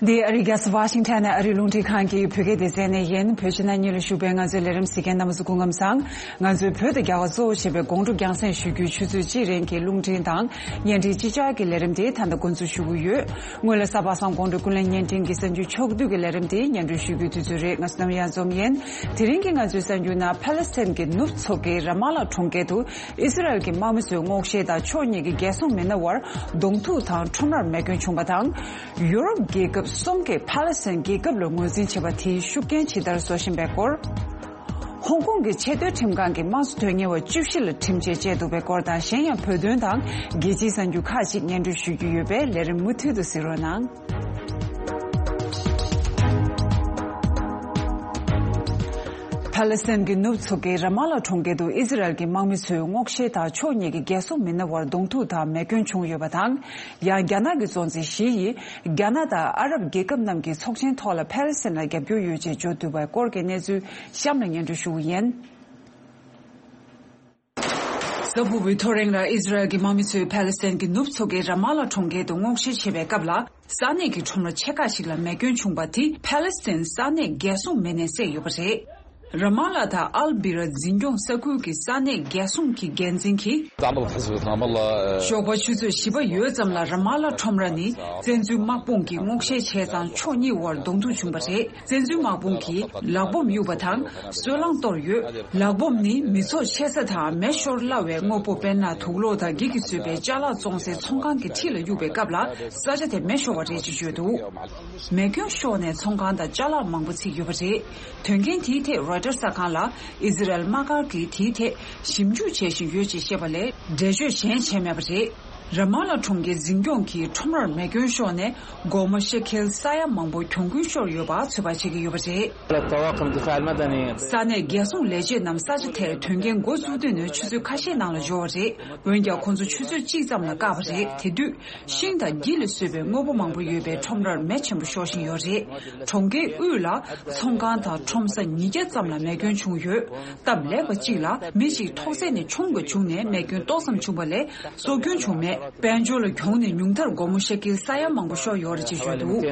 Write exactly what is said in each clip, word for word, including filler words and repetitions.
འདི་ཨ་རིའི་རྒྱལ་ས་ཝ་ཤིང་ཊོན་ནས་ཨ་རིའི་རླུང་འཕྲིན་ཁང་གི་བོད་སྐད་སྡེ་ཚན་ནས་ཡིན། བོད་ཕྱི་ནང་གཉིས་ལ་བཞུགས་པའི་ང་ཚོའི་ལས་རིམ་གཟིགས་མཁན་རྣམ་པ་ཚོ་སྐུ་ཁམས་བཟང་། ང་ཚོའི་བོད་དང་རྒྱ་གར་གཙོ་བོ་བྱས་པའི་སྒོང་དྲུག་རྒྱང་སྲིང་ཞུ་རྒྱུའི་ཆུ་ཚོད་གཅིག་རིང་གི་རླུང་འཕྲིན་དང་བརྙན་འཕྲིན་གཅིག་ཆར་གྱི་ལས་རིམ་དེ་ད་ལྟ་འགོ་འཛུགས་ཞུ་གི་ཡོད། སྔོན་ལ་གཟའ་པ་སངས་དགོང་དྲོ་ཀུན་གླེང་བརྙན་འཕྲིན་གྱི་གསར་འགྱུར་ཕྱོགས་བསྡུས་ཀྱི་ལས་རིམ་དེ་སྙན་སྒྲོན་ཞུ་རྒྱུའི་དུས་ཚོད་རེད། ང་བསོད་ནམས་གཡང་འཛོམས་ཡིན། དེ་རིང་གི་ང་ཚོའི་གསར་འགྱུར་ནང་ཕཱ་ལེ་སི་ཐན་གྱི་ནུབ་མཚོ་ཁུལ་ར་མ་ལ་གྲོང་ཁྱེར་དུ་ཨི་སི་རལ་གྱི་དམག་མི་ཚོའི་སྔོག་བཤེར་དང་ཕྱོགས་གཉིས་ཀྱི་རྒྱལ་སྲུང་མི་སྣ་བར་གདོང་ཐུག་དང་ཁྲོམ་རར་རྨས་སྐྱོན་བྱུང་བ་དང་། ཡུ་རོབ་རྒྱལ་ཁབ་གསུམ་གྱིས་ཕཱ་ལེ་སི་ཐན་རྒྱལ་ཁབ་ལ་ངོས་འཛིན་བྱེད་པ་དེའི་ཤུགས་རྐྱེན་ཇི་ལྟར་བཟོ་བཞིན་པའི་སྐོར། ཧོང་ཀོང་གི་ཆེས་མཐོའི་ཁྲིམས་ཁང་གིས་དམངས་གཙོ་དོན་གཉེར་བ་བཅུ་བཞི་ལ་ཁྲིམས་ཆད་བཅད་འདུག་པའི་སྐོར་དང་། གཞན་ཡང་བོད་དོན་དང་རྒྱལ་སྤྱིའི་གསར་འགྱུར་ཁག་ཅིག་སྙན་སྒྲོན་ཞུ་རྒྱུ་ཡོད་པས་ལས་རིམ་མུ་མཐུད་དུ་གཟིགས་རོགས་གནང་། ཕཱ་ལེ་སི་ཐན་གྱི་ནུབ་མཚོ་ཁུལ་ར་མ་ལ་གྲོང་ཁྱེར་དུ་ཨི་སི་རལ་གྱི་དམག་མི་ཚོའི་སྔོག་བཤེར་དང་ཕྱོགས་གཉིས་ཀྱི་རྒྱལ་སྲུང་མི་སྣ་བར་གདོང་ཐུག་དང་རྨས་སྐྱོན་བྱུང་ཡོད་པ་དང་། ཡང་རྒྱ་ནག་གི་གཙོ་འཛིན་ཞི་ཡིས་རྒྱ་ནག་དང་ཨ་རབ་རྒྱལ་ཁབ་རྣམས་ཀྱིས་ཚོགས་ཆེན་ཐོག་ལ་ཕཱ་ལེ་སི་ཐན་ལ་རྒྱབ་སྐྱོར་ཡོད་ཅེས་བརྗོད་འདུག་པའི་སྐོར་གྱི་གནས་ཚུལ་གཤམ་ལ་སྙན་སྒྲོན་ཞུ་གི་ཡིན། གཟའ་ཕུར་བུའི་ཐོ་རེངས་ལ་ཨི་སི་རལ་གྱི་དམག་མི་ཚོས་ཕཱ་ལེ་སི་ཐན་གྱི་ནུབ་མཚོ་ཁུལ་ར་མ་ལ་གྲོང་ཁྱེར་དུ་སྔོག་བཤེར་བྱེད་པའི་སྐབས་ལ། ས་གནས་ཀྱི་ཁྲོམ་ར་ཆེ་ཁག་ཞིག་ལ་རྨས་སྐྱོན་བྱུང་བ་དེ་ཕཱ་ལེ་སི་ཐན་ས་གནས་རྒྱལ་སྲུང་མི་སྣས་བསད་ཡོད་པ་རེད། ར་མ་ལ་དང་ཨལ་བི་ར་འཛིན་སྐྱོང་ས་ཁུལ་གྱི་ས་གནས་རྒྱལ་སྲུང་གི་འགན་འཛིན་གྱིས། ཞོགས་པ་ཆུ་ཚོད་བཞི་པ་ཡོལ་ཙམ་ལ་ར་མ་ལ་ཁྲོམ་ར་ནི་བཙན་འཛུལ་དམག་དཔུང་གིས་སྔོག་བཤེར་བྱས་ཙང་ཕྱོགས་གཉིས་བར་གདོང་ཐུག་བྱུང་བ་རེད། བཙན་འཛུལ་དམག་དཔུང་གིས་ལག་འབོམ་གཡུགས་པ་དང་སོལ་རླངས་གཏོར་ཡོད། ལག་འབོམ་ནི་མི་ཚོགས་ཆེ་ས་དང་མེ་ཤོར་སླ་བའི་དངོས་པོ། དཔེར་ན་དུག་ལོག་དང་འགྱིག་གིས་བཟོས་པའི་ཅ་ལག་བཙོང་སའི་ཚོང་ཁང་གི་འཁྲིས་ལ་གཡུགས་པའི་སྐབས་ལ་ས་ཆ་དེ་མེ་ཤོར་བ་རེད་ཅེས་བརྗོད་འདུག་རྨས་སྐྱོན་ཤོར་ནས་ཚོང་ཁང་དང་ཅ་ལག་མང་པོ་ཚིག་ཡོད་པ་རེད། དོན་རྐྱེན་དེའི་ཐད་རོའི་ཊར་གསར་ཁང་ལ་ཨི་ཟི་རལ་དམག་སྒར་གྱིས་དེའི་ཐད་ཞིབ་འཇུག་བྱེད་བཞིན་ཡོད་ཅེས་བཤད་པ་ལས་འགྲེལ་བརྗོད་གཞན་བྱས་མེད་པ་རེད། ར་མ་ལ་གྲོང་ཁྱེར་འཛིན་སྐྱོང་གིས་ཁྲོམ་རར་རྨས་སྐྱོན་ཤོར་ནས་སྒོར་མོ་ཤེ་ཁེལ་ས་ཡ་མང་པོ་གྱོང་གུན་ཤོར་ཡོད་པ་ཚོད་དཔག་བྱེད་ཀྱི་ཡོད་པ་རེད། ས་གནས་རྒྱལ་སྲུང་ལས་བྱེད་རྣམས་ས་ཆ་དེར་དོན་རྐྱེན་འགོ་བཙུགས་དུས་ནས་ཆུ་ཚོད་ཁ་ཤས་ནང་ལ་འབྱོར་བ་རེད། འོན་ཀྱང་ཁོང་ཚོ་ཆུ་ཚོད་གཅིག་ཙམ་ལ་བཀག་པ་རེད། དེ་དུས་ཤིང་དང་འགྱིག་ལས་བཟོས་པའི་དངོས་པོ་མང་པོ་ཡོད་པའི་ཁྲོམ་རར་མེ་ཆེན་པོ་ཤོར་བཞིན་ཡོད་རེད། གྲོང་ཁྱེར་དབུས་ལ་ཚོང་ཁང་དང་ཁྲོམ་ས་ཉིས་བརྒྱ་ཙམ་ལ་རྨས་སྐྱོན་བྱུང་ཡོད། སྟབས་ལེགས་པ་གཅིག་ལ་མི་གཅིག་ཐོག་བརྩེགས་ནས་མཆོང་དགོས་བྱུང་ནས་རྨས་སྐྱོན་ཏོག་ཙམ་བྱུང་བ་ལས་སྲོག་སྐྱོན་བྱུང་མེད། དཔལ་འབྱོར་ལ་གྱོང་ནི་ཉུང་མཐར་སྒོར་མོ་ཤེ་ཀེལ་ས་ཡ་མང་པོ་ཤོར་ཡོད་རེད་ཅེས་བརྗོད་འདུག་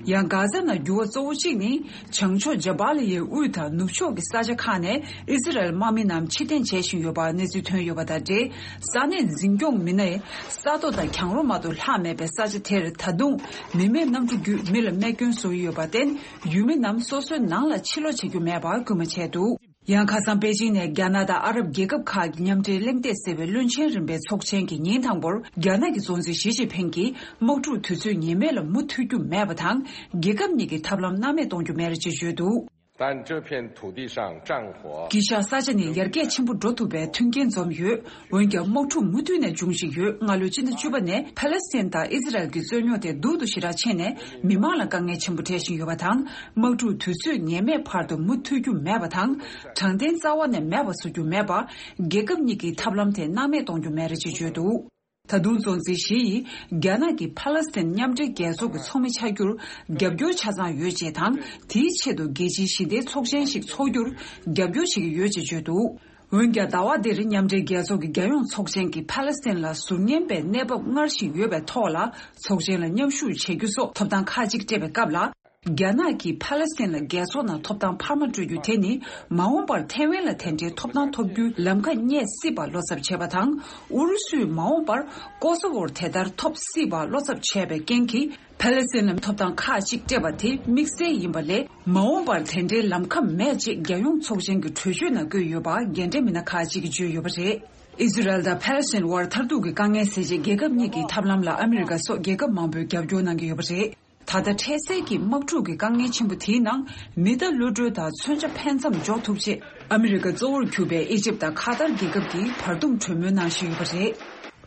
ཡང་གྷ་ཛ་ནང་འགྱུར་བ་གཙོ་བོ་གཅིག་ནི་བྱང་ཕྱོགས་ཇ་བ་ལི་ཡའི་དབུས་དང་ནུབ་ཕྱོགས་ཀྱི་ས་ཆ་ཁག་ནས་ཨི་ཟི་རལ་དམག་མི་རྣམས་ཕྱིར་འཐེན་བྱེད་བཞིན་ཡོད་པ་གནས་ཚུལ་ཐོན་ཡོད་པ་དང་འབྲེལ། ས་གནས་འཛིན་སྐྱོང་མི་སྣས་ས་རྡོ་དང་གྱང་རོ་མ་གཏོགས་ལྷག་མེད་པའི་ས་ཆ་དེར་ད་དུང་མི་མེད་གནམ་གྲུ་བརྒྱུད་མི་ལ་རྨས་སྐྱོན་བཟོ་ཡི་ཡོད་པར་བརྟེན། ཡུལ་མི་རྣམས་སོ་སོའི་ནང་ལ་ཕྱིར་ལོག་བྱེད་རྒྱུ་མེད་པར་སྐུལ་མ་བྱས་འདུག་ཡང་ཁ་སང་པེ་ཅིང་ནས་རྒྱ་ནག་དང་ཨ་རབ་རྒྱལ་ཁབ་ཁག་གི་མཉམ་འབྲེལ་གླེང་སྟེགས་ཟེར་བའི་བློན་ཆེན་རིམ་པའི་ཚོགས་ཆེན་གྱི་ཉིན་དང་པོར་རྒྱ་ནག་གི་གཙོ་འཛིན་ཞི་ཅིན་ཕིང་གིས་དམག་འཁྲུག་དུས་ཚོད་ངེས་མེད་ལ་མུ་མཐུད་རྒྱུ་མེད་པ་དང་། རྒྱལ་ཁབ་གཉིས་ཀྱི་ཐབས་ལམ་སྣང་མེད་གཏོང་རྒྱུ་མེད་ཅེས་བརྗོད་འདུག 但这片土地上战火 དཀྱིལ་ཤར་ས་ཆ་ནས་ཡར་རྒྱས་ཆེན་པོ་འགྲོ་ཐུབ་པའི་མཐུན་རྐྱེན་འཛོམས་ཡོད། འོན་ཀྱང་དམག་འཁྲུག་མུ་མཐུད་ནས་འབྱུང་བཞིན་ཡོད། སྔ་ལོའི་སྤྱི་ཟླ་བཅུ་པ་ནས་ཕ་ལེ་སི་ཐན་དང་ཨི་ཟི་རལ་གྱི་རྩོད་རྙོག་དེ་སྡུག་ཏུ་ཞེ་དྲག་ཕྱིན་ནས་མི་མང་ལ་དཀའ་ངལ་ཆེན་པོ་འཕྲད་བཞིན་ཡོད་པ་དང་། དམག་འཁྲུག་དུས་ཚོད་ངེས་མེད་བར་དུ་མུ་མཐུད་རྒྱུ་མེད་པ་དང་། དྲང་བདེན་རྩ་བ་ནས་མེད་པ་བཟོ་རྒྱུ་མེད་པར། རྒྱལ་ཁབ་གཉིས་ཀྱི་ཐབས་ལམ་དེ་སྣང་མེད་གཏོང་རྒྱུ་མེད་རེད་ཅེས་བརྗོད་འདུག་ད་དུང་གཙོ་འཛིན་ཞི་ཡིས་རྒྱ་ནག་གིས་ཕ་ལེ་སི་ཐན་མཉམ་འབྲེལ་རྒྱལ་ཚོགས་ཀྱི་ཚོགས་མི་ཆགས་རྒྱུར་རྒྱབ་སྐྱོར་ཆ་ཚང་ཡོད་ཅེས་དང་། དེའི་ཆེད་དུ་རྒྱལ་སྤྱིའི་ཞི་བདེའི་ཚོགས་ཆེན་ཞིག་འཚོགས་རྒྱུར་རྒྱབ་སྐྱོར་བྱེད་ཀྱི་ཡོད་ཅེས་བརྗོད་འདུག་འོན་ཀྱང་ཟླ་བ་འདིར་མཉམ་འབྲེལ་རྒྱལ་ཚོགས་ཀྱི་རྒྱལ་ཡོངས་ཚོགས་ཆེན་གྱིས་ཕ་ལེ་སི་ཐན་ལ་ཟུར་ཉན་པའི་གནས་བབ་སྔར་བཞིན་ཡོད་པའི་ཐོག་ལ་ཚོགས་ཆེན་ལ་མཉམ་ཞུགས་བྱེད་རྒྱུ་སོགས་ཐོབ་ཐང་ཁག་ཅིག་སྤྲད་པའི་སྐབས་ལ། རྒྱ་ནག་གིས་ཕ་ལེ་སི་ཐན་ལ་རྒྱལ་ཚོགས་ནང་ཐོབ་ཐང་འཕར་མ་སྤྲོད་རྒྱུ་དེ་ནི་མ་འོངས་པར་ཐའེ་ཝན་ལ་དེ་འདྲའི་ཐོབ་ཐང་ཐོབ་རྒྱུའི་ལམ་ཁ་རྙེད་སྲིད་པ་བློ་འཚབ་བྱས་པ་དང་། ཨུ་རུ་སུས་མ་འོངས་པར་ཀོ་སོ་ཝོར་དེ་ལྟར་ཐོབ་སྲིད་པ་བློ་འཚབ་བྱས་པའི་རྐྱེན་གྱིས། ཕ་ལེ་སི་ཐན་ལ་ཐོབ་ཐང་ཁག་ཅིག་སྤྲད་པ་དེ་དམིགས་བསལ་ཡིན་པ་ལས། མ་འོངས་པར་དེ་འདྲའི་ལམ་ཁ་མེད་ཅེས་རྒྱལ་ཡོངས་ཚོགས་ཆེན་གྱི་གྲོས་ཆོད་ནང་བཀོད་ཡོད་པ་རྒན་གྲས་མི་སྣ་ཁག་ཅིག་གིས་བརྗོད་ཡོད་པ་རེད། ཨི་ཟི་རལ་དང་ཕ་ལེ་སི་ཐན་དབར་མཐར་ཐུག་གི་དཀའ་ངལ་སེལ་ཆེད་རྒྱལ་ཁབ་གཉིས་ཀྱི་ཐབས་ལམ་ལ་ཨ་མི་རི་ཀ་སོགས་རྒྱལ་ཁབ་མང་པོས་རྒྱབ་སྐྱོར་གནང་གི་ཡོད་པ་རེད། ད་ལྟ་འཕྲལ་སེལ་གྱི་དམག་འཁྲུག་གི་དཀའ་ངལ་ཆེན་པོ་དེའི་ནང་མི་རྟ་གློད་གྲོལ་དང་མཚོན་ཆ་ཕན་མཚམས་འཇོག་ཐུབ་ཆེད་ཨ་མི་རི་ཀ་གཙོ་བོར་གྱུར་པའི་ཨི་ཇིབ་དང་ཁ་ཏར་རྒྱལ་ཁབ་ཀྱིས་བར་འདུམ་གྲོས་མོལ་གནང་བཞིན་ཡོད་པ་རེད།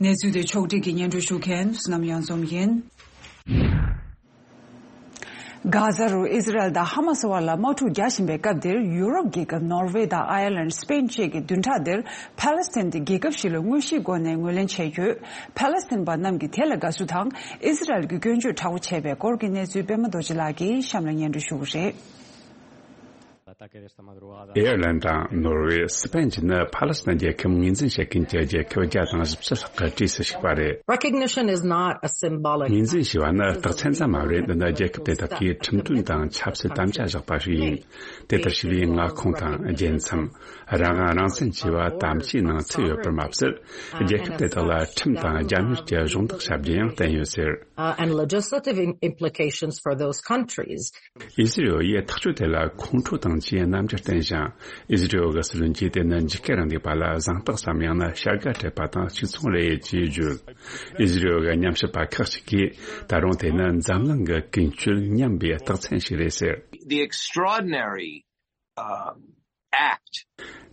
གནས་ཚུལ་དེ་ཕྱོགས་སྒྲིག་གིས་སྙན་སྒྲོན་ཞུ་མཁན་བསོད་ནམས་གཡང་འཛོམས་ཡིན། གྷ་ཟ་རུ་ཨི་ཟི་རལ་དང་ཧ་མ་སི་བར་ལ་དམག་འཁྲུག་རྒྱག་བཞིན་པའི་སྐབས་འདིར་ཡུ་རོབ་རྒྱལ་ཁབ་ནོར་ཝེ་དང་ཨའི་ལན། སི་པེན་བཅས་ཀྱི་བདུན་ཕྲག་འདིར་ཕཱ་ལེ་སི་ཐན་དེ་རྒྱལ་ཁབ་ཞིག་ལ་དངོས་གཞིའི་སྒོ་ནས་ངོས་ལེན་བྱས་ཡོད། ཕཱ་ལེ་སི་ཐན་པ་རྣམས་ཀྱིས་དེ་ལ་དགའ་བསུ་དང་ཨི་ཟི་རལ་གྱི་སྐྱོན་བརྗོད་དྲག་པོ་བྱས་པའི་སྐོར་གྱི་གནས་ཚུལ་པད་མ་རྡོ་རྗེ་ལགས་ཀྱིས་གཤམ་ལ་སྙན་སྒྲོན་ཞུ་གི་རེད། ཨེར་ལན་དང་ནོར་ཝེ། སི་པན་བཅས་ནི་ཕ་ལེ་སི་ཐན་རྒྱལ་ཁབ་ངོས་འཛིན་བྱེད་མཁན་གྱི་རྒྱལ་ཁབ་བརྒྱ་དང་བཞི་བཅུ་ལྷག་གི་གྲས་སུ་ཞུགས་པ་རེད། Recognition is not a symbolic ངོས་འཛིན་ཞེས་པ་ནི་རྟགས་མཚན་ཙམ་མ་རེད། འདི་ནི་རྒྱལ་ཁབ་དེ་དག་གིས་ཁྲིམས་དོན་དང་ཆབ་སྲིད་དམ་བཅའ་བཞག་པ་ཞིག་ཡིན། དེ་ལྟར་ཞུ་བའི་མངའ་ཁོངས་དང་རྒྱལ་མཚམས། རང་དབང་རང་བཙན་བཅས་པ་དམ་བཅའི་ནང་ཚུད་ཡོད་པར་མ་ཟད། རྒྱལ་ཁབ་དེ་དག་ལ་ཁྲིམས་དང་རྒྱབ་གཉེར་གྱི་གཞོགས་འདེགས་བྱ་རྒྱུ་ཡང་བསྟན་ཡོད་ཟེར། Uh, and legislative im- implications for those countries. ཨི་ཟི་རེལ་ཡིས་ཐག་གཅོད་དེ་ལ་ཁོང་ཁྲོ་དང་བཅས་རྣམ་འགྱུར་བསྟན་ཞིང་། ཨི་ཟི་རེལ་གྱི་སྲིད་བློན་གྱིས་དེ་ནི་འཇིགས་སྐུལ་རིང་ལུགས་པ་ལ་གཟེངས་རྟགས་སམ། ཡང་ན་བྱ་དགའ་སྤྲད་པ་དང་གཅིག་མཚུངས་རེད་ཅེས་བརྗོད། ཨི་ཟི་རེལ་གྱི་ཉམས་ཞིབ་པ་ཁག་ཅིག་གིས་ད་རུང་དེ་ནི་འཛམ་གླིང་གི་ཀུན་སྤྱོད་ཉམས་པའི་རྟགས་མཚན་ཞིག་རེད་ཟེར། The extraordinary, um, act.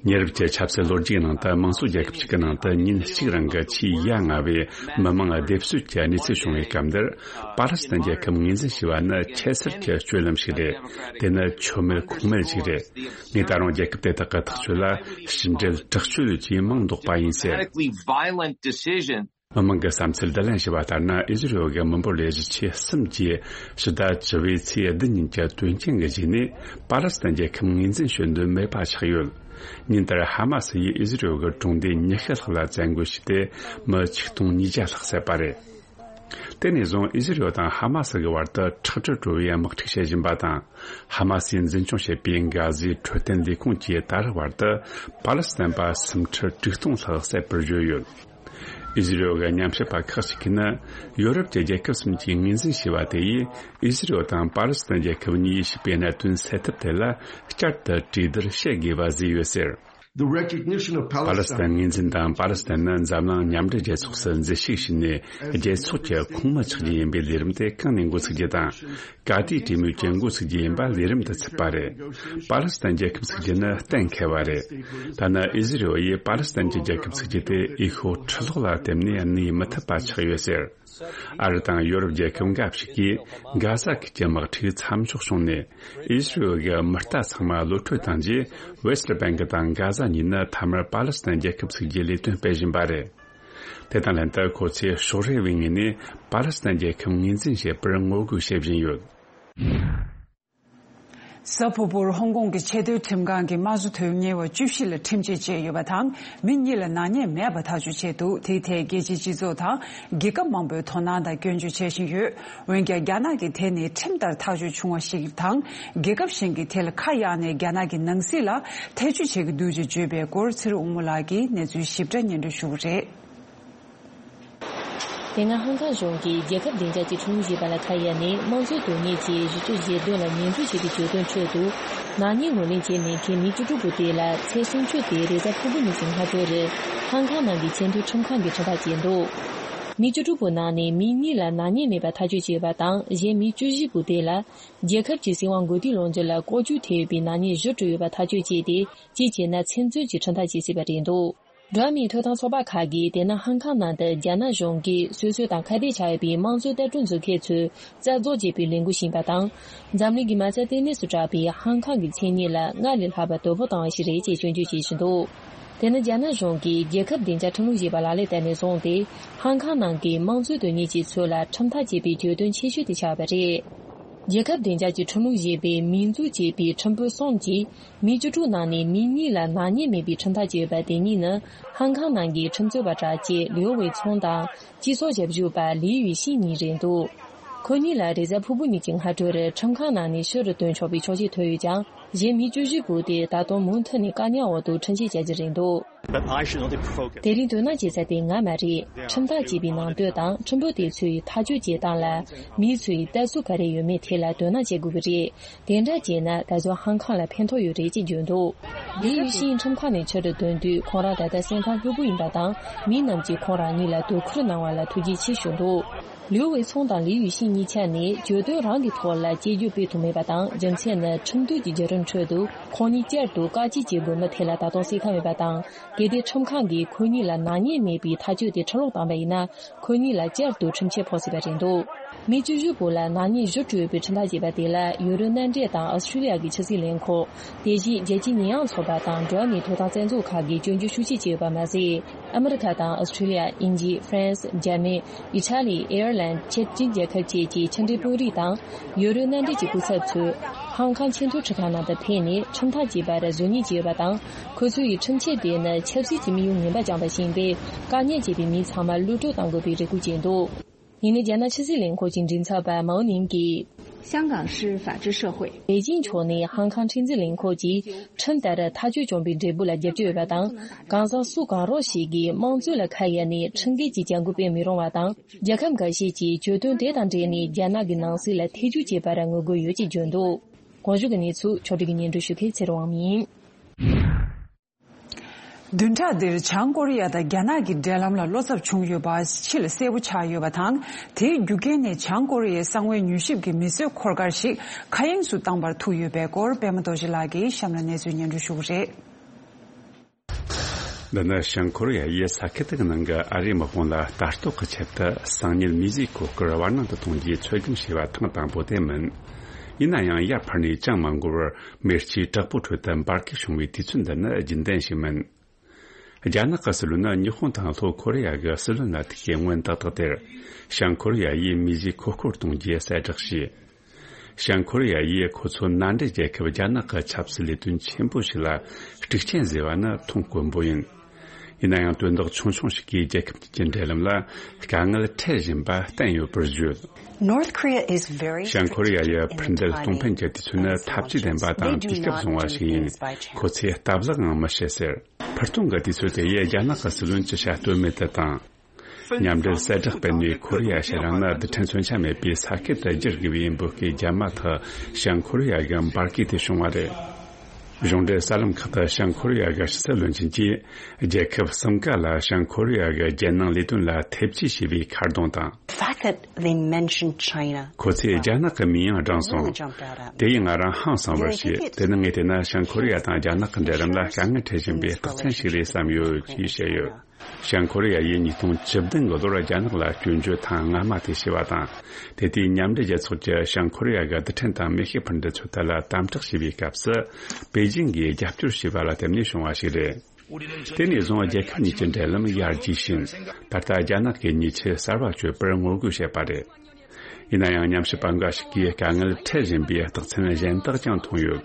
ཉེ་རབས་ཀྱི་ཆབ་སྲིད་ལོ་རྒྱུས་ནང་དུ། དམངས་གཙོ་རྒྱལ་ཁབ་ཅིག་གི་ནང་དུ་ཉིན་གཅིག་རིང་གི་ཆེས་ཡ་ང་བའི་མི་མང་སྡེབ་གསོད་ཀྱི་གནས་ཚུལ་བྱུང་བའི་སྐབས་འདིར། པ་ལི་སི་ཐན་རྒྱལ་ཁབ་ངོས་འཛིན་བྱས་པ་ནི་ཁྱད་མཚར་གྱི་སྤྱོད་ལམ་ཞིག་རེད། དེ་ནི་ཆོ་མེད་ཁུངས་མེད་ཅིག་རེད། ངས་ད་རུང་རྒྱལ་ཁབ་དེ་དག་གི་ཐག་གཅོད་ལ་ཕྱི་འབྲེལ་དྲག་སྤྱོད་ཀྱི་མིང་འདོགས་པ་ཡིན་ཟེར། Radically violent decision. མི་མང་གི་བསམ་ཚུལ་བསྡུ་ལེན་བྱས་པ་ལྟར་ན། ཨི་ཟི་རེལ་གྱི་མི་འབོར་ལས་གཞི་ཆེ་གསུམ་གྱིས་ཕྱི་ཟླ་བཅུ་པའི་ཚེས་བདུན་ཉིན་གྱི་དོན་རྐྱེན་གྱི་རྗེས་ནས་པ་ལི་སི་ཐན་རྒྱལ་ཁབ་ངོས་འཛིན་བྱེད་འདོད་མེད་པ་ཆགས་ཡོད། ཉིན་ལྟར་ཧ་མ་སི་ཡིས་ཨི་ཟི་རེལ་གྱི་གྲོང་སྡེ་ཉི་ཤུ་ལྷག་ལ་བཙན་རྒོལ་བྱས་ཏེ། མི་ཆིག་སྟོང་ཉིས་བརྒྱ་ལྷག་བསད་པ་རེད། དེ་ནས་བཟུང་ཨི་ཟི་རེལ་དང་ཧ་མ་སི་གི་བར་དུ་ཁྲག་དྲི་བྲོ་བའི་དམག་འཁྲུག་བྱེད་བཞིན་པ་དང་། ཧ་མ་སིས་འཛིན་སྐྱོང་བྱེད་པའི་གྷ་ཟའི་འཕྲོད་བསྟེན་ལས་ཁུངས་ཀྱིས་ད་རེས་བར་དུ་པ་ལི་སི་ཐན་པ་སུམ་ཁྲི་དྲུག་སྟོང་ལྷག་བསད་པར་བརྗོད་ཡོད། ཨི་ཟི་རེལ་གྱི་ཉམས་ཞིབ་པ་ཁག་ཅིག་གིས་ནི། ཡོ་རོབ་ཀྱི་རྒྱལ་ཁབ་གསུམ་གྱིས་ངོས་འཛིན་བྱས་པ་དེ་ཡིས། ཨི་ཟི་རེལ་དང་པ་ལི་སི་ཐན་རྒྱལ་ཁབ་གཉིས་ཞུགས་པའི་གནད་དོན་སེལ་ཐབས་དེ་ལ་བསྐྱར་དུ་གྲོས་བསྡུར་བྱེད་དགོས་པ་བཟོས་ཡོད་ཟེར། The recognition of པ་ལི་སི་ཐན་Palestine. ངོས་འཛིན་དང་། པ་ལི་སི་ཐན་ནི་འཛམ་གླིང་མཉམ་འབྲེལ་རྒྱལ་ཚོགས་སུ་མཛུལ་ཞུགས་བྱས་ནས། རྒྱལ་ཚོགས་ཀྱི་ཁོངས་མི་ཆགས་རྒྱུ་ཡིན་པའི་ལས་རིམ་དེ་གང་ནས་འགོ་ཚུགས་རྒྱུ་དང་། ག་དུས་གྲོས་མོལ་གྱི་འགོ་ཚུགས་རྒྱུ་ཡིན་པ་ལས་རིམ་དུ་ཚུད་པ་རེད། པ་ལི་སི་ཐན་རྒྱལ་ཁབ་ཚུགས་རྒྱུ་ནི་གཏན་འཁེལ་བ་རེད། ཐ་ན་ཨི་ཟི་རེལ་ཡིས་པ་ལི་སི་ཐན་གྱི་རྒྱལ་ཁབ་ཚུགས་རྒྱུ་དེ་འོས་ཤོག་ཁྲི་ལོག་ལ་བརྟེན་ནས་གནས་མི་ཐུབ་པ་ཆགས་ཡོད་ཟེར། ཨ་རི་དང་ཡོ་རོབ་རྒྱལ་ཁབ་འགའ་ཞིག་གིས་གྷ་ཟ་ཁུལ་གྱི་དམག་འཁྲུག་མཚམས་འཇོག་བྱུང་ནས། ཨི་ཟི་རེལ་གྱི་མི་རྟ་ཚང་མ་གློད་བཀྲོལ་བཏང་རྗེས། ཝེ་སི་ཊི་བྷེང་ཀི་དང་གྷ་ཟ་གཉིས་ནི་མཐའ་མར་པ་ལི་སི་ཐན་རྒྱལ་ཁབ་ཚུགས་རྒྱུའི་ལས་དོན་སྤེལ་བཞིན་པ་རེད། དེ་དང་ལྷན་དུ་ཁོ་ཚོས་ཕྱོགས་རེ་བའི་ངོས་ནས་པ་ལི་སི་ཐན་རྒྱལ་ཁབ་ངོས་འཛིན་བྱེད་པར་ངོ་རྒོལ་བྱེད་བཞིན་ཡོད། གཟའ་ཕུར་བུར་ཧོང་ཀོང་གི་ཆེས་མཐོའི་ཁྲིམས་ཁང་གིས་དམངས་གཙོ་དོན་གཉེར་བ་བཅུ་བཞི་ལ་ཁྲིམས་ཆད་བཅད་ཡོད་པ་དང་། མི་གཉིས་ལ་ནག་ཉེས་མེད་པ་ཐག་གཅོད་བྱས་འདུག་དེའི་ཐད་རྒྱལ་སྤྱིའི་སྤྱི་ཚོགས་དང་རྒྱལ་ཁབ་མང་པོས་དོ་སྣང་དང་སྐྱོན་བརྗོད་བྱེད་བཞིན་ཡོད། འོན་ཀྱང་རྒྱ་ནག་གིས་དེ་ནི་ཁྲིམས་ལྟར་ཐག་གཅོད་བྱུང་བ་ཞིག་དང་། རྒྱལ་ཁབ་གཞན་གྱིས་དེ་ལ་ཁ་གཡར་ནས་རྒྱ་ནག་གི་ནང་སྲིད་ལ་ཐེ་བྱུས་བྱེད་ཀྱི་འདུག་ཅེས་བརྗོད་པའི་སྐོར། ཚེ་རིང་དབང་མོ་ལགས་ཀྱིས་གནས་ཚུལ་ཞིབ་ཕྲ་སྙན་སྒྲོན་ཞུ་གི་རེད། དེ་སྔ་ཧང་ཀང་གཞུང་གིས་རྒྱལ་ཁབ་བདེ་འཇགས་ཀྱི་ཁྲིམས་ལུགས་ཞེས་པ་ལ་ཁ་གཡར་ནས། དམངས་གཙོའི་དོན་གཉེར་གྱི་གཞི་རྩའི་བཞེད་དོན་ལ་ཉེས་འཛུགས་བྱེད་པའི་གྱོད་དོན་ཁྲོད་དུ། ནག་ཉེས་ངོས་ལེན་བྱས་མེད་མཁན་མི་བཅུ་དྲུག་པོ་དེ་ལ་ཚེས་སུམ་ཅུ་སྟེ་རེས་གཟའ་ཕུར་བུ་ཉིན་གྱི་སྔ་དྲོ་རུ་ཧང་ཀང་ནང་གི་ཆེས་མཐོའི་ཁྲིམས་ཁང་གིས་ཁྲིམས་ཐག་བཅད་འདུག་མི་བཅུ་དྲུག་པོ་ནང་ནས་མི་གཉིས་ལ་ནག་ཉེས་མེད་པ་ཐག་གཅོད་བྱས་ཡོད་པ་དང་། གཞན་མི་བཅུ་བཞི་པོ་དེ་ལ་རྒྱལ་ཁབ་ཀྱི་སྲིད་དབང་དགོས་དུས་ལོངས་སྤྱོད་ལ་ལྐོག་ཇུས་ཐེབས་ཡོད་པའི་ནག་ཉེས་བཞི་བཀྲམ་ཡོད་པ་ཐག་གཅོད་བྱས་ཏེ། གཅིག་བྱས་ན་ཚེ་བཙོན་གྱི་ཁྲིམས་ཐག་བཅད་ཟིན་པ་རེད་འདུག་འགྲོ་བ་མིའི་ཐོབ་ཐང་ཚོགས་པ་ཁག་གིས་དེ་སྔ་ཧང་ཀང་ནང་དུ་རྒྱ་ནག་གཞུང་གིས་སོ་སོའི་དང་ཁ་གཏད་བྱ་ཡོད་པའི་དམངས་གཙོའི་ལྟ་གྲུབ་འཛུགས་མཁན་ཚོའི་རྩ་རྫོགས་བྱེད་པའི་ལས་འགུལ་ཕྱིན་པ་དང་། འཛམ་གླིང་གི་མ་རྩ་ལྟེ་གནས་སུ་གྲགས་པའི་ཧང་ཀང་གི་མཚན་སྙན་ལ་སྔར་ལས་ལྷག་པར་དོ་ཕོག་བཏང་བ་ཞིག་རེད་ཅེས་སྐྱོན་བརྗོད་བྱེད་བཞིན་འདུག་དེ་ནི་རྒྱ་ནག་གཞུང་གིས་རྒྱལ་ཁབ་བདེ་འཇགས་ཁྲིམས་ལུགས་ཞེས་པ་ལག་ལེན་བསྟར་ནས་བཟུང་སྟེ། ཧང་ཀང་ནང་གི་དམངས་གཙོའི་དོན་གཉེར་ཅན་ཚོ་ལ་ཁྲིམས་ཐག་བཅད་པའི་གྱོད་དོན་ཆེ་ཤོས་དེ་ཆགས་པ་རེད། རྒྱལ་ཁབ་བདེ་འཇགས་ཀྱི་ཁྲིམས་ལུགས་ཞེས་པའི་མིང་འཛུགས་བྱས་པའི་ཁྲིམས་དཔོན་གསུམ་གྱིས། མི་བཅུ་དྲུག་ནང་ནས་མི་གཉིས་ལ་ནག་ཉེས་མེད་པའི་ཁྲིམས་ཐག་བཅད་ཡོད་པ་དེ་གཉིས་ནི། ཧང་ཀང་ནང་གི་ཁྲིམས་རྩོད་པ་གྲགས་ཅན་ལིའུ་ཝེ་ཚུང་དང་། སྤྱི་ཚོགས་ཞབས་ཞུ་པ་ལི་ཡུས་ཤིན་གཉིས་རེད་འདུག་ཁོ་གཉིས་ལ་རེས་གཟའ་ཕུར་བུ་ཉིན་གྱི་སྔ་དྲོ་རུ་ཁྲིམས་ཁང་ནང་ནས་ཕྱི་རུ་བཏོན་ཆོག་པའི་ཆོག་མཆན་ཐོན་ཡོད་ཀྱང་། གཞན་མི་བཅུ་བཞི་པོ་དེ་ད་དུང་མུ་མཐུད་ནས་བཀག་ཉར་འོག་ཏུ་ཁྲིམས་ཆད་བཅད་རྒྱུ་རེད་འདུག But I should not be provoked. དེ་རིང་དོ་སྣང་བྱེད་ས་དེ་ང་མ་རེད། ཁྲིམས་ཐག་བཅད་པའི་ནང་དོན་དང་ཁྲིམས་དཔོན་དེ་ཚོས་ཐག་གཅོད་བྱེད་སྟངས་ལ་མི་ཚོས་ལྟ་ཚུལ་ག་རེ་ཡོད་མེད་ཐད་ལ་དོ་སྣང་བྱེད་དགོས་ཀྱི་རེད། དེ་འདྲ་བྱས་ན་ད་གཟོད་ཧང་ཀང་ལ་ཕན་ཐོགས་ཡོད་རེད་ཅེས་བརྗོད་འདུག་ལི་ཡུས་ཤིན་ཁྲིམས་ཁང་ནས་ཕྱི་རུ་ཐོན་དུས་ཁོང་རང་ད་ལྟ་སེམས་ཁམས་ལྷོད་པོ་ཡིན་པ་དང་། མི་རྣམས་ཀྱིས་ཁོང་རང་གཉིས་ལ་དོ་ཁུར་གནང་བ་ལ་ཐུགས་རྗེ་ཆེ་ཞུས་འདུག་ལིའུ་ཝེ་ཚུང་དང་ལི་ཡུས་ཤིན་གཉིས་ཆ་ནི་གྱོད་དོན་རང་གི་ཐོག་ལ་གཅེས་འཛིན་སྤེལ་ཐུབ་མེད་པ་དང་། རྒྱུ་མཚན་ནི་ཁྲིམས་གཏུག་གི་བརྒྱུད་རིམ་ཁྲོད་དུ་ཁོང་གཉིས་བསྐྱར་དུ་བཀག་སྐྱིལ་བྱེད་དགོས་མིན་ཐད་ལ་ད་དུང་གསལ་ཁ་མེད་པ་དང་། གལ་ཏེ་ཁྲིམས་ཁང་གིས་ཁོ་གཉིས་ལ་ནག་ཉེས་མེད་པའི་ཐག་གཅོད་དེ་ཁྲིམས་ལུགས་བཏང་པ་ཡིན་ན། ཁོ་གཉིས་ལ་བསྐྱར་དུ་ཁྲིམས་ཆད་ཕོག་སྲིད་པ་རེད་འདུག་མི་བཅུ་བཞི་བོ་ལ་ནག་ཉེས་བཞི་སྤྲོད་པའི་ཁྲིམས་ཐག་བཅད་པ་དེ་ལ་ཡུ་རོབ་མནའ་འབྲེལ་དང་ཨོ་སི་ཁྲུ་ལི་ཡ་གི་ཕྱི་སྲིད་ལས་ཁུངས། དེ་བཞིན་རྒྱལ་སྤྱིའི་ཉེས་ཡངས་ཚོགས་པ་དང་འགྲོ་བ་མིའི་ཐོབ་ཐང་རྩ་འཛུགས་ཁག་གིས་སྐྱོན་བརྗོད་ཤུགས་ཆེ་བྱས་ཡོད་པ་མ་ཟད། ཨ་མི་རི་ཁ་དང་ཨོ་སི་ཁྲུ་ལི་ཡ། དབྱིན་ཇི། ཧྥ་རན་སི། འཇར་མན། ཨི་ཊ་ལི། ཨེར་ལན། ཅེཀ་སྤྱི་མཐུན་རྒྱལ་ཁབ་བཅས་ཀྱི་ཕྱི་འབྲེལ་དཔོན་རིགས་དང་། ཡུ་རོབ་མནའ་འབྲེལ་གྱི་སྐུ་ཚབ་ཚོས་ཧང་ཀང་ཆེས་མཐོའི་ཁྲིམས་ཁང་ནང་དུ་ཕེབས་ནས་ཁྲིམས་ཐག་བཅད་པར་གཟོད་བརྙན་བྱས་ཡོད་པ་དང་། ཁོ་ཚོ་ཡི་ཁྲིམས་ཆད་དེ་ནི་ཆབ་སྲིད་ཀྱི་དམིགས་ཡུལ་ངན་པ་བཅངས་པ་ཞིག་ཡིན་པས། དཀའ་ངལ་འཕྲད་པའི་མི་ཚང་མ་གློད་བཀྲོལ་གཏང་དགོས་པའི་རེ་སྐུལ་བྱས་འདུག་ཡིན་ནའི་རྒྱ་ནག་ཕྱི་སྲིད་ལས་ཁུངས་ཀྱི་མགྲིན་ཚབ་པ་མའོ་ནིང་གིས། 香港是法治社会。 པེ་ཅིང་ཕྱོགས་ནས་ཧང་ཀང་ཁྲིམས་འཛིན་ལས་ཁུངས་ཀྱིས་ཁྲིམས་ལྟར་ཐག་གཅོད་བྱུང་བའི་འབྲས་བུ་ལ་རྒྱབ་སྐྱོར་ཡོད་པ་དང་། གང་ཟག་སུ་གང་རུང་ཞིག་གིས་དམངས་གཙོ་ལ་ཁ་གཡར་ནས་ཁྲིམས་འགལ་གྱི་བྱ་འགུལ་སྤེལ་མི་རུང་བ་དང་། རྒྱལ་ཁབ་འགའ་ཤས་ཀྱིས་གྱོད་དོན་དེ་དང་འབྲེལ་ནས་རྒྱ་ནག་གི་ནང་སྲིད་ལ་ཐེ་ཇུས་བྱེད་པར་ངོ་རྒོལ་ཡོད་ཅེས་བརྗོད་འདུག་གོང་ཞུས་ཀྱི་གནས་ཚུལ་ཕྱོགས་སྒྲིག་གིས་སྙན་སྒྲོན་ཞུ་མཁན་ཚེ་རིང་དབང་མོ་ཡིན། བདུན་ཕྲག་འདིར་བྱང་ཀོ་རི་ཡ་དང་རྒྱ་ནག་གི་འབྲེལ་ལམ་ལ་བློ་འཚབ་བྱུང་ཡོད་པ་ཕྱི་ལ་གསལ་པོ་ཆགས་ཡོད་པ་དང་། དེའི་རྒྱུ་རྐྱེན་ནི་བྱང་ཀོ་རི་ཡའི་གསང་བའི་མྱུལ་ཞིབ་ཀྱི་མི་གསོད་འཁོར་སྐར་ཞིག་མཁའ་དབྱིངས་སུ་བཏང་པར་ཐུག་ཡོད་པའི་སྐོར་པད་མ་རྡོ་རྗེ་ལགས་ཀྱིས་གཤམ་ལ་གནས་ཚུལ་སྙན་སྒྲོན་ཞུ་གི་རེད། འདི་ནི་བྱང་ཀོ་རི་ཡ་ཡིས་ས་ཁུལ་དེ་གི་ནང་གི་ཨ་རིའི་དམག་དཔུང་ལ་ལྟ་རྟོག་གི་ཆེད་དུ་གསང་ཉུལ་མིའི་གཟུགས་འཁོར་སྐར་བར་སྣང་དུ་གཏོང་རྒྱུའི་ཚོད་བགམ་བྱས་པ་ཐེངས་དང་པོ་དེ་མིན། ཡིན་ན་ཡང་ཡར་འཕར་ནས་ཅང་མ་འགོར་བར་མེ་ལྕེའི་བྲག་ཕུག་ཁྲོད་དུ་འབར་གས་བྱུང་བའི་དུས་ཚོད་འདི་ནི་རྒྱུན་ལྡན་ཞིག་མིན། རྒྱ་ནག་གི་སྲིད་བློན་ནི་ཉི་ཧོང་དང་ལྷོ་ཀོ་རི་ཡ་གི་སྲིད་བློན་ལ་ཐུག་གི་སྔོན་ཏག་ཏག་དེར། བྱང་ཀོ་རི་ཡ་ཡིས་མིའི་གཟུགས་འཁོར་སྐར་གཏོང་རྒྱུ་གསལ་བསྒྲགས་བྱས། བྱང་ཀོ་རི་ཡ་ཡིས་ཁོ་ཚོ་མནའ་འབྲེལ་རྒྱལ་ཁབ་རྒྱ་ནག་གི་ཆབ་སྲིད་ལས་དོན་ཆེན་པོ་ཞིག་ལ་དཀྲུག་རྐྱེན་བཟོས་པ་ནི་མཐོང་དཀོན་པོ་ཡིན། ཡིན་ན་ཡང་དོན་དག་ཆུང་ཆུང་ཞིག་གིས་རྒྱལ་ཁབ་གཉིས་ཀྱི་འབྲེལ་ལམ་ལ་དཀའ་ངལ་འཕྲད་བཞིན་པ་བསྟན་ཡོད་པར་བརྗོད། North Korea is very བྱང་ཀོ་རི་ཡ་ཡི་འཕུར་མདེལ་གཏོང་ཕན་གྱི་དུས་ཚོད་ནི་ཐབས་ཇུས་ལྡན་པ་དང་དུས་སྐབས་བཟུང་བ་ཞིག་ཡིན། ཁོ་ཚོས་སྟབས་ལེགས་ངང་མི་བྱེད་ཟེར། འཕུར་གཏོང་གི་དུས་ཚོད་དེ་ཡིས་རྒྱ་ནག་གི་སྲིད་བློན་གྱི་ཤ་སྟོན་མེད་དུ་བཏང་། མཉམ་འབྲེལ་གསལ་བསྒྲགས་སྤེལ་ནས་ཁོ་རི་ཡ་ཕྱེད་རང་ནི་རྡུལ་ཕྲན་མཚོན་ཆ་མེད་པའི་ས་ཁུལ་དུ་བསྒྱུར་དགོས་པའི་འབོད་སྐུལ་བརྒྱབ་མ་ཐག་བྱང་ཀོ་རི་ཡ་གི་འབར་གས་དེ་བྱུང་བ་རེད། གཞུང་འབྲེལ་གསར་ལམ་ཁག་ཏུ་བྱང་ཀོ་རི་ཡ་གི་ཕྱི་སྲིད་བློན་ཆེན་གྱིས་རྒྱལ་ཁབ་གསུམ་ཀ་ལ་བྱང་ཀོ་རི་ཡ་གི་རྒྱལ་ནང་ལས་དོན་ལ་ཐེབས་ཇུས་བྱས་པའི་ཁ་རྡུང་དང་། The fact that they mentioned China. ཁོ་ཚོས་རྒྱ་ནག་གི་མིང་ཡང་བགྲངས་སོང་། དེ་ཡིས་ང་རང་ཧང་སངས་པར་བྱས། དེ་ནི་ངས་བལྟས་ན་བྱང་ཀོ་རི་ཡ་དང་རྒྱ་ནག་གི་འབྲེལ་ལམ་ལ་དཀའ་ངལ་འཕྲད་བཞིན་པའི་རྟགས་མཚན་ཞིག་རེད་བསམ་ཡོད་ཅེས་བཤད་ཡོད། བྱང་ཀོ་རི་ཡ་ཡིས་ཉིས་སྟོང་བཅུ་བདུན་གི་ལོར་རྒྱ་ནག་ལ་སྐྱོན་བརྗོད་ཐེངས་སྔ་མ་དེ་བྱས་པ་དང་། དེ་དུས་མཉམ་འབྲེལ་རྒྱལ་ཚོགས་ཀྱིས་བྱང་ཀོ་རི་ཡ་གི་རྡུལ་ཕྲན་དང་མེ་ཤུགས་འཕུར་མདེལ་ཚོད་ལྟ་ལ་དམ་དྲག་བྱས་པའི་སྐབས་སུ། པེ་ཅིང་གིས་རྒྱབ་སྐྱོར་བྱས་པ་ལ་བརྟེན་ནས་བྱུང་བ་ཞིག་རེད། དེ་ནས་བཟུང་རྒྱལ་ཁབ་གཉིས་ཀྱི་འབྲེལ་ལམ་ཡར་རྒྱས་ཕྱིན། ད་ལྟ་རྒྱ་ནག་གིས་ཉེས་ཆད་གསར་པ་གཅོད་པར་ངོ་རྒོལ་བྱེད་པ་རེད། ཡིན་ན་ཡང་ཉམས་ཞིབ་པ་འགའ་ཞིག་གིས་དཀའ་ངལ་འཕྲད་བཞིན་པའི་རྟགས་མཚན་གཞན་དག་ཀྱང་མཐོང་ཡོད།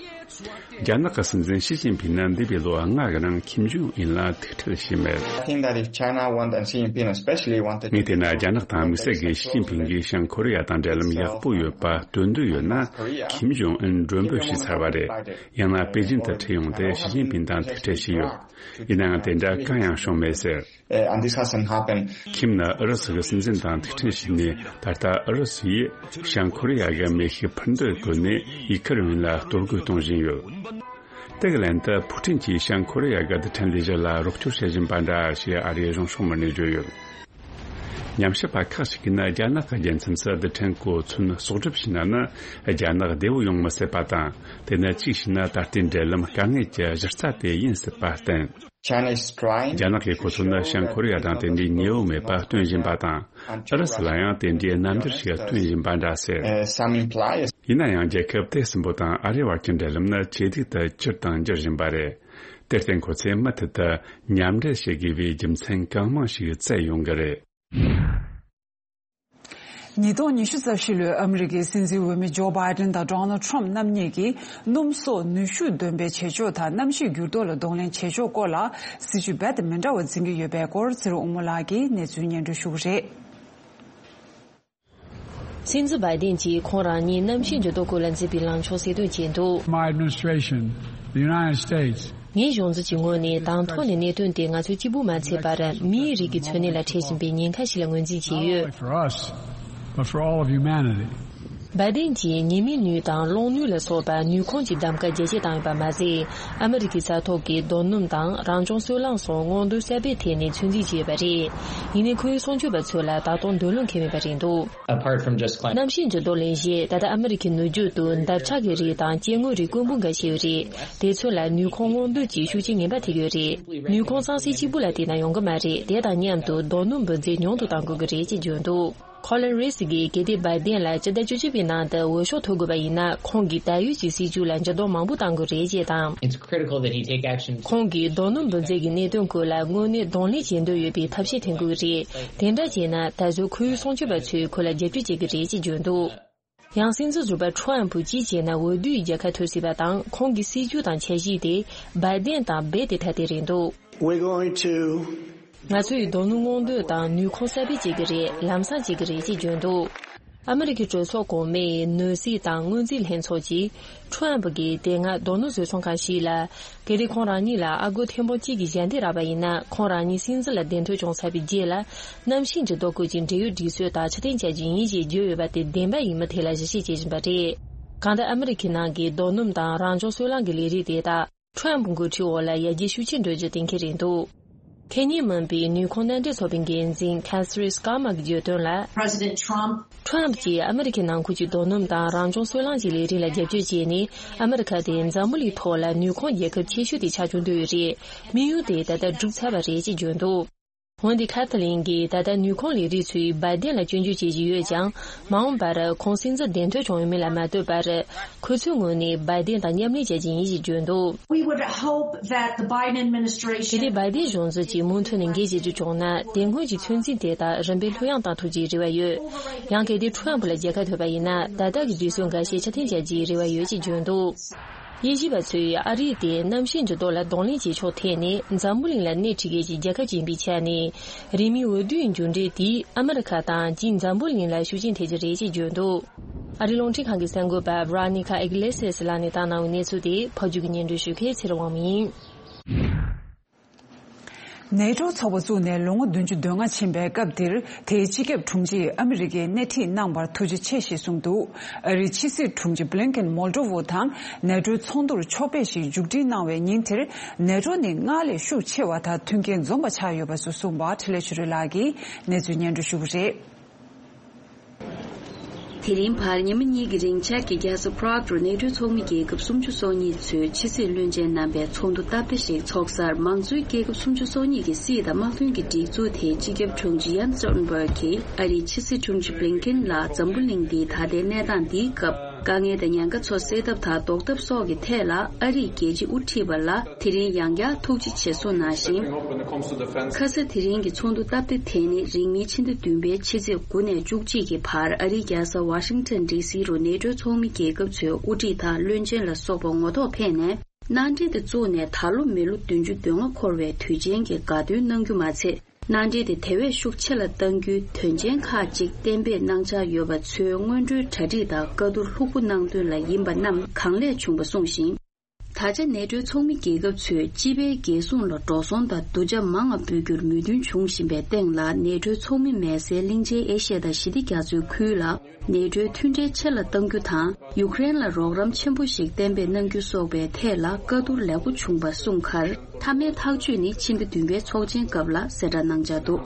རྒྱ་ནག་གི་སྲིད་འཛིན་ཞི་ཅིན་ཕིང་ནི་འདས་པའི་ལོ་ལྔ་གི་རིང་ཁིམ་ཇོང་ཨིན་ལ་ཐུག་འཕྲད་བྱས་མེད། I think that if China want and Xi Jinping especially wanted to ངས་བལྟས་ན་རྒྱ་ནག་དང་དམིགས་བསལ་གྱིས་ཞི་ཅིན་ཕིང་གིས་བྱང་ཀོ་རི་ཡ་དང་འབྲེལ་ལམ་ཡག་པོ་ཡོད་པ་སྟོན་འདོད་ཡོད་ན། ཁིམ་ཇོང་ཨིན་མགྲོན་འབོད་བྱས་ཚར་བ་རེད། ཡང་ན་པེ་ཅིན་དུ་ཁྲིད་ཡོང་སྟེ་ཞི་ཅིན་ཕིང་དང་ཐུག་འཕྲད་བྱས་ཡོད། ཡིན་ནའང་དེ་འདྲ་གང་ཡང་བྱུང་མེད་ཟེར། Uh, and this hasn't happened. ཁིམ་ནི་ཨུ་རུ་སུ་གི་སྲིད་འཛིན་དང་ཐུག་འཕྲད་བྱས་ནས། ད་ལྟ་ཨུ་རུ་སུ་ཡིས་བྱང་ཀོ་རི་ཡ་གི་མེ་ཤུགས་འཕུར་མདེལ་བཀོལ་ནས་ཡུ་ཁུ་རེན་ལ་གཏོར་རྒོལ་གཏོང་བཞིན་ཡོད། དེ་གི་ལན་དུ་ཕུའུ་ཀྲིན་གྱིས་བྱང་ཀོ་རི་ཡ་གི་རྡུལ་ཕྲན་ལས་གཞི་ལ་རོགས་སྐྱོར་བྱེད་བཞིན་པ་འདྲ་ཞེས་ཨ་རིའི་གཞུང་ཕྱོགས་མི་སྣས་བརྗོད་ཡོད། ཉམས་ཞིབ་པ་ཁག་ཅིག་གིས་ནི་རྒྱ་ནག་གི་རྒྱལ་མཚམས་སུ་རྡུལ་ཕྲན་གོ་མཚོན་གསོག་སྒྲུབ་བྱས་ན་ནི། རྒྱ་ནག་བདེ་བོ་ཡོང་མི་སྲིད་པ་དང་། དེ་ནི་གཅིག་བྱས་ན་ད་ལྟའི་འབྲེལ་ལམ་དཀའ་ངལ་གྱི་གཞི་རྩ་དེ་ཡིན་སྲིད་པ་བསྟན། China is trying. རྒྱ་ནག་གིས་ཁོ་ཚོ་ནི་བྱང་ཀོ་རི་ཡ་དང་དེ་འདྲའི་ཉེ་བོ་མེད་པ་སྟོན་བཞིན་པ་དང་། ཨུ་རུ་སུ་ལ་ཡང་དེ་འདྲའི་རྣམ་འགྱུར་ཞིག་སྟོན་བཞིན་པ་འདྲ་ཟེར། Uh, some imply. ཡིན་ན་ཡང་རྒྱལ་ཁབ་དེ་གསུམ་པོ་དང་ཨ་རིའི་བར་གྱི་འབྲེལ་ལམ་ནི་ཇེ་སྡུག་ཏུ་གྱུར་དང་འགྱུར་བཞིན་པ་རེད། དེར་བརྟེན་ཁོ་ཚོས་མུ་མཐུད་དུ་མཉམ་འབྲེལ་བྱེད་དགོས་པའི་རྒྱུ་མཚན་གང་མང་ཞིག་བཙལ་ཡོང་གི་རེད། ཉིས་སྟོང་ཉི་ཤུ་རྩ་བཞི་ལོའི་ཨ་མི་རི་ཀའི་སྲིད་འཛིན་འོས་མི་ཇོ་བྷའི་ཌེན་དང་ཌོ་ནལ་ཁྲམ་རྣམ་གཉིས་ཀྱིས་སྣུམ་གསོག་ནུས་ཤུགས་འདོན་པའི་བྱེད་ཕྱོགས་དང་གནམ་གཤིས་འགྱུར་ལྡོག་ལ་གདོང་ལེན་བྱེད་ཕྱོགས་སྐོར་ལ་སྲིད་ཇུས་རྦད་དེ་མི་འདྲ་བ་འཛིན་གྱི་ཡོད་པའི་སྐོར་ཚེ་རིང་དབུ་མོ་ལགས་ཀྱིས་གནས་ཚུལ་སྙན་སྒྲོན་ཞུ་གི་རེད། སྲིད་འཛིན་བྷའི་ཌེན་གྱིས་ཁོང་རང་ཉིད་གནམ་གཤིས་འགྱུར་ལྡོག་སྐོར་ལ་མཛད་པའི་ལངས་ཕྱོགས་གསལ་སྟོན་བྱས་འདུག My administration, the United States, ངའི་གཞུང་འཛིན་གྱི་ངོས་ནས་དང་ཐོག་ནས་གནད་དོན་དེ་ང་ཚོས་གཅིག་པུ་མ་ཚད་པར་མིའི་རིགས་ཀྱི་འཚོ་གནས་ལ་འཕྲད་བཞིན་པའི་ཉེན་ཁ་ཞིག་ལ་ངོས་འཛིན་བྱས་ཡོད། Not only for us, but for all of humanity. བྷའི་ཌེན་གྱིས་ཉི་མའི་ནུས་དང་གློག་ནུས་ལ་སོགས་པ་ནུས་ཁུངས་ཀྱི་གདམ་ག་རྒྱ་སྐྱེད་བཏང་ཡོད་པ་མ་ཟད། ཨ་མི་རི་ཀའི་ས་ཐོག་གི་རྡོ་སྣུམ་དང་རང་བྱུང་སོལ་རླངས་སོགས་སྔོག་འདོན་གསར་པའི་ཐད་ནས་ཚོད་འཛིན་བྱས་ཡོད་པ་རེད། ཡིན་ནའི་ཁོའི་གསུང་ཆོས་པ་ཚོ་ལ་ད་དུང་འདོད་བློ་འཁེལ་མེད་པ་རེད་འདུག Apart from just climate གནམ་གཤིས་འགྱུར་ལྡོག་ལས་གཞི་ད་ལྟ་ཨ་མི་རི་ཁའི་ནུབ་རྒྱུད་དུ་འདབ་ཆགས་ཀྱི་རིགས་དང་སྐྱེ་དངོས་རིགས་དཀོན་པོ་འགའ་ཤས་ཡོད་རེད། དེ་ཚོ་ལ་ནུས་ཁུངས་སྔོག་འདོན་གྱི་ཤུགས་རྐྱེན་ངན་པ་ཐེབས་ཡོད་རེད། ནུས་ཁུངས་གཙང་སེལ་གཅིག་པུ་ལ་བལྟས་ན་ཡོང་གི་མ་རེད། དེ་དང་མཉམ་དུ་རྡོ་སྣུམ་འབུལ་ཚད་ཉུང་དུ་གཏང་དགོས་ཀྱི་རེད་ཅེས་བརྗོད་འདུག Colin Rice་གིས་གལ་ཏེ་Biden་ལ་སྤྱི་ཟླ་བཅུ་གཅིག་པའི་ནང་དུ་འོས་ཤོག་ཐོབ་དགོས་པ་ཡིན་ན། ཁོང་གིས་ད་ཡོད་ཀྱི་སྲིད་བྱུས་ལ་འགྱུར་ལྡོག་མང་པོ་གཏང་དགོས་རེད་ཅེས་དང་། It's critical that he take action to ཁོང་གིས་རྡོ་སྣུམ་འབུད་རྫས་ཀྱི་གནད་དོན་སྐོར་ལ་དངོས་གནས་གདོང་ལེན་བྱེད་འདོད་ཡོད་པའི་ཐབས་ཤེས་འཐེན་དགོས་རེད། དེ་འདྲ་བྱས་ན་ད་གཟོད་ཁོའི་སྲུང་སྐྱོབ་པ་ཚོས་ཁོ་ལ་རྒྱབ་སྐྱོར་བྱེད་ཀྱི་རེད་ཅེས་བརྗོད་འདུག་ཡང་སྲིད་འཛིན་ཟུར་པ་Trump་གིས་བྱས་ན་འོས་བསྡུའི་རྒྱལ་ཁ་ཐོབ་སྲིད་པ་དང་། ཁོང་གི་སྲིད་ཇུས་དང་འཆར་གཞི་དེ་Biden་དང་རྦད་དེ་ཐ་དད་རེད་འདུག We're going to ང་ཚོས་རྡོ་སྣུམ་སྔོག་འདོན་དང་ནུས་ཁུངས་གསར་སྤེལ་བྱེད་ཀྱི་རེད། ལམ་སང་བྱེད་ཀྱི་རེད་ཅེས་བརྗོད་འདུག་ཨ་མི་རི་ཀའི་གྲོས་ཚོགས་གོང་མའི་ནོར་སྲིད་དང་སྔོན་རྩིས་ལྷན་ཚོགས་ཀྱིས་Trump་གིས་དེ་སྔ་རྡོ་སྣུམ་བཟོ་ཚོང་ཁང་ཞིག་ལ། གལ་ཏེ་ཁོང་རང་ཉིད་ལ་ཨ་སྒོར་ཐེར་འབུམ་གཅིག་གི་ཞལ་འདེབས་རག་པ་ཡིན་ན། ཁོང་རང་ཉིད་སྲིད་འཛིན་ལ་གདན་ཐོབ་བྱུང་ཚར་བའི་རྗེས་ལ། གནམ་གཤིས་འགྱུར་ལྡོག་སྐོར་གྱི་འབྲེལ་ཡོད་སྒྲིག་སྲོལ་དག་ཕྱིར་འཐེན་བྱ་རྒྱུ་ཡིན་ཞེས་བརྗོད་ཡོད་པ་དེ་བདེན་པ་ཡིན་མིན་ཐད་ལ་ཞིབ་བཤེར་བྱེད་བཞིན་པ་རེད། གང་ལྟར་ཨ་མི་རི་ཁའི་ནང་གི་རྡོ་སྣུམ་དང་རང་བྱུང་སོལ་རླངས་ཀྱི་ལས་རིགས་དེ་དག་Trump་འགོ་ཁྲིད་འོག་ལ་ཡར་རྒྱས་ཤུགས་ཆེ་འགྲོ་རྒྱུ་གཏན་འཁེལ་རེད་འདུག་ཁེ་ཉིན་མིན་པའི་ནུས་ཁུངས་མནའ་འབྲེལ་ཚོགས་པའི་འགན་འཛིན་Catherine Schumer་གིས་བརྗོད་དོན་ལ། President Trump Trump་གྱིས་ཨ་མི་རི་ཁའི་ནང་ཁུལ་གྱི་རྡོ་སྣུམ་དང་རང་བྱུང་སོལ་རླངས་ཀྱི་ལས་རིགས་ལ་རྒྱབ་སྐྱོར་བྱས་ནས། ཨ་མི་རི་ཁ་དེ་འཛམ་བུ་གླིང་ཐོག་ལ་ནུས་ཁུངས་རྒྱལ་ཁབ་ཆེ་ཤོས་དེ་ཆགས་ཆོག་འདོད་ཡོད་རེད། དམིགས་ཡུལ་དེ་ད་ལྟ་འགྲུབ་ཚར་བ་རེད་ཅེས་བརྗོད་འདུག་འོན་ཏེ་Kathleen་གྱིས་ད་ལྟ་ནུས་ཁུངས་ལས་རིགས་ཚོས་Biden་ལ་སྐྱོན་བརྗོད་བྱེད་བཞིན་ཡོད་ཀྱང་། མ་འོངས་པར་ཁོང་སྲིད་འཛིན་གདན་ཐོབ་བྱུང་ཡོད་མིན་ལ་མ་ལྟོས་པར། ཁོ་ཚོའི་ངོས་ནས་Biden་དང་མཉམ་ལས་བྱ་རྒྱུ་ཡིན་ཞེས་བརྗོད་འདུག We would hope that the Biden administration གལ་ཏེ་Biden་གཞུང་འཛིན་གྱིས་མུ་མཐུད་ནས་འགན་བཞེས་རྒྱུ་བྱུང་ན། དེ་སྔོན་གྱི་ཚོད་འཛིན་དེ་དག་རིམ་པས་ལྷོད་ཡངས་བཏང་ཐུབ་རྒྱུའི་རེ་བ་ཡོད། ཡང་གལ་ཏེ་Trump་ལ་རྒྱལ་ཁ་ཐོབ་པ་ཡིན་ན། ད་ལྟ་གི་སྒྲིག་སྲོལ་འགའ་ཤས་ཕྱིར་འཐེན་བྱ་རྒྱུའི་རེ་བ་ཡོད་ཅེས་བརྗོད་འདུག་དབྱེ་ཞིབ་པ་ཚོས་ཨ་རི་དེ་གནམ་གཤིས་འགྱུར་ལྡོག་ལ་གདོང་ལེན་བྱེད་ཕྱོགས་ཐད་ནས་འཛམ་བུ་གླིང་ལ་སྣེ་ཁྲིད་མཁན་གྱི་རྒྱལ་ཁབ་ཅིག་ཡིན་པའི་ཆ་ནས། རིང་མིན་འོས་བསྡུའི་མཇུག་འབྲས་དེས་ཨ་མི་རི་ཁ་དང་སྤྱིར་འཛམ་བུ་གླིང་ལ་ཤུགས་རྐྱེན་ཐེབས་ཀྱི་རེད་ཅེས་བརྗོད་འདུག་ཨ་རིའི་རླུང་འཕྲིན་ཁང་གི་གསར་འགོད་པ་Veronica Iglesias་ལགས་ནས་བཏང་གནང་བའི་གནས་ཚུལ་དེ་ཕབ་སྒྱུར་གྱིས་སྙན་སྒྲོན་ཞུ་མཁན་ཚེ་རིང་དབང་མོ་ཡིན། ནེ་ཊོ་ཚོགས་པ་བཙུགས་ནས་ལོ་ངོ་བདུན་ཅུ་དོན་ལྔ་ཕྱིན་པའི་སྐབས་འདིར། དེའི་སྤྱི་ཁྱབ་དྲུང་ཆེས་ཨ་མི་རི་ཀའི་སྣེ་ཁྲིད་གནང་བར་ཐུགས་རྗེ་ཆེ་ཞེས་གསུངས་འདུག་ཨ་རིའི་ཕྱི་སྲིད་དྲུང་ཆེ་Blinken་མོལ་ཏོ་ཝོ་དང་ནེ་ཊོའི་ཚོགས་འདུར་ཕྱོགས་ཕེབས་ཤིག་མཇུག་སྒྲིལ་གནང་བའི་ཉིན་དེར། ནེ་ཊོ་ནི་སྔར་ལས་ཤུགས་ཆེ་བ་དང་མཐུན་རྐྱེན་འཛོམས་པ་ཆགས་ཡོད་པ་སོགས་གསུངས་པ་འཕྲིན་ལས་ཆོས་སྒྲོན་ལགས་ཀྱིས་གནས་ཚུལ་སྙན་སྒྲོན་ཞུ་གི་རེད། དེ་རིང་བར་ཉི་མ་གཉིས་ཀྱི་རིང་ཅེཀ་གི་རྒྱལ་ས་Prague་རུ་ནེ་ཊོའི་ཚོགས་མི་རྒྱལ་ཁབ་སུམ་ཅུ་སོ་གཉིས་ཚོའི་ཕྱི་སྲིད་བློན་ཆེན་རྣམ་པའི་ཚོགས་འདུ་སྟབས་བདེ་ཞིག་ཚོགས་སར། མང་གཙོའི་རྒྱལ་ཁབ་སུམ་ཅུ་སོ་གཉིས་ཀྱི་སྲིད་དང་དམག་དོན་གྱི་སྒྲིག་འཛུགས་དེའི་སྤྱི་ཁྱབ་དྲུང་ཆེ་Jens Stoltenberg་གིས་ཨ་རིའི་ཕྱི་སྲིད་དྲུང་ཆེ་Blinken་ལ་འཛམ་བུ་གླིང་འདིའི་ད་ལྟའི་གནས་སྟངས་འདིའི་སྐབས། དཀའ་ངལ་དང་ཉེན་ཁ་ཚོ་སེལ་ཐབས་དང་ཟློག་ཐབས་སོགས་ཀྱི་ཐད་ལ་ཨ་རིས་རྒྱལ་སྤྱི་དབུ་ཁྲིད་པ་ལ་དེ་རིང་ཡང་བསྐྱར་ཐུགས་རྗེ་ཆེ་གསུངས་གནང་ཞིང་། ཁ་ས་དེ་རིང་གི་ཚོགས་འདུ་སྟབས་བདེ་དེ་ནི་རིང་མིན་ཕྱི་ཟླ་བདུན་པའི་ཕྱི་ཚེས་དགུ་ནས་བཅུ་གཅིག་གི་བར་ཨ་རིའི་རྒྱལ་ས་Washington་ཌི་སི་རུ་ནེ་ཊོའི་ཚོགས་མི་རྒྱལ་ཁབ་ཚོའི་དབུ་ཁྲིད་དང་བློན་ཆེན་ལ་སོགས་པ་ངོ་ཐོག་ཕེབས་ནས། མནའ་འབྲེལ་དེ་བཙུགས་ནས་ད་ལོ་མི་ལོ་བདུན་ཅུ་དོན་ལྔ་འཁོར་བའི་དུས་ཆེན་གྱི་དགའ་སྟོན་གནང་རྒྱུ་མ་ཚད། མནའ་འབྲེལ་དེ་དེ་བས་ཤུགས་ཆེ་ལ་གཏང་རྒྱུའི་དོན་ཆེན་ཁག་ཅིག་གཏན་འབེབས་གནང་འཆར་ཡོད་པ་ཚོའི་སྔོན་འགྲོའི་གྲ་སྒྲིག་དང་བཀའ་བསྡུར་ལྷུག་པོ་གནང་དོན་ལ་ཡིན་པ་རྣམས་གང་ལེགས་བྱུང་བ་གསུངས་ཤིང་། ད་ཆ་ནེ་ཊོའི་ཚོགས་མི་རྒྱལ་ཁབ་ཚོས་སྤྱི་པའི་རྒྱལ་སྲུང་ལ་འགྲོ་སོང་དང་སྡུད་འཇགས་མང་ང་འབུལ་རྒྱུར་མོས་མཐུན་བྱུང་བཞིན་པའི་སྟེང་ལ། ནེ་ཊོའི་ཚོགས་མི་མེད་སའི་གླིང་ཆེན་ཨེ་ཤི་ཡ་དང་ཞི་བདེ་རྒྱ་མཚོའི་ཁུལ་ལ། ནེ་ཊོའི་མཐུན་འབྲེལ་ཆེ་ལ་གཏང་རྒྱུ་དང་། ཡུཀ་རེན་ལ་རོགས་རམ་ཆེན་པོ་ཞིག་གཏན་འབེབས་གནང་རྒྱུ་སོགས་པའི་ཐད་ལ་བཀའ་བསྡུར་ལེགས་པོ་བྱུང་བ་གསུངས་ཁར། མཐའ་མའི་ཐག་གཅོད་ནི་ཕྱི་ཟླ་བདུན་པའི་ཚོགས་ཆེན་སྐབས་ལ་གསལ་བསྒྲགས་གནང་འཆར་འདུག་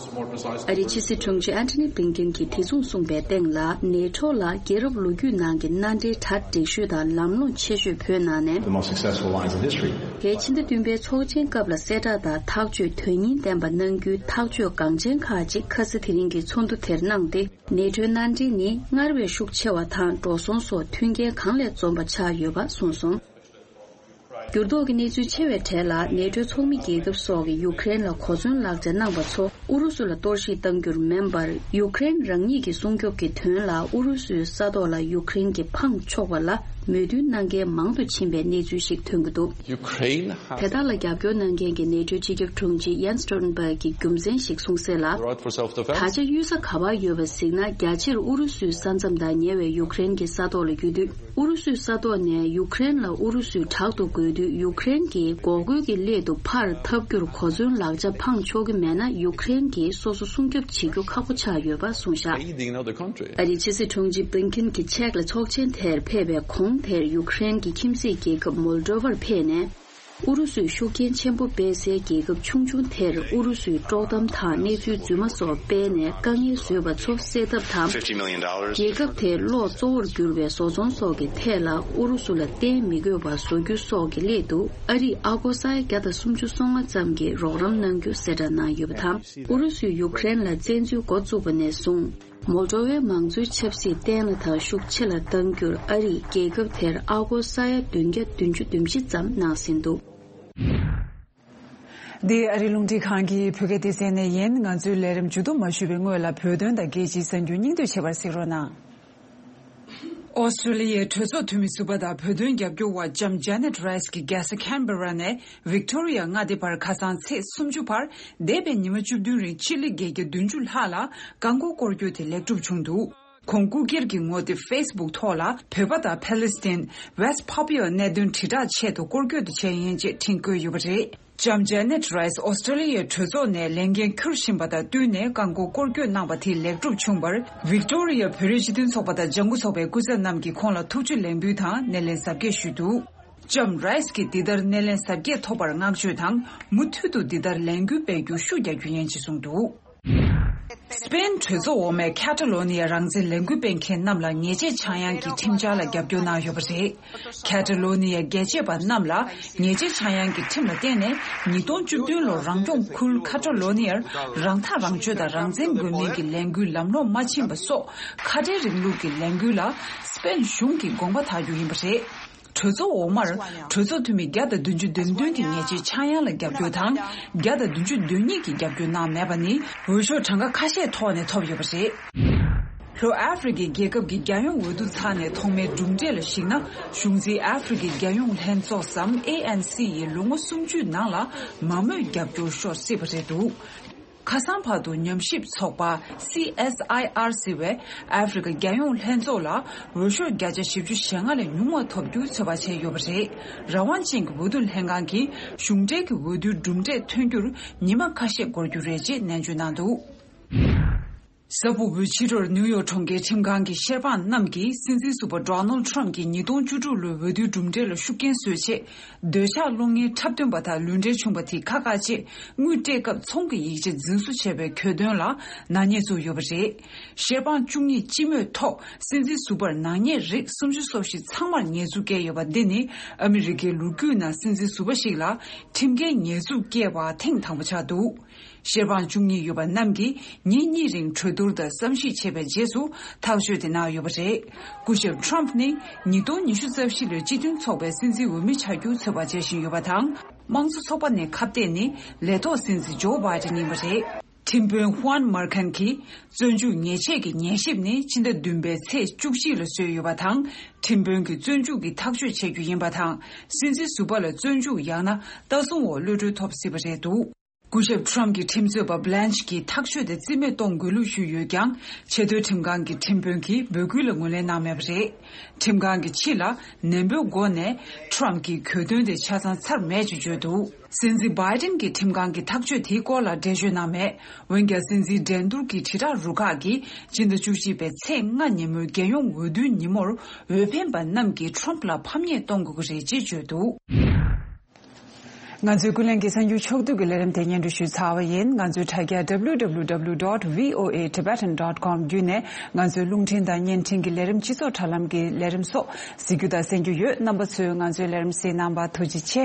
ཨ་རིའི་ཕྱི་སྲིད་དྲུང་ཆེ་Antony Blinken་གྱིས་དེ་མཚུངས་གསུངས་པའི་སྟེང་ལ། ནེ་ཊོ་ལ་རྒྱལ་རབས་ལོ་རྒྱུས་ནང་གི་མནའ་འབྲེལ་གྲ་སྒྲིག་ཤོས་དང་ལམ་ལྷོང་ཆེ་ཤོས་བོད་ནང་ནས། The most successful lines in history. དེའི་ཕྱི་ཟླ་བདུན་པའི་ཚོགས་ཆེན་སྐབས་ལ་གསལ་བསྒྲགས་དང་ཐག་གཅོད་དོན་སྙིང་ལྡན་པ་གནང་རྒྱུའི་ཐག་གཅོད་འགངས་ཆེན་ཁག་ཅིག་ཁ་ས་དེ་རིང་གི་ཚོགས་འདུ་དེར་གནང་སྟེ། ནེ་ཊོའི་མནའ་འབྲེལ་ནི་སྔར་བས་ཤུགས་ཆེ་བ་དང་འགྲོ་སོང་སོགས་མཐུན་རྐྱེན་གང་ལས་འཛོམས་པ་ཆགས་ཡོད་པ་གསུངས་སོང་། འགྱུར་ལྡོག་གི་གནས་ཚུལ་ཆེ་བའི་གྲས་ལ། ནེ་ཊོའི་ཚོགས་མི་རྒྱལ་ཁབ་སོགས་ཀྱིས་ཡུཀ་རེན་ལ་གོ་མཚོན་ལག་ཆ་གནང་པ་ཚོ་ཨུ་རུ་སུ་ལ་གཏོར་བཤིག་གཏང་རྒྱུར་མིན་པར། ཡུཀ་རེན་རང་ཉིད་ཀྱི་སྲུང་སྐྱོབ་ཀྱི་དོན་ལ་ཨུ་རུ་སུའི་ས་ཐོག་ལ་ཡུཀ་རེན་གྱིས་འཕངས་ཆོག་པ་ལ་མོས་མཐུན་གནང་མཁན་མང་དུ་ཕྱིན་པའི་གནས་ཚུལ་ཞིག་ཐོན་གྱི་འདུག Ukraine དེ་དག་ལ་རྒྱབ་སྐྱོར་གནང་མཁན་གྱི་ནེ་ཊོའི་སྤྱི་ཁྱབ་དྲུང་ཆེ་Jens Stoltenberg་གྱིས་རྒྱུ་མཚན་ཞིག་གསུངས་གསལ་ལ། Right for self-defense. ད་ཆ་གཡུལ་ས་ག་པར་ཡོད་པ་གཟིགས་ན། རྒྱ་ཆེར་ཨུ་རུ་སུའི་ས་མཚམས་དང་ཉེ་བའི་ཡུཀ་རེན་གྱི་ས་ཐོག་ལ་ཡོད་དུས། ཨུ་རུ་སུའི་ས་ཐོག་ནས་ཡུཀ་རེན་ལ་ཨུ་རུ་སུས་དྲག་ཏུ་རྒོལ་དུས། ཡུཀ་རེན་གྱིས་འགོག་རྒོལ་གྱི་སླད་དུ་ཕར་འཐབ་རྒྱུར་གོ་མཚོན་ལག་ཆ་འཕངས་ཆོག་གི་མེད་ན། ཡུཀ་རེན་གྱིས་སོ་སོ་སྲུང་སྐྱོབ་བྱེད་རྒྱུ་ཁག་པོ་ཆགས་ཡོད་པ་གསུངས་བཞག Aiding another country. ཨ་རིའི་ཕྱི་སྲིད་དྲུང་ཆེ་Blinken་གྱིས་ཅེཀ་ལ་ཚོགས་ཆེན་དེར་ཕེབས་པའི་གོང་དེར་ཡུཀ་རེན་གྱི་ཁྱིམ་མཚེས་རྒྱལ་ཁབ་Moldova་ལ་ཕེབས་ནས། ཨུ་རུ་སུས་ཤུགས་རྐྱེན་ཆེན་པོ་སྤེལ་སའི་རྒྱལ་ཁབ་ཆུང་ཆུང་དེར་ཨུ་རུ་སུའི་དཀྲོག་གཏམ་དང་གནས་ཚུལ་རྫུན་མ་སོགས་སྤེལ་ནས་དཀའ་ངལ་བཟོས་པ་ཚོ་སེལ་ཐབས་དང་། Fifty million dollars. རྒྱལ་ཁབ་དེའི་གློག་གཙོ་བོར་གྱུར་པའི་བཟོ་ཚོང་སོགས་ཀྱི་ཐད་ལ་ཨུ་རུ་སུ་ལ་བརྟེན་མི་དགོས་པ་བཟོ་རྒྱུ་སོགས་ཀྱི་སླད་དུ་ཨ་རིས་ཨ་སྒོར་ས་ཡ་བརྒྱ་དང་སུམ་ཅུ་སོ་ལྔ་ཙམ་གྱི་རོགས་རམ་གནང་རྒྱུ་གསལ་བསྒྲགས་གནང་ཡོད་པ་དང་། ཨུ་རུ་སུས་ཡུཀ་རེན་ལ་བཙན་འཛུལ་འགོ་བཙུགས་པ་ནས་བཟུང་། མོལ་ཌོ་ཝའི་མང་གཙོའི་ཆབ་སྲིད་བརྟན་ལ་དང་ཤུགས་ཆེ་ལ་གཏང་རྒྱུར་ཨ་རིས་རྒྱལ་ཁབ་དེར་ཨ་སྒོར་ས་ཡ་བདུན་བརྒྱ་བདུན་ཅུ་དོན་བཞི་ཙམ་གནང་ཟིན་འདུག། འདི་ཨ་རིའི་རླུང་འཕྲིན་ཁང་གི་བོད་སྐད་སྡེ་ཚན་ནས་ཡིན། ང་ཚོའི་ལས་རིམ་མཇུག་བསྡོམས་མ་ཞུས་པའི་སྔོན་ལ་བོད་དོན་དང་རྒྱལ་སྤྱིའི་གསར་འགྱུར་སྙིང་བསྡུས་བྱེད་པར་གཟིགས་རོགས་གནང་། ཨོ་སི་ཀྲོ་ལི་ཡའི་གྲོས་ཚོགས་འཐུས་མི་ཟུར་པ་དང་བོད་དོན་རྒྱབ་སྐྱོར་བ་ལྕམ་ཇེ་ནེ་ཊི་རའི་སི་ཀྱིས་རྒྱལ་ས་ཁན་བེ་ར་ནས་ཝིག་ཏོ་རི་ཡ་མངའ་སྡེ་བར་ཁ་སང་ཚེས་སུམ་ཅུ་བར་འདས་པའི་ཉི་མ་བཅུ་བདུན་རིང་སྤྱི་ལེ་བརྒྱད་བརྒྱ་བདུན་ཅུ་ལྷག་ལ་རྐང་འཁོར་སྐོར་སྐྱོད་དེ་ལེགས་གྲུབ་བྱུང་འདུག། ཁོང་སྐུ་སྒེར་གྱི་ངོ་དེབ་ཕེ་སི་བུག་ཐོག་ལ་བོད་པ་དང་ཕཱ་ལེ་སི་ཐན། West Papua གནད་དོན་དྲིལ་བསྒྲགས་ཆེད་དུ་སྐོར་སྐྱོད་དུ་བྱས་ཡིན་ཅེས་འཕྲིན་བཀོད་ཡོད་པ་རེད། ལྕམ་ཇེ་ནེ་ཊི་རའི་སི་ཨོ་སི་ཀྲོ་ལི་ཡའི་གྲོས་ཚོགས་ནས་ལས་འགན་འཁུར་བཞིན་པ་དང་བསྟུན་ནས་རྐང་འཁོར་སྐོར་སྐྱོད་གནང་བ་དེ་ལེགས་གྲུབ་བྱུང་བར་ཝིག་ཏོ་རི་ཡ་བོད་རིགས་སྤྱི་མཐུན་ཚོགས་པ་དང་ལྗང་གུ་ཚོགས་པའི་སྐུ་ཚབ་རྣམས་ཀྱིས་ཁོང་ལ་ཐུགས་རྗེ་ལེགས་འབུལ་དང་སྣེ་ལེན་གཟབ་རྒྱས་ཞུས་འདུག། ལྕམ་རའི་སི་ཀྱིས་འདི་ལྟར་སྣེ་ལེན་གཟབ་རྒྱས་ཐོབ་པར་བསྔགས་བརྗོད་དང་མུ་མཐུད་དུ་འདི་ལྟར་ལས་འགུལ་སྤེལ་རྒྱུར་ཤུགས་རྒྱག་རྒྱུ་ཡིན་ཅེས་གསུངས་འདུག། སི་པེན་གྲོས་ཚོགས་འོག་མས་ཁ་ཏ་ལོ་ནི་ཡ་རང་བཙན་ལས་འགུལ་སྤེལ་མཁན་རྣམས་ལ་ཉེས་ཆད་ཆག་ཡང་གི་ཁྲིམས་འཆར་ལ་རྒྱབ་སྐྱོར་གནང་ཡོད་པ་རེད། ཁ་ཏ་ལོ་ནི་ཡ་རྒྱལ་གཅེས་པ་རྣམས་ལ་ཉེས་ཆད་ཆག་ཡང་གི་ཁྲིམས་ལ་བརྟེན་ནས་ཉིས་སྟོང་བཅུ་བདུན་ལོར་རང་སྐྱོང་ཁུལ་ཁ་ཏ་ལོ་ནི་ཡར་རང་ཐག་རང་གཅོད་དང་རང་བཙན་དགོས་མིན་གྱི་ལས་འགུལ་ལམ་ལྷོང་མ་ཕྱིན་པ་སོགས་ཁ་བྲལ་རིང་ལུགས་ཀྱི་ལས་འགུལ་ལ་སི་པེན་གཞུང་གིས་དགོངས་པ་དག་རྒྱུ་ཡིན་པ་རེད། གྲོས་ཚོགས་འོག་མར་གྲོས་ཚོགས་འཐུས་མི་བརྒྱ་དང་བདུན་ཅུ་དོན་བདུན་གྱིས་ཉེས་ཆད་ཆག་ཡང་ལ་རྒྱབ་སྐྱོར་དང་། བརྒྱ་དང་བདུན་ཅུ་དོན་གཉིས་ཀྱིས་རྒྱབ་སྐྱོར་གནང་མེད་པ་ནི་འོས་ཤོག་གྲངས་ཀ་ཁ་ཤས་ཐོག་ནས་ཐོབ་ཡོད་པ་རེད། ལྷོ་ཨ་ཧྥེ་རི་ཁའི་རྒྱལ་ཁབ་ཀྱི་རྒྱལ་ཡོངས་འོས་བསྡུ་ཚར་ནས་ཐོག་མའི་གྲུབ་འབྲས་ལ་གཞིགས་ན། གཞུང་འཛིན་ཨ་ཧྥེ་རི་ཁའི་རྒྱལ་ཡོངས་ལྷན་ཚོགས་སམ་ཨེ་ཨེན་སི་ཡིས་ལོ་ངོ་སུམ་ཅུའི་ནང་ལ་མང་མོས་རྒྱབ་སྐྱོར་ཤོར་སྲིད་པ་རེད་འདུག། ཁ་སང་བར་དུ་ཉམས་ཞིབ་ཚོགས་པ་སི་ཨེས་ཨའི་ཨར་ཟེར་བས་ཨ་ཧྥེ་རི་ཁ་རྒྱལ་ཡོངས་ལྷན་ཚོགས་ལ་འོས་ཤོག་བརྒྱ་ཆ་བཞི་བཅུ་ཞེ་ལྔ་ལས་ཉུང་བ་ཐོབ་རྒྱུའི་ཚོད་དཔག་བྱས་ཡོད་པ་རེད། རང་དབང་ཅན་གྱི་འོས་བསྡུ་ལྷན་ཁང་གིས་གཞུང་འབྲེལ་གྱི་འོས་བསྡུའི་གྲུབ་འབྲས་ཐོན་རྒྱུར་ཉི་མ་ཁ་ཤས་འགོར་རྒྱུ་རེད་ཅེས་ནན་བརྗོད་གནང་འདུག། གཟའ་ཕུར་བུའི་ཕྱི་དྲོར་ནིའུ་ཡོག་གྲོང་ཁྱེར་ཁྲིམས་ཁང་གི་ཤེས་པ་རྣམས་ཀྱིས་སྲིད་འཛིན་ཟུར་པ་ཌོ་ནལ་ཌི་ཊརམ་ཕི་གྱི་ཉིས་སྟོང་བཅུ་དྲུག་ལོའི་འོས་བསྡུའི་གྲུབ་འབྲས་ལ་ཤུགས་རྐྱེན་བཟོས་ཆེད། འདོད་ཆགས་བློ་ངན་འཁྲབ་སྟོན་པ་དང་ལུས་འབྲེལ་བྱུང་བ་དེ་ཁག་ཁག་ཅེས་དངུལ་སྤྲད་སྐབས་ཚོང་གི་ཡིག་ཆ་རྫུན་བཟོ་བྱས་པའི་གྱོད་དོན་ལ་ནག་ཉེས་བཙུགས་ཡོད་པ་རེད། ཤེས་པ་བཅུ་གཉིས་སྤྱི་མོས་ཐོག་སྲིད་འཛིན་ཟུར་པར་ནག་ཉེས་རིགས་སུམ་ཅུ་སོ་བཞི་ཚང་མར་ཉེས་འཛུགས་བཀལ་ཡོད་པ་འདི་ནི་ཨ་མི་རི་ཀའི་ལོ་རྒྱུས་ནང་སྲིད་འཛིན་ཟུར་པ་ཞིག་ལ་ཁྲིམས་འགལ་ཉེས་འཛུགས་བཀལ་བ་ཐེངས་དང་པོ་ཆགས་འདུག། ཤེས་པ་བཅུ་གཉིས་ཡོད་པ་རྣམས་ཀྱིས་ཉིན་གཉིས་རིང་གྲོས་བསྡུར་དང་བསམ་གཞིག་བྱས་པའི་རྗེས་སུ་ཐག་གཅོད་དེ་གནང་ཡོད་པ་རེད། སྐུ་ཞབས་ཊརམ་ཕི་ནི་ཉིས་སྟོང་ཉི་ཤུ་རྩ་བཞི་ལོའི་སྤྱི་མཐུན་ཚོགས་པའི་སྲིད་འཛིན་འོས་མི་ཆགས་རྒྱུའི་ཚོད་དཔག་བྱེད་བཞིན་ཡོད་པ་དང་། དམངས་གཙོ་ཚོགས་པ་ནས་ཁ་གཏད་ནས་ལས་ཐོག་སྲིད་འཛིན་ཇོ་བྷའི་ཏིན་ཡིན་པ་རེད། ཁྲིམས་དཔོན་ཧུའན་མར་ཁན་གྱིས་བཙོན་འཇུག་ཉེས་ཆད་ཀྱི་ཉན་ཞིབ་ནི་ཕྱི་ཟླ་བདུན་པའི་ཚེས་བཅུ་གཅིག་ལ་བཟོས་ཡོད་པ་དང་། ཁྲིམས་དཔོན་གྱིས་བཙོན་འཇུག་གི་ཐག་གཅོད་བྱེད་རྒྱུ་ཡིན་པ་དང་། སྲིད་འཛིན་ཟུར་པ་ལ་བཙོན་འཇུག་ཡང་ན་ལྟ་སྲུང་འོག་གློད་གྲོལ་ཐོབ་སྲིད་པ་རེད་འདུག། སྐུ་ཞབས་ཊརམ་ཕི་གྱི་ཁྲིམས་རྩོད་པ་བྷི་ལན་ཆི་གིས་ཐག་གཅོད་དེ་རྩིས་མེད་གཏོང་དགོས་ལུགས་ཞུས་ཡོད་ཀྱང་། ཆེས་མཐོའི་ཁྲིམས་ཁང་གི་ཁྲིམས་དཔོན་གྱིས་འབོད་སྐུལ་ལ་ངོས་ལེན་གནང་མེད་པ་རེད། ཁྲིམས་ཁང་གིས་ཕྱི་ལ་ནན་པོའི་སྒོ་ནས་ཊརམ་ཕིའི་གྱོད་དོན་དེ་ཆ་ཚང་ཚར་མེད་ཅེས་བརྗོད་འདུག། སྲིད་འཛིན་བྷའི་ཏིན་གྱིས་ཁྲིམས་ཁང་གི་ཐག་གཅོད་དེའི་སྐོར་ལ་འགྲེལ་བརྗོད་གནང་མེད། འོན་ཀྱང་སྲིད་འཛིན་འགྲན་བསྡུར་གྱི་དྲིལ་བསྒྲགས་རུ་ཁག་གིས་སྤྱི་ཟླ་བཅུ་གཅིག་པའི་ཚེས་ལྔ་ཉིན་མོའི་རྒྱལ་ཡོངས་འོས་བསྡུའི་ཉིན་མོར་འོས་འཕེན་པ་རྣམས་ཀྱིས་ཊརམ་ཕི་ལ་ཕམ་ཉེས་གཏོང་དགོས་ཀྱི་རེད་ཅེས་བརྗོད་འདུག། ང་ཚོའི་ཀུན་གླེང་གི་གསར་འགྱུར་ཕྱོགས་བསྡུས་ཀྱི་ལས་རིམ་དེ་སྙན་སྒྲོན་ཞུས་ཚར་བ་ཡིན། ང་ཚོའི་དྲ་རྒྱ་W W W dot V O A Tibetan dot com བརྒྱུད་ནས་ང་ཚོའི་རླུང་འཕྲིན་དང་བརྙན་འཕྲིན་གྱི་ལས་རིམ། སྤྱི་ཚོགས་དྲ་ལམ་གྱི་ལས་རིམ་སོགས་གཟིགས་རྒྱུ་དང་གསན་རྒྱུ་ཡོད། རྣམ་པ་ཚོས་ང་ཚོའི་ལས་རིམ་གཟིགས་གནང་བར་ཐུགས་རྗེ་ཆེ།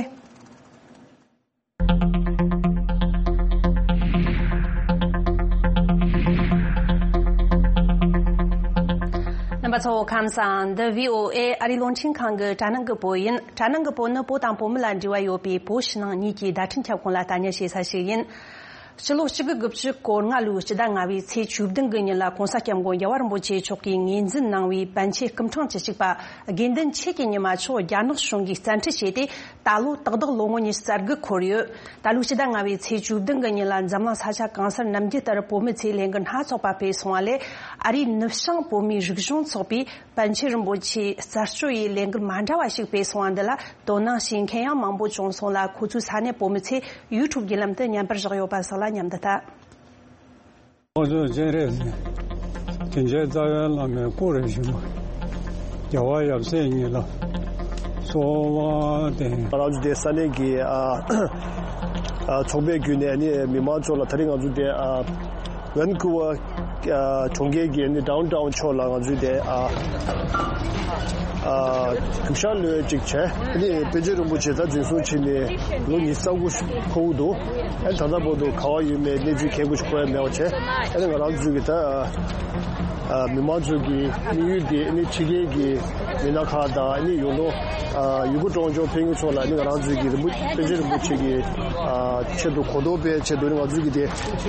རྣམ་པ་ཚོ་ཁམས་བཟང་། འདི་V O A ཨ་རིའི་རླུང་འཕྲིན་ཁང་གི་དྲ་སྣང་གི་བོད་ཡིན། དྲ་སྣང་གི་བོད་ནི་བོད་དང་བོད་མི་ལ་འབྲེལ་བ་ཡོད་པའི་བོད་ཕྱི་ནང་གཉིས་ཀྱི་བརྡ་འཕྲིན་ཁྱབ་ཁོངས་ལ་ལྟ་ཉན་བྱེད་ས་ཞིག་ཡིན། ཕྱི་ལོ་གཅིག་དགུ་དགུ་བཅུ་གོ་ལྔ་ལོའི་སྤྱི་ཟླ་ལྔ་པའི་ཚེས་བཅུ་བདུན་གྱི་ཉིན་ལ་༸གོང་ས་༸སྐྱབས་མགོན་རྒྱལ་བ་རིན་པོ་ཆེ་མཆོག་གིས་ངོས་འཛིན་གནང་བའི་པཎ་ཆེན་སྐུ་ཕྲེང་བཅུ་གཅིག་པ་དགེ་འདུན་ཆོས་ཀྱི་ཉི་མ་མཆོག་རྒྱ་ནག་གཞུང་གིས་བཙན་ཁྲིད་བྱས་ཏེ། ད་ལོ་ཏག་ཏག་ལོ་ངོ་ཉི་ཤུ་རྩ་དགུ་འཁོར་ཡོད། ད་ལོའི་སྤྱི་ཟླ་ལྔ་པའི་ཚེས་བཅུ་བདུན་གྱི་ཉིན་ལ་འཛམ་གླིང་ས་ཆ་གང་སར་ནམ་རྒྱུན་ལྟར་བོད་མི་ཚོས་ལས་འགུལ་སྣ་ཚོགས་པ་སྤེལ་སོང་བ་ལས། ཨ་རིའི་ནུབ་བྱང་བོད་མིའི་རིག་གཞུང་ཚོགས་པས་པཎ་ཆེན་རིན་པོ་ཆེའི་རྩད་གཅོད་ཡི་ལས་འགུལ་མ་འདྲ་བ་ཞིག་སྤེལ་སོང་བ་འདི་ལ་དོ་སྣང་བྱེད་མཁན་ཡང་མང་པོ་བྱུང་སོང་ལ། ཁོ་ཚོའི་ས་གནས་བོད་མི་ཚོས་ཡུ་ཊུབ་བརྒྱུད་ལམ་དུ་བརྙན་པར་བཞག་ཡོད་པ་སོགས་ལ་མཉམ་དུ་ལྟ། ང་ཚོ་སྤྱན་རས་གཟིགས་དྲིན་ཅན་རྩ་བའི་བླ་མའི་སྐུ་རིམ་བཞིན་པ། རྒྱལ་བ་ཡབ་སྲས་ཉིད་ལ་གསོལ་བ་འདེབས། ང་རང་ཚོ་དེ་ས་གནས་ཀྱི་ཨ་ཨ་ཚོགས་པའི་བརྒྱུད་ནས་ནི་མི་མང་ཚོ་ལ། དེ་རིང་ང་ཚོ་དེ་ཨ་ཝན་ཀུ་ཝར་ཨ་གྲོང་ཁྱེར་གྱི་ནི་ཌའོན་ཊའོན་ཕྱོགས་ལ་ང་ཚོའི་དེ་ཨ་ཨ་རྒྱུག་ཤར་ལོས་ཅིག་བྱས། ཨ་ནི་པཎ་ཆེན་རིན་པོ་ཆེ་ད་འཛིན་བཟུང་བྱས་ནས་ལོ་ཉི་ཤུ་རྩ་དགུ་འཁོར་གྱི་འདུག། ཨ་ནི་ད་ལྟ་བར་དུ་ག་པར་ཡོད་མེད་གནས་ཚུལ་གལ་དགོས་ཤིག་གོ་ཡ་མེད་པ་བྱས། ཨ་ནི་ང་རང་ཚོའི་གི་ད་ཨ་ ཨ། མི་མང་ཚོ་གི་དམིགས་ཡུལ་དེ་ཨ་ནི་ཕྱི་རྒྱལ་གྱི་མི་སྣ་ཁག་དང་ཨ་ནི་ཡོད་ནོ། ཨ། ཡུ་གུར་གྲོང་ཆོག་ཕེབས་མཁན་ཚོ་ལ་ཨ་ནི་ང་རང་ཚོའི་གི་རིན་པོ་པཎ་ཆེན་རིན་པོ་ཆེ་གི་ཨ་ཆེད་དུ་གོ་རྟོགས་སྤེལ་ཆེད་དུ་ཨ་ནི་ང་ཚོའི་གི་དེ་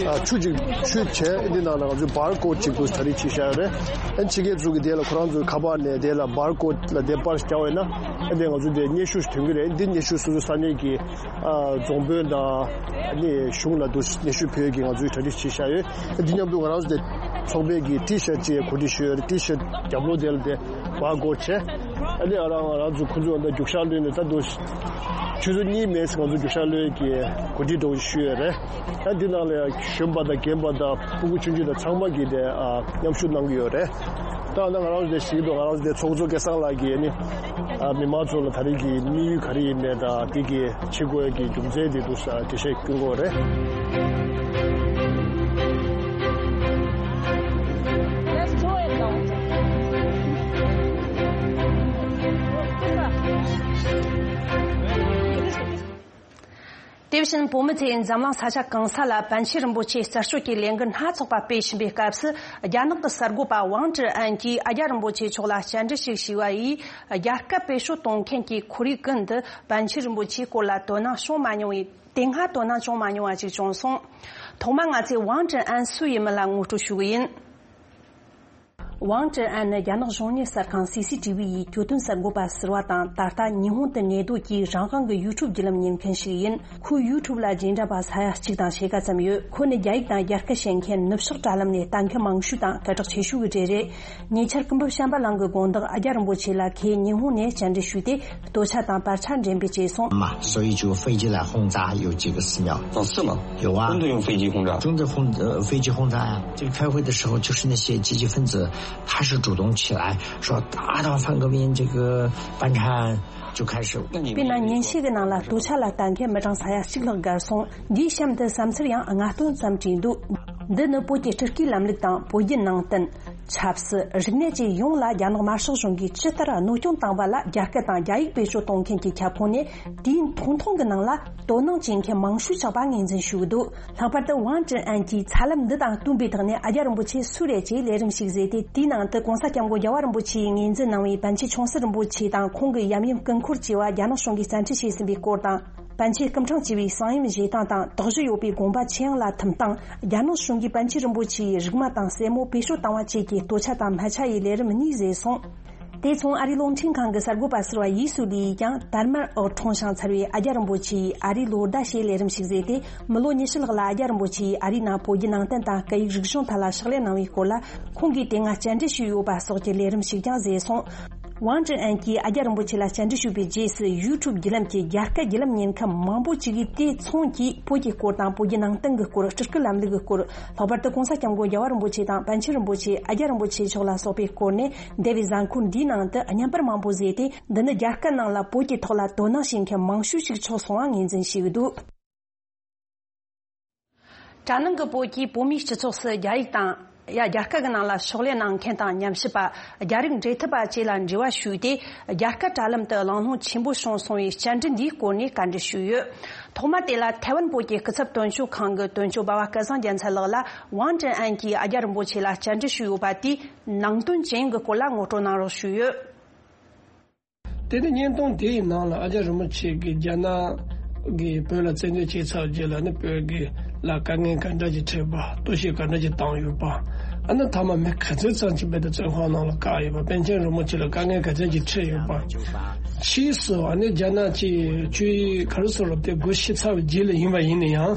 ཨ་ཆུ་ཅིག་ཆུ་བྱས། འདི་ནང་ལ་ང་ཚོའི་བར་ཀོཌ་ཅིག་ཏུ་གྲ་སྒྲིག་བྱས་བཞག་ཡོད་རེད། ཨ་ནི་ཕྱི་རྒྱལ་ཚོ་གི་དེ་ལ་ཁོ་རང་ཚོའི་ཁ་པར་ནས་དེ་ལ་བར་ཀོཌ་ལ་དེ་པར་རྒྱག་པ་ཡིན་ན། ཨ་ནི་ང་ཚོའི་དེ་སྙན་ཞུ་ཞིག་ཐོན་གི་རེད། འདི་སྙན་ཞུ་སོ་སོ་ས་གནས་ཀྱི་ཨ་རྫོང་དཔོན་དང་ཨ་ནི་གཞུང་ལ་དུ་སྙན་ཞུ་ཕུལ་གྱི་ང་ཚོས་གྲ་སྒྲིག་བྱས་བཞག་ཡོད། འདི་མཉམ་དུ་ང་རང་ཚོ་དེ་ཚོགས་པའི་གི་ཊི་ཤར་ཊི་ཅིག་གོ་སྒྲིག་ཞུས་ཡོད་རེད། ཊི་ཤར་ཊི་རྒྱབ་ལོགས་དེ་ལ་དེ་བར་ཀོཌ་བྱས། ཨ་ནི་ཨ་རང་ང་རང་ཚོ་ཁོ་ཚོ་ད་རྒྱུག་ཤར་གློད་ནས་ད་དུ་ཆུ་ཚོད་གཉིས་མིན་ཙམ་ང་ཚོ་རྒྱུག་ཤར་གློད་ཀྱི་གོ་སྒྲིག་འགྲོ་ཞུས་ཡོད་རེད། ད་འདི་ནང་ལ་ཡང་གཞོན་པ་དང་རྒན་པ་དང་ཕྲུ་གུ་ཆུང་ཆུང་དང་ཚང་མ་གིས་དེ་ཨ་མཉམ་ཞུགས་གནང་གི་ཡོད་རེད། ད་ང་རང་ཚོ་དེ་ཞིག་ཏུ་ང་རང་ཚོ་དེ་ཚོགས་གཙོ་སྐལ་བཟང་ལགས་ཀྱིས་ནི་ཨ་མི་མང་ཚོ་ལ་ད་རེས་ཀྱི་དམིགས་ཡུལ་ག་རེ་ཡིན་མིན་དང་དེ་གི་བྱེད་དགོས་ཀྱི་རྒྱུ་མཚན་དེ་འདུག་ས་འགྲེལ་བཤད་སྐྱོན་དགོས་རེད། དེ་བཞིན་བོད་མི་ཚོས་འཛམ་གླིང་ས་ཆ་གང་ས་ལ་པཎ་ཆེན་རིན་པོ་ཆེ་རྩད་གཅོད་ཀྱི་ལས་འགུལ་སྣ་ཚོགས་པ་སྤེལ་བཞིན་པའི་སྐབས་སུ། རྒྱ་ནག་གི་གསར་འགོད་པ་ཝང་ཀྲི་ཨན་གྱིས་ཨ་རྒྱ་རིན་པོ་ཆེ་མཆོག་ལ་བཅར་འདྲི་ཞིག་ཞུས་པ་ཡིས། རྒྱ་སྐད་བེད་སྤྱོད་གཏོང་མཁན་གྱི་ཁོར་ཡུག་ཀུན་ཏུ་པཎ་ཆེན་རིན་པོ་ཆེའི་སྐོར་ལ་དོ་སྣང་བྱུང་མ་མྱོང་བས། དེ་སྔ་དོ་སྣང་བྱུང་མ་མྱོང་བ་ཞིག་བྱུང་སོང་། ཐོག་མར་ང་ཚོས་ཝང་ཀྲི་ཨན་སུ་ཡིན་མིན་ལ་ངོ་སྤྲོད་ཞུ་གི་ཡིན། ཝང་ཀྲི་ཨན་ནི་རྒྱ་ནག་གཞུང་གཉེར་གསར་ཁང་སི་སི་ཊི་ཝི་ཡི་གྱོད་དོན་གསར་འགོད་པ་ཟུར་པ་དང་། ད་ལྟ་ཉི་ཧོང་དུ་གནས་སྡོད་ཀྱིས་རང་དབང་གི་ཡུ་ཊུབ་བརྒྱུད་ལམ་གཉེར་མཁན་ཞིག་ཡིན། ཁོའི་ཡུ་ཊུབ་ལ་རྗེས་འབྲང་པ་ས་ཡ་གཅིག་དང་ཕྱེད་ཀ་ཙམ་ཡོད། ཁོ་ནི་རྒྱ་ཡིག་དང་རྒྱ་སྐད་བཤད་མཁན་ནུབ་ཕྱོགས་དྲ་ལམ་ནས་ལྟ་མཁན་མང་ཤོས་དང་སྐད་གྲགས་ཆེ་ཤོས་ཀྱི་གྲས་རེད། ཉེ་ཆར་སྐུ་འབུམ་བྱམས་པ་གླིང་གི་དགོང་དག་ཨ་རྒྱ་རིན་པོ་ཆེ་ལ་ཁོས་ཉི་ཧོང་ནས་བཅར་འདྲི་ཞུས་ཏེ། 多查当巴查认被接送。嘛，所以就飞机来轰炸有几个寺庙。哦，是吗？有啊。真的用飞机轰炸？真的轰，呃，飞机轰炸呀。这个开会的时候，就是那些激进分子，他是主动起来说，打倒反革命这个班禅，就开始。དཔེར་ན་ཉིན་ཤས་ཀྱི་ནང་ལ་སྟོད་ཆ་ལ་ལྟ་མཁན་མི་གྲངས་ས་ཡ་གཅིག་ལྷག་བརྒལ་སོང་། འདིའི་གཤམ་དུ་བསམ་ཚུལ་ཡང་ལྔ་སྟོང་ཙམ་བྲིས་འདུག་འདི་ནི་བོད་ཀྱི་སྤྲུལ་སྐུའི་ལམ་ལུགས་དང་བོད་བརྒྱུད་ནང་བསྟན། ཆབ་སྲིད། རིག་གནས་བཅས་ཡོངས་ལ་རྒྱ་ནག་དམར་ཤོག་གཞུང་གིས་ཇི་ལྟར་གནོད་སྐྱོན་བཏང་བ་ལ། རྒྱ་སྐད་དང་རྒྱ་ཡིག་བེད་སྤྱོད་གཏོང་མཁན་གྱི་ཁྱབ་ཁོངས་ནས། དུས་ཡུན་ཐུང་ཐུང་གི་ནང་ལ་དོ་སྣང་བྱེད་མཁན་མང་ཤོས་ཆགས་པ་ངོས་འཛིན་ཞུས་འདུག་ལྷག་པར་དུ་ཝང་ཀྲི་ཨན་གྱིས་ཚ་ལམ་འདི་དང་བསྟུན་པའི་ཐོག་ནས་ཨ་རྒྱ་རིན་པོ་ཆེ་སུ་རེད་ཅེས་ལས་རིམ་ཞིག་བཟོས་ཏེ། དེའི་ནང་དུ་༸གོང་ས་༸སྐྱབས་མགོན་རྒྱལ་བ་རིན་པོ་ཆེས་ངོས་འཛིན་གནང་བའི་པཎ་ཆེན་ཆུང་སྲིད་རིན་པོ་ཆེ་དང་ཁོང་གི་ཡབ་ཡུམ་སྐུ་འཁོར་བཅས་པ་རྒྱ་ནག་གཞུང་གིས་བཙན་ཁྲིད་བྱས་ཟིན་པའི་སྐོར་དང་། པཎ་ཆེན་སྐུ་ཕྲེང་བཅུ་པའི་གསང་ཡུམ་བཞེས་སྟངས་དང་དོགས་གཞི་ཡོད་པའི་དགོངས་པ་ཆེད་ཡང་ལ་ཐིམ་སྟངས། རྒྱ་ནག་གཞུང་གིས་པཎ་ཆེན་རིན་པོ་ཆེའི་རིག་མ་དང་སྲས་མོ་བེད་སྤྱོད་བཏང་བ་བཅས་ཀྱི་སྟོད་ཆ་དང་སྨད་ཆ་ཡི་ལས་རིམ་གཉིས་བཟོས་སོང་། དེ་མཚུངས་ཨ་རིའི་རླུང་འཕྲིན་ཁང་གི་གསར་འགོད་པ་ཟུར་པ་ཡི་སུ་ལི་ཡིས་ཀྱང་དར་དམར་འོད་འཁྲུངས་ཤིང་འཚར་བའི་ཨ་རྒྱ་རིན་པོ་ཆེའི་ཨ་རིའི་ལོ་ཟླ་ཞེས་ལས་རིམ་ཞིག་བཟོས་ཏེ། མི་ལོ་ཉི་ཤུ་ལྷག་ལ་ཨ་རྒྱ་རིན་པོ་ཆེའི་ཨ་རིའི་ནང་བོད་བརྒྱུད་ནང་བསྟན་དང་སྐད་ཡིག་རིག་གཞུང་ཐད་ལ་ཕྱག་ལས་གནང་བའི་སྐོར་ལ། ཁོང་གིས་དེ་སྔ་བཅར་འདྲི་ཞུས་ཡོད་པ་སོགས་ཀྱི་ལས་རིམ་ཞིག་ཀྱང་བཟོས་སོང་། ཝང་ཀྲི་ཨན་གྱིས་ཨ་རྒྱ་རིན་པོ་ཆེ་ལ་བཅར་འདྲི་ཞུས་པའི་རྗེས་སུ། ཡུ་ཊུབ་བརྒྱུད་ལམ་གྱི་རྒྱ་སྐད་བརྒྱུད་ལམ་གཉེར་མཁན་མང་པོ་ཅིག་གིས་དེ་མཚུངས་ཀྱིས་བོད་ཀྱི་སྐོར་དང་བོད་ཀྱི་ནང་བསྟན་གྱི་སྐོར། སྤྲུལ་སྐུ་ལམ་ལུགས་ཀྱི་སྐོར། ལྷག་པར་དུ་༸གོང་ས་༸སྐྱབས་མགོན་རྒྱལ་བ་རིན་པོ་ཆེ་དང་པཎ་ཆེན་རིན་པོ་ཆེ། ཨ་རྒྱ་རིན་པོ་ཆེ་མཆོག་ལ་སོགས་པའི་སྐོར་ནས་འདས་པའི་གཟའ་འཁོར་འདིའི་ནང་དུ་བརྙན་པར་མང་པོ་བཟོས་ཏེ། འདི་ནི་རྒྱ་སྐད་ནང་ལ་བོད་ཀྱི་ཐོག་ལ་དོ་སྣང་བྱེད་མཁན་མང་ཤོས་ཤིག་ཆགས་སོང་བ་ངོས་འཛིན་བྱས་ཡོད་འདུག་དྲ་ནང་གི་བོད་ཀྱིས་བོད་མིའི་སྤྱི་ཚོགས་སུ་རྒྱ་ཡིག་དང་། ཡ། རྒྱ་སྐད་ཀྱི་ནང་ལ་ཕྱག་ལས་གནང་མཁན་དང་ཉམས་ཞིབ་པ། རྒྱ་རིགས་འབྲེལ་མཐུད་པ་བཅས་ལ་འབྲེལ་བ་ཞུས་ཏེ། རྒྱ་སྐད་དྲ་ལམ་དུ་གླེང་སློང་ཆེན་པོ་བྱུང་སོང་བའི་བཅར་འདྲི་འདིའི་སྐོར་ནས་བཀའ་འདྲི་ཞུས་ཡོད། ཐོག་མ་དེ་ལ་ཐའེ་ཝན་བོད་ཀྱི་སྐུ་ཚབ་དོན་གཅོད་ཁང་གི་དོན་གཅོད་འབའ་བ་སྐལ་བཟང་རྒྱལ་མཚན་ལགས་ལ་ཝང་ཀྲི་ཨན་གྱིས་ཨ་རྒྱ་རིན་པོ་ཆེ་ལ་བཅར་འདྲི་ཞུས་ཡོད་པ་དེའི་ནང་དོན་ཅི་ཡིན་གྱི་སྐོར་ལ་ངོ་སྤྲོད་གནང་རོགས་ཞུས་ཡོད། དེ་ནི་བརྙན་ཐུང་དེའི་ནང་ལ་ཨ་རྒྱ་རིན་པོ་ཆེ་གིས་རྒྱ་ནག་གིས་བོད་ལ་བཙན་འཛུལ་བྱས་ཚར་རྗེས་ལ་ནི་བོད་ཀྱི་ལ་དཀའ་ངལ་ག་འདྲ་ཅིག་འཕྲད་པ། གཏོར་བཤིག་ག་འདྲ་ཅིག་བཏང་ཡོད་པ། ཨ་ནི་མཐའ་མ་མི་ག་ཚོད་ཙམ་ཅིག་བོད་དུ་བཙོན་ཁང་ནང་ལ་བཀག་ཡོད་པ། པཎ་ཆེན་རིན་པོ་ཆེ་ལ་དཀའ་ངལ་ག་ཚོད་ཅིག་འཕྲད་ཡོད་པ། ཕྱིས་སུ་ཨ་ནི་རྒྱ་ནག་གིས་ཆོས་དབྱིངས་ག་རེ་ཟེར་རོ་དེ་སྒོ་ཕྱེ་ཚར་བའི་རྗེས་ལ་ཡིན་པ་ཡིན་ན་ཡང་།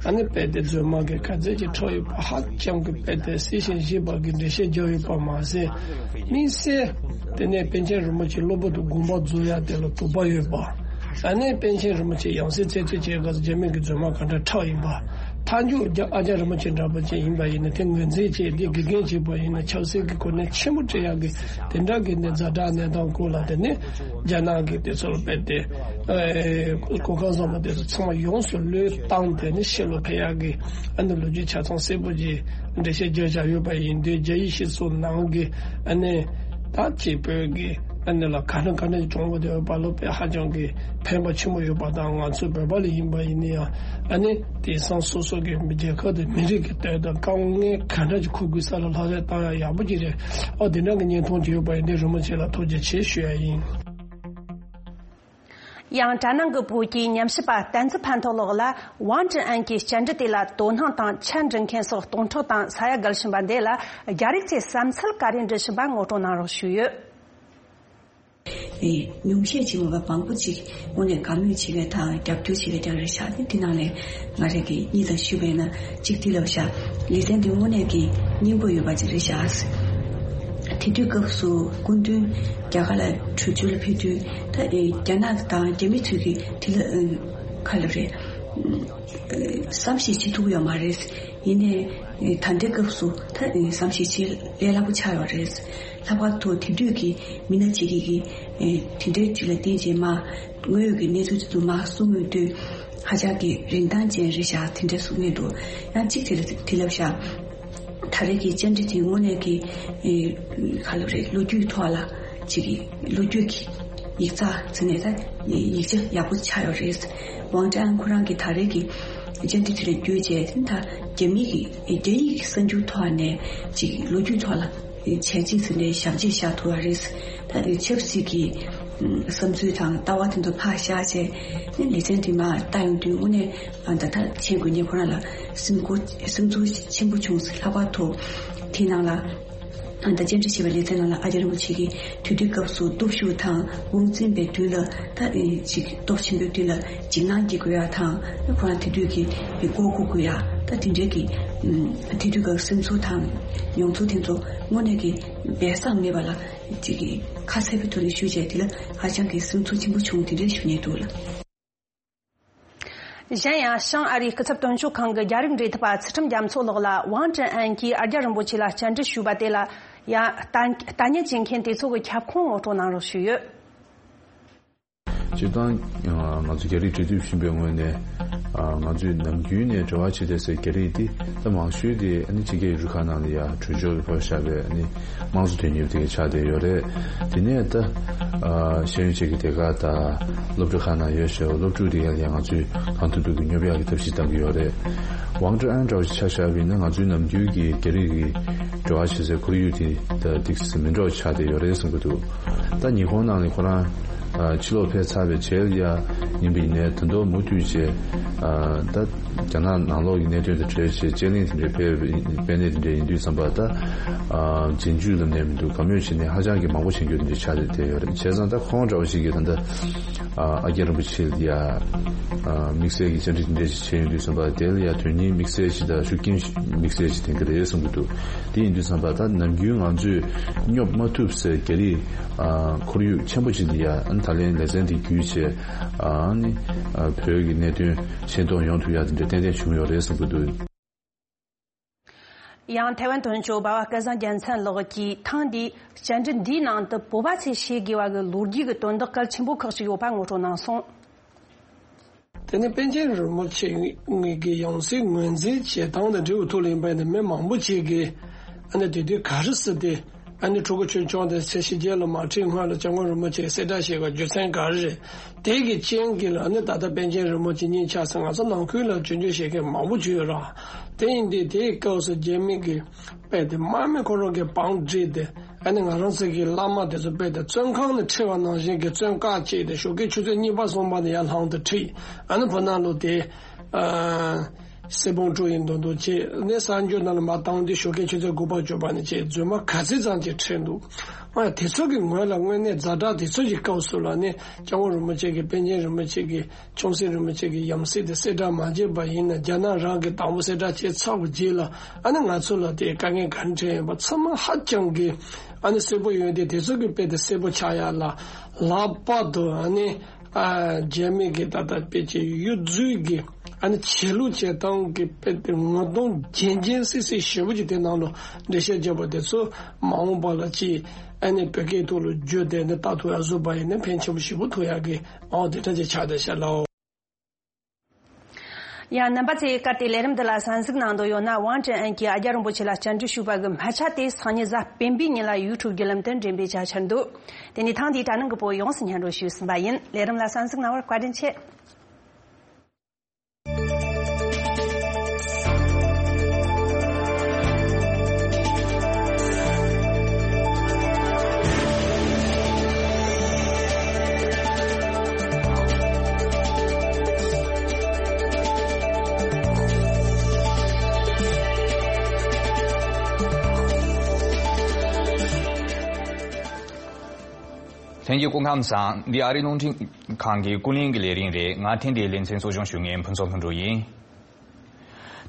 ཨ་ནི་དཔེ་དེ་རྫུན་མ་གི་ག་ཚོད་ཅིག་འཕྲོག་ཡོད་པ། ཧ་ཅང་གི་དཔེ་དེ་གསལ་ཞིང་ཞིབ་པ་གི་འགྲེལ་བཤད་རྒྱག་ཡོད་པ་མ་ཟད། དམིགས་བསལ་དེ་ནས་པཎ་ཆེན་རིན་པོ་ཆེ་གློ་བུར་དུ་དགོངས་པ་རྫོགས་ཡ་དེ་ལ་དོགས་པ་ཡོད་པ། ཨ་ནི་པཎ་ཆེན་རིན་པོ་ཆེ་ཡང་སྲིད་རྩད་གཅོད་བྱེད་སྐབས་སུ་རྒྱ་མི་གི་རྫུན་མ་ག་འདྲ་འཁྲབ་ཡིན་པ། མཐའ་མཇུག་རྒྱ་ཨ་རྒྱ་རིན་པོ་ཆེ་འདྲ་པོ་ཅིག་ཡིན་པ་ཡིན་ན་དེ་ངོས་འཛིན་བྱས་དེ་དགེ་རྒན་བྱས་པ་ཡིན་ན་ཆབ་སྲིད་ཀྱི་གོ་གནས་ཆེན་པོ་སྤྲད་ཡག་གི་དེ་འདྲ་གི་ནས་ཛ་དྲག་གནས་སྟངས་སྐོར་ལ། དེ་ནས་རྒྱ་ནག་གི་དེ་ཚོར་སྤེལ་ཏེ་གོ་སྐབས་བཟང་པོ་དེ་ཚོ་ཚང་མ་ཡོངས་སུ་བློས་བཏང་སྟེ་ནི་ཕྱི་ལོགས་ཕེབས་ཡག་གི་ཨ་ནི་ལོ་རྒྱུས་ཆ་ཚང་གསལ་པོ་ཅིག་འགྲེལ་བཤད་རྒྱག་བཞག་ཡོད་པ་ཡིན་དུས། རྒྱ་ཡིག་ཤེས་ཚོ་ནང་གི་ཨ་ནི་ད་ཅིག་བོད་ཀྱི་ ཨ་ནི་ལ་ག་འདྲ་ག་འདྲ་གྱི་གྲོང་པ་དེ་ཡོད་པ་ལོ་པའི་ཧ་ཅང་གི་ཕན་པ་ཆེན་པོ་ཡོད་པ་དང་། ང་ཚོ་བོད་པ་ལ་ཡིན་པ་ཡིན་ན་ཡང་ཨ་ནི་དེང་སང་སོ་སོ་གི་རྒྱལ་ཁབ་དང་མི་རིགས་ཀྱི་དོན་དུ་དཀའ་ངལ་ག་འདྲ་ཅིག་འཁུར་དགོས་ས་ལ་ལྷག་ལྷག་བཏང་ཡང་ཡག་པོ་ཅིག་རེད། ཨོ་དེ་འདྲ་གི་བརྙན་ཐུང་ཅིག་ཡོད་པ་ཡིན་དེ་རིན་པོ་ཆེ་ལ་ཐུགས་རྗེ་ཆེ་ཞུ་ཡ་ཡིན། ཡང་གྲ་ནང་གི་བོད་ཀྱི་ཉམས་ཞིབ་པ་བསྟན་འཛིན་ཕན་ཐོགས་ལགས་ལ་ཝང་ཀྲི་ཨན་གྱི་བཅར་འདྲི་དེ་ལ་དོ་སྣང་དང་ཆ་འདྲི་མཁན་སོགས་སྟོང་ཕྲག་དང་ས་ཡ་བརྒལ་ཕྱིན་པ་འདི་ལ་རྒྱ་རིགས་ཚོས་བསམ་ཚུལ་ག་རེ་འདྲི་བཞིན་པ་ངོ་སྤྲོད་གནང་རོགས་ཞུས་ཡོད། ཨེ། ཉུང་ཤས་ཅིག་མ་གཏོགས་མང་པོ་ཅིག་དངོས་གནས་དགའ་མོས་བྱེད་མཁན་དང་རྒྱབ་སྐྱོར་བྱེད་མཁན་རྐྱང་རེད་ཤག་དེ་དེ་ནང་ལས་ང་རང་གིས་གཉིས་དང་ཞུས་པས་ན་གཅིག་དེ་ལབ་ཤག་ལེ་ཚན་འདི་དངོས་གནས་ཀྱི་སྙིང་པོ་ཡོད་པ་ཅིག་རེད་ཤག་དེ་དུས་སྐབས་སུ་སྐུ་མདུན་རྒྱ་གར་ལ་བྲོས་བྱོལ་ལ་ཕེབས་དུས་ད་ཨེ་རྒྱ་ནག་དང་རྒྱ་མི་ཚོས་ཀྱིས་དེ་ལ་ཨེ་ག་ལབ་རེད། ཨེ་བསམ་ཤེས་བྱེད་ཐུབ་ཡོད་མ་རེད། ཡིན་ནའི་ད་ལྟའི་སྐབས་སུ་ད་བསམ་ཤེས་བྱེད་ལས་སླ་པོ་ཆགས་ཡོད་རེད། ལྷག་པར་དུ་དེ་དུས་ཀྱི་མི་སྣ་གཅིག་གིས་ཀྱི་དེ་འདྲའི་དུས་ལ་བརྟེན་ཅིང་མ་དངོས་ཡོད་ཀྱི་གནས་ཚུལ་དེ་ཚོ་མ་གསུང་ཡོང་དུས་ཧ་ཅང་གི་རིན་ཐང་ཅན་རེད་ཤག་དེ་འདྲ་གསུང་མཁན་འདུག་ཡང་གཅིག་དེ་ལ་དེ་ལབ་ཤག་ད་རེས་ཀྱི་བཅར་འདྲི་དེ་དངོས་གནས་ཀྱི་ག་ལབ་རེད། ལོ་རྒྱུས་ཐོག་ལ་གཅིག་གི་ལོ་རྒྱུས་ཀྱི་ཡིག་ཚགས་ཟེར་ནས་ད་ཡིག་ཆ་ཡག་པོ་ཆགས་ཡོད་རེད། ཝང་ཀྲི་ཨན་ཁོ་རང་གིས་ད་རེས་ཀྱི་བཅར་འདྲི་དེ་ལ་བརྒྱུད་བྱས་ད་རྒྱ་མི་གི་རྒྱ་ཡིག་གི་གསར་འགྱུར་ཐོག་ནས་གཅིག་ལོ་རྒྱུས་ཐོག་ལ་བྱས་རྗེས་ཟེར་ནས་ཞབས་རྗེས་བཞག་ཐུབ་པ་རེད། ད་ཆབ་སྲིད་ཀྱི་བསམ་ཚུལ་དང་ལྟ་བ་དེ་ཚོ་ཕར་བཞག་བྱས་ལེ་ཚན་དེ་མར་ལྟ་ཡོང་དུས་དངོས་གནས་ད་ལྟ་མཁྱེན་དགོས་ངས་ཁོ་རང་ལ་སེམས་ཁུར་སེམས་ཚོར་ཆེན་པོ་བྱུང་། ལྷག་པར་དུ་དེ་ནང་ལ་ད་བཅར་འདྲི་བྱས་པའི་ལེ་ཚན་ནང་ལ་ཨ་ཅག་རིན་པོ་ཆེ་གིས་དུས་དུས་སྐབས་སུ་སྟོབས་ཤུགས་དང་དབང་འཛིན་པའི་མདུན་ལ་ད་ཅིག་སྟོབས་ཆེན་པོའི་མདུན་ལ་འཇིགས་སྣང་སྐྱེ་དགོས་ཡ་དང་ཁོ་རང་དེ་དུས་ཀྱི་མགོ་སྒུར་དགོས་ཡ་ད་དེ་འདྲའི་གི་དེ་དུས་སྐབས་སེམས་ཚོར་དང་མྱོང་ཚོར་དེ་ཚོ་དངོས་གནས་ཀྱི་སྦས་གསང་མེད་པ་ལ་ཅིག་གི་ཁ་གསལ་པོའི་ཐོག་ནས་ཞུས་བྱས་དེ་ལ་ཧ་ཅང་གི་སེམས་ཚོར་ཆེན་པོ་བྱུང་། དེ་འདྲ་ཞུ་སྙིང་འདུག་ལ། གཞན་ཡང་བྱང་ཨ་རིའི་སྐུ་ཚབ་དོན་གཅོད་ཁང་གི་རྒྱ་རིགས་འབྲེལ་མཐུད་པ་ཚུལ་ཁྲིམས་རྒྱ་མཚོ་ལགས་ལ་ཝང་ཀྲེན་ཨན་གྱིས་ཨ་རྒྱ་རིན་པོ་ཆེ་ལ་བཅར་འདྲི་ཞུས་པ་དེ་ལ་ཡང་ལྟ་ལྟ་ཉན་བྱེད་མཁན་དེ་ཚོ་གི་ཁྱབ་ཁོངས་ངོ་སྤྲོད་གནང་རོགས་ཞུས་ཡོད། སྤྱིར་བཏང་ང་ཚོ་རྒྱ་རིགས་འབྲེལ་མཐུད་ཞུས་པའི་ངོས་ནས་ང་ཚོས་ནམ་རྒྱུན་ནས་འབྲེལ་བ་བྱེད་བསྡད་སའི་རྒྱ་རིགས་དེ་ད་མང་ཤོས་དེ་ཨ་ནི་ཕྱི་རྒྱལ་ཡུལ་གྲུ་ཁག་ནང་ལ་ཡ་བྲོས་བྱོལ་ཕེབས་བཞག་པའི་ཨ་ནི་དམངས་གཙོ་དོན་གཉེར་དེ་ག་ཆགས་བསྡད་ཡོད་རེད། དེ་ནས་ད་ཤེས་ཡོན་ཅན་གྱི་སྡེ་ཁག་དང་སློབ་གྲྭ་ཁག་ནང་ཡོད་བྱས་སློབ་ཕྲུག་དེ་ག་ལ་ཡ་ང་ཚོས་གང་ཐུབ་ཐུབ་ཀྱིས་སྙོབ་ཡག་གི་ཐབས་ཤེས་གཏང་གི་ཡོད་རེད། ཝང་ཀྲེན་ཨན་འདྲ་བོ་ཞིག་ཆ་བཞག་པ་ཡིན་ན་ང་ཚོའི་ནམ་རྒྱུན་གྱི་རྒྱ་རིགས་ཀྱི་འབྲེལ་བ་བྱེད་སའི་ཁོར་ཡུག་དེ་ད་ཏོག་ཙམ་མི་འདྲ་བ་ཆགས་བསྡད་ཡོད་རེད་བསམ་གྱི་འདུག་ད་ཉི་ཧོང་ནང་ལ་ཁོ་རང་ཕྱི་ལོགས་ཕེབས་ཚར་བའི་རྗེས་ལ་ཡ་ཡིན་པ་ཡིན་ནའི་ད་དུང་མུ་མཐུད་བྱས་ད་རྒྱ་ནག་ནང་ལོགས་ཀྱི་གནད་དོན་དང་འབྲེལ་བྱས་དཔྱད་གླེང་དེ་འདྲའི་ཕེབས་པའི་དཔེ་གནས་དེ་འདྲ་ཡིན་དུས་ཙམ་པ་ད་རྗེས་འཇུག་ལ་གནས་མི་འདུག་དགའ་མོས་བྱས་ནས་ཧ་ཅང་གི་མང་པོ་བྱེད་རྒྱུ་དེ་འདྲ་ཆགས་བསྡད་ཡོད་རེད། བྱས་ཙང་ད་ཁོང་འདྲ་བ་ཞིག་གིས་ད་ལྟ་ཨ་རྒྱ་རིན་པོ་ཆེ་ལ་ཡ་དམིགས་བསལ་གྱི་བཅར་འདྲི་དེ་འདྲ་ཞིག་བྱས་ཡོང་དུས་ཙམ་པ་དེ་ལ་ཡ་དོན་སྙིང་དམིགས་བསལ་ཞིག་དང་ཤུགས་རྐྱེན་དམིགས་བསལ་ཞིག་ལྡན་གྱི་རེད་བསམ་གྱི་འདུག་དེ་ཡིན་དུས་ཙམ་པ་ད་ནམ་རྒྱུན་ང་ཚོས་སྙོབ་མ་ཐུབ་སའི་རྒྱ་རིགས་ཁོར་ཡུག་ཆེན་པོ་ཅིག་ལ་ཡ་ད་ལན་ལེ་ཚན་འདི་བརྒྱུད་བྱས་ཨ་ནི་བོད་ཀྱི་གནད་དོན་ཤེས་རྟོགས་ཡོང་ཐུབ་ཡ་དེ་འདྲ་ཏན་ཏན་བྱུང་ཡོད་རེད་བསམ་གྱི་འདུག་ཡང་ཐའེ་ཝན་དོན་གཅོད་འབའ་བ་སྐལ་བཟང་རྒྱལ་མཚན་ལགས་ཀྱིས་ཐེངས་འདིའི་བཅར་འདྲི་འདིའི་ནང་དུ་བོད་པ་ཚོས་ཤེས་དགོས་པ་གི་ལོ་རྒྱུས་ཀྱི་དོན་དག་གལ་ཆེན་པོ་ཁག་ཅིག་ཡོད་པ་ངོ་སྤྲོད་གནང་སོང་། དེ་ནས་པཎ་ཆེན་རིན་པོ་ཆེ་གི་ཡང་སྲིད་ངོས་འཛིན་བྱེད་སྟངས་དང་འབྲེལ་བའི་ཐོག་ལ་ཡིན་པ་ཡིན་ན་མི་མང་པོ་ཅིག་གིས་ཨ་ནི་དེ་དུས་ག་རེ་ཟེར་ཏེ་ཨ་ནི་ཕྲུ་གུ་ཆུང་ཆུང་དེ་ཚེ་ཕྱི་རྒྱལ་ལ་མ་ཁྲིད་སྔོན་ལ་སྐྱབས་མགོན་རིན་པོ་ཆེ་གསལ་བསྒྲགས་བྱས་པ་རྒྱུ་མཚན་ག་རེ་རེད། དེ་གི་རྐྱེན་གྱིས་ལ་ནི་ད་ལྟ་པཎ་ཆེན་རིན་པོ་ཆེ་གཉིས་ཆགས་སུ་ང་ཚོ་ནང་ཁུལ་ལ་སྐྱོན་བརྗོད་བྱེད་མཁན་མང་པོ་བྱུང་ཡོད་ར། དེ་ཡིན་དུས་དེའི་སྐབས་སུ་རྒྱ་མི་གི་དཔེ་དེ་དམག་མི་ཁོ་རང་གི་བང་བསྒྲིགས་ཏེ་ཨ་ནི་ང་རང་ཚོ་གི་བླ་མ་དེ་ཚོ་དཔེ་དེ་བཙོན་ཁང་ནས་ཁྲིད་པ་ནང་བཞིན་གྱི་བཙོན་བཀག་བྱས་ཏེ་ཞོགས་ཀའི་ཆུ་ཚོད་གཉིས་པ་གསུམ་པ་ནས་ཡར་ལངས་ཏེ་ཁྲིད་ཨ་ནི་བུ་ནག་ལོ་དེ། གསེར་བུམ་དཀྲོལ་ཡིན་མདོག་མདོག་བྱས་ནས་གསར་འགྱུར་ནང་ལ་མར་བཏང་དུས་ཞོགས་ཀའི་ཆུ་ཚོད་དགུ་པ་བཅུ་པ་ནས་བྱས་རྫུན་མ་ག་ཚོད་ཙམ་ཅིག་ཁྲིད་འདུག་ཨ་དེ་ཚོ་གི་ངོས་ལ་དངོས་གནས་ཛ་དྲག་དེ་ཚོ་གི་སྐབས་སུ་ལ་ནི་སྐྱབས་མགོན་རིན་པོ་ཆེ་གི་པཎ་ཆེན་རིན་པོ་ཆེ་གི་ཆུང་སྲིད་རིན་པོ་ཆེ་གི་ཡང་སྲིད་དེ་གསལ་བསྒྲགས་མ་བྱས་པ་ཡིན་ན་རྒྱ་ནག་རང་གིས་དང་པོ་གསལ་བསྒྲགས་བྱས་ཚར་བའི་རྗེས་ལ་ཨ་ནི་ང་ཚོ་ལ་དེ་དཀའ་ངལ་ག་རེ་འཕྲད་ཡོད་པ་ཚང་མ་ཧ་ཅང་གི་ཨ་ནི་གསལ་པོ་ཡོད་དེ་དེ་ཚོ་གི་དཔེ་དེ་གསལ་པོ་ཆགས་ཡ་ལ་ལྷག་པར་དུ་ཨ་ནི། ཨ་རྒྱ་མི་གི་ད་ལྟ་དཔེ་ཆའི་གཡོ་ཟོལ་གྱི་ཨ་ནི་ཆད་ལུགས་བྱེད་སྟངས་ཀྱི་དཔེ་དེ་ངོ་གདོང་རྒྱན་རྒྱན་སིག་སིག་ཞེ་པོ་ཅིག་དེ་ནང་ལ་འགྲེལ་བཤད་བརྒྱབ་པ་དེ་ཚོ་མ་འོངས་པ་ལ་ཅིག་ཨ་ནི་བོད་སྐད་ཐོག་ལ་བསྒྱུར་ཏེ་ནི་ལྟ་ཐུབ་ཡ་བཟོ་པ་ཡིན་ན་ཕན་ཆེན་པོ་ཞེ་པོ་ཐོགས་ཡ་གི་ཨོ་དེ་འདྲ་ཅིག་ཆགས་བསྡད་ཤག་ལགས། ཡང་རྣམ་པ་ཚོས་གལ་ཏེ་ལས་རིམ་འདི་ལ་གསན་གཟིགས་གནང་འདོད་ཡོད་ན། ཝང་ཀྲེན་ཨན་གྱིས་ཨ་རྒྱ་རིན་པོ་ཆེ་ལ་བཅར་འདྲི་ཞུས་པ་གི་སྨད་ཆ་དེ་སང་ཉིན་གཟའ་སྤེན་པའི་ཉིན་ལ་ཡུ་ཊུབ་བརྒྱུད་ལམ་དུ་འགྲེམས་སྤེལ་བྱ་འཆར་འདུག་དེ་ནས་ཐེངས་འདིའི་དྲ་སྣང་གི་བོད་ཡོངས་སུ་སྙན་སྒྲོན་ཞུས་ཟིན་པ་ཡིན། ལས་རིམ་ལ་གསན་གཟིགས་གནང་བར་བཀའ་དྲིན་ཆེ། ལྷན་རྒྱས་སྐུ་ཁམས་བཟང་། འདི་ཨ་རིའི་རླུང་འཕྲིན་ཁང་གི་ཀུན་གླེང་གི་ལས་རིམ་རེད། ང་ཐེངས་འདིའི་ལེ་ཚན་གཙོ་སྐྱོང་ཞུ་མཁན་ཕུན་ཚོགས་ལྷུན་གྲུབ་ཡིན།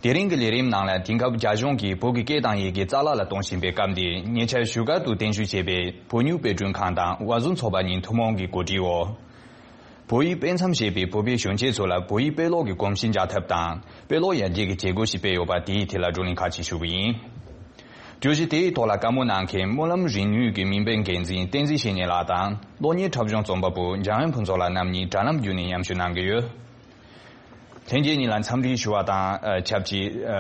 དེ་རིང་གི་ལས་རིམ་ནང་ལ་དེང་སྐབས་རྒྱ་གཞུང་གིས་བོད་ཀྱི་སྐད་དང་ཡི་གེ་རྩ་བརླག་ལ་གཏོང་བཞིན་པའི་སྐབས་འདིར་ཉེ་ཆར་བཞུགས་སྒར་དུ་རྟེན་གཞི་བྱས་པའི་བོད་མྱུར་དཔེ་སྐྲུན་ཁང་དང་བར་ཟུར་ཚོགས་པ་གཉིས་ཐུན་མོང་གི་གོ་སྒྲིག་འོག་བོད་ཡིག་དཔེ་མཚམས་བཞེས་པའི་བོད་པའི་གཞོན་སྐྱེས་ཚོ་ལ་བོད་ཡིག་དཔེ་ཀློག་གི་གོམས་གཤིས་འཇགས་ཐབས་དང་དཔེ་ཀློག་ཡར་རྒྱས་ཀྱི་བྱེད་སྒོ་ཞིག་སྤེལ་ཡོད་པ་དེའི་ཐད་ལ་བགྲོ་གླེང་ཁག་ཅིག་ཞུ་གི་ཡིན། བརྗོད་གཞི་དེའི་ཐོག་ལ་བཀའ་མོལ་གནང་མཁན་སྨོན་ལམ་རིག་ནུས་ཀྱི་མིང་པའི་འགན་འཛིན་བསྟན་འཛིན་བཤེས་གཉེན་ལགས་དང་གློག་བརྙན་འཁྲབ་གཞུང་རྩོམ་པ་པོ་འཇམ་དབྱངས་ཕུན་ཚོགས་ལགས་རྣམ་གཉིས་དྲ་ལམ་བརྒྱུད་ནས་མཉམ་ཞུགས་གནང་གི་ཡོད། ལྷན་རྒྱས་གཉིས་ལ་འཚམས་འདྲི་ཞུ་བ་དང་ཨ་ཆབས་ཅིག་ཨ་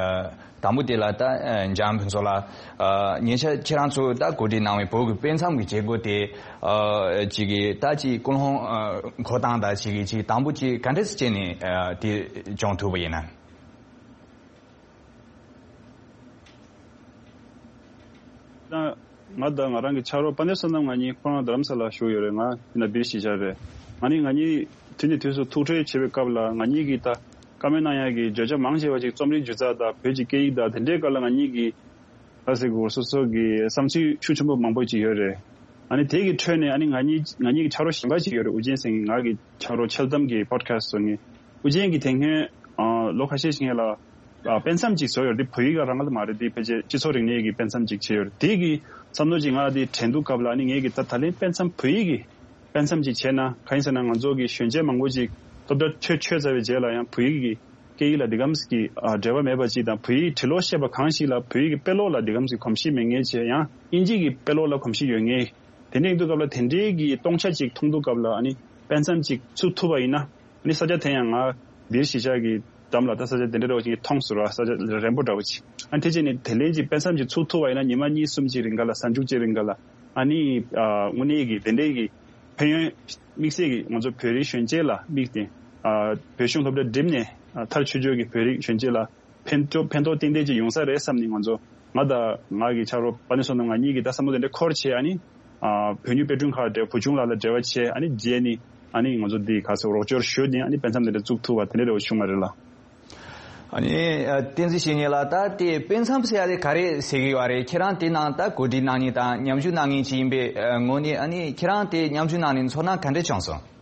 དང་པོ་དེ་ལ་ད་ཨ་འཇམ་དབྱངས་ཕུན་ཚོགས་ལགས། ཨ་ཉེ་ཆར་ཁྱེད་རང་ཚོས་ད་གོ་སྒྲིག་གནང་བའི་བོད་ཀྱི་དཔེ་མཚམས་ཀྱི་བྱེད་སྒོ་དེ་ཨ་ཅིག་གི་ད་ཅིག་ཀུན་སློང་ཨ་འཁོར་སྟངས་དང་ཅིག་གི་ཅིག་དང་པོ་ཅིག་ག་འདྲས་སེ་བྱས་ནས་ཨ་དེ་སྦྱོང་ཐུབ་པ་ཡིན་ན། ད་ང་དང་ང་རང་གི་ཕྱག་རོགས་དཔལ་ལྡན་བསོད་ནམས་ང་གཉིས་ཁོ་རང་རྡ་རམ་ས་ལ་བཞུགས་ཡོད་རེད། ང་ཡིན་ན་བིར་གཞིས་ཆགས་རེད། ང་ནི་ང་གཉིས་དུས་ནས་དུས་སུ་ཐུག་འཕྲད་བྱེད་པའི་སྐབས་ལ་ང་གཉིས་ཀྱིས་ད་བཀའ་མོལ་གནང་ཡག་གི་བརྗོད་བྱ་མང་ཆེ་བ་ཅིག་རྩོམ་རིག་སྒྱུ་རྩལ་དང་བོད་ཀྱི་སྐད་ཡིག་དང་དེ་འདྲའི་སྐོར་ལ་ང་གཉིས་ཀྱིས་ལྷ་སའི་གུ་སོ་སོ་གི་བསམ་ཚུལ་ཤུགས་ཆེན་པོ་མང་པོ་ཅིག་ཡོད་རེད། ཨ་ནི་དེ་གི་ཁྲོད་ནས་ཨ་ནི་ང་གཉིས་ང་གཉིས་ཀྱི་ཕྱག་རོགས་གཞན་པ་ཅིག་ཡོད་རེད། ཨུ་རྒྱན་ཟེར་མཁན་ང་གི་ཕྱག་རོགས་འཆལ་གཏམ་གྱི་པོ་ཌི་ཁ་སི་ཊི་བཟོ་མཁན། ཨུ་རྒྱན་གྱིས་དེ་སྔོན་ཨ་ལོ་ཁ་ཤས་ཤིག་སྔོན་ལ་ཨ་དཔེ་མཚམས་ཅིག་བཟོས་ཡོད་རེད། དེ་བོད་ཡིག་རང་ལ་མ་རེད། དེ་ཕལ་ཆེར་སྤྱི་ཚོགས་རིག་གནས་ཀྱི་དཔེ་མཚམས་ཅིག་བྱས་ཡོད་རེད། དེ་གི་བསམ་བློ་ཅིག་ང་དེ་དྲན་དུས་སྐབས་ལ་ཨ་ནི་ངས་ཀྱི་ད་ད་ལན་དཔེ་མཚམས་བོད་ཡིག་གི་དཔེ་མཚམས་ཅིག་བྱས་ན་གང་ཡིན་ཟེར་ན། ང་ཚོ་གི་གཞོན་སྐྱེས་མང་པོ་ཅིག་སློབ་གྲྭ་ཆོས་ཆོས་ཚར་བའི་རྗེས་ལ་ཡང་བོད་ཡིག་གི་སྐད་ཡིག་ལ་འདི་གམ་གྱི་ཨ་འབྲེལ་བ་མེད་པ་ཅིག་དང་། བོད་ཡིག་བྲི་ཀློག་ཤེས་པ་གང་ཞིག་ལ་བོད་ཡིག་གི་དཔེ་ཀློག་ལ་འདི་གམ་གྱི་གོམས་གཤིས་མེད་མཁན་བྱས། ཡང་དབྱིན་ཇི་གི་དཔེ་ཀློག་ལ་གོམས་གཤིས་ཡོད་མཁན། དེ་འདྲ་ཡིན་དུས་སྐབས་ལ་དེ་འདྲའི་གི་སྟོང་ཆ་ཅིག་མཐོང་དུས་སྐབས་ལ་ཨ་ནི་དཔེ་མཚམས་ཅིག་ཚུགས་ཐུབ་པ་ཡིན་ན། ཨ་ནི་ས་ཆ་དེ་ཡང་ང་བིར་གཞིས་ཆགས་ཀྱི་འགྲམ་ལ་ད་ས་ཆ་དེ་འདྲ་འདྲ་བོ་ཅིག་མཐོང་སོང་ར། ས་ཆ་རན་པོ་འདྲ་བོ་ཅིག་ཨ་ནི་དེ་བྱས་ནས་དེ་ལན་ཅིག་དཔེ་མཚམས་ཅིག་ཚུགས་ཐུབ་པ་ཡིན་ན་ཉི་མ་གཉིས་གསུམ་ཅིག་རིང་ག་ལ་ཟ་འཇུག་ཅིག་རིང་ག་ལ་ཨ་ནི་ཨ་དངོས་གནས་ཀྱི་དེ་འདྲའི་གི་ཕན་ཡོན་དམིགས་བསལ་གྱི་ང་ཚོ་བོད་རིགས་གཞོན་སྐྱེས་ལ་དམིགས་ཏེ། ཨ་བོད་གཞུང་སློབ་གྲྭ་འགྲིམས་ནས་ཨ་མཐར་ཆོས་ཕྱོགས་ཀྱི་བོད་རིགས་གཞོན་སྐྱེས་ལ་ཕན་ཐོགས་ཕན་ཐོགས་ཏན་ཏན་ཅིག་ཡོང་ས་རེད་བསམ་ནས། ང་ཚོ་ང་དང་ང་གི་ཕྱག་རོགས་དཔལ་ལྡན་བསོད་ནམས་ང་གཉིས་ཀྱིས་ད་བསམ་བློ་དེ་འདྲ་འཁོར་བྱས། ཨ་ནི་ཨ་བོད་མྱུར་དཔེ་སྐྲུན་ཁང་འབྲེལ་བུ་ཆུང་ལགས་ལ་འབྲེལ་བ་བྱས། ཨ་ནི་རྗེས་ནས་ཨ་ནི་ང་ཚོ་འདི་ག་ཚོད་རོགས་སྐྱོར་ཞུས་ནས་ཨ་ནི་དཔེ་མཚམས་དེ་འདྲ་བཙུགས་ཐུབ་པ་དེ་འདྲ་རེ་བ་བྱུང་བ་རེད་ལ། ཨ་ནི་ཨ་བསྟན་འཛིན་བཤེས་གཉེན་ལགས། ད་དེ་དཔེ་མཚམས་ཟེར་ཡ་དེ་ག་རེ་ཟེར་གི་ཡོད་རེད། ཁྱེད་རང་དེ་ནང་ད་གོ་སྒྲིག་གནང་མཁན་དང་མཉམ་ཞུགས་གནང་མཁན་ཅིག་ཡིན་པའི་ངོས་ནས། ཨ་ནི་ཁྱེད་རང་དེ་མཉམ་ཞུགས་གནང་ནས་ཚོར་སྣང་ག་འདྲ་བྱུང་སོང་།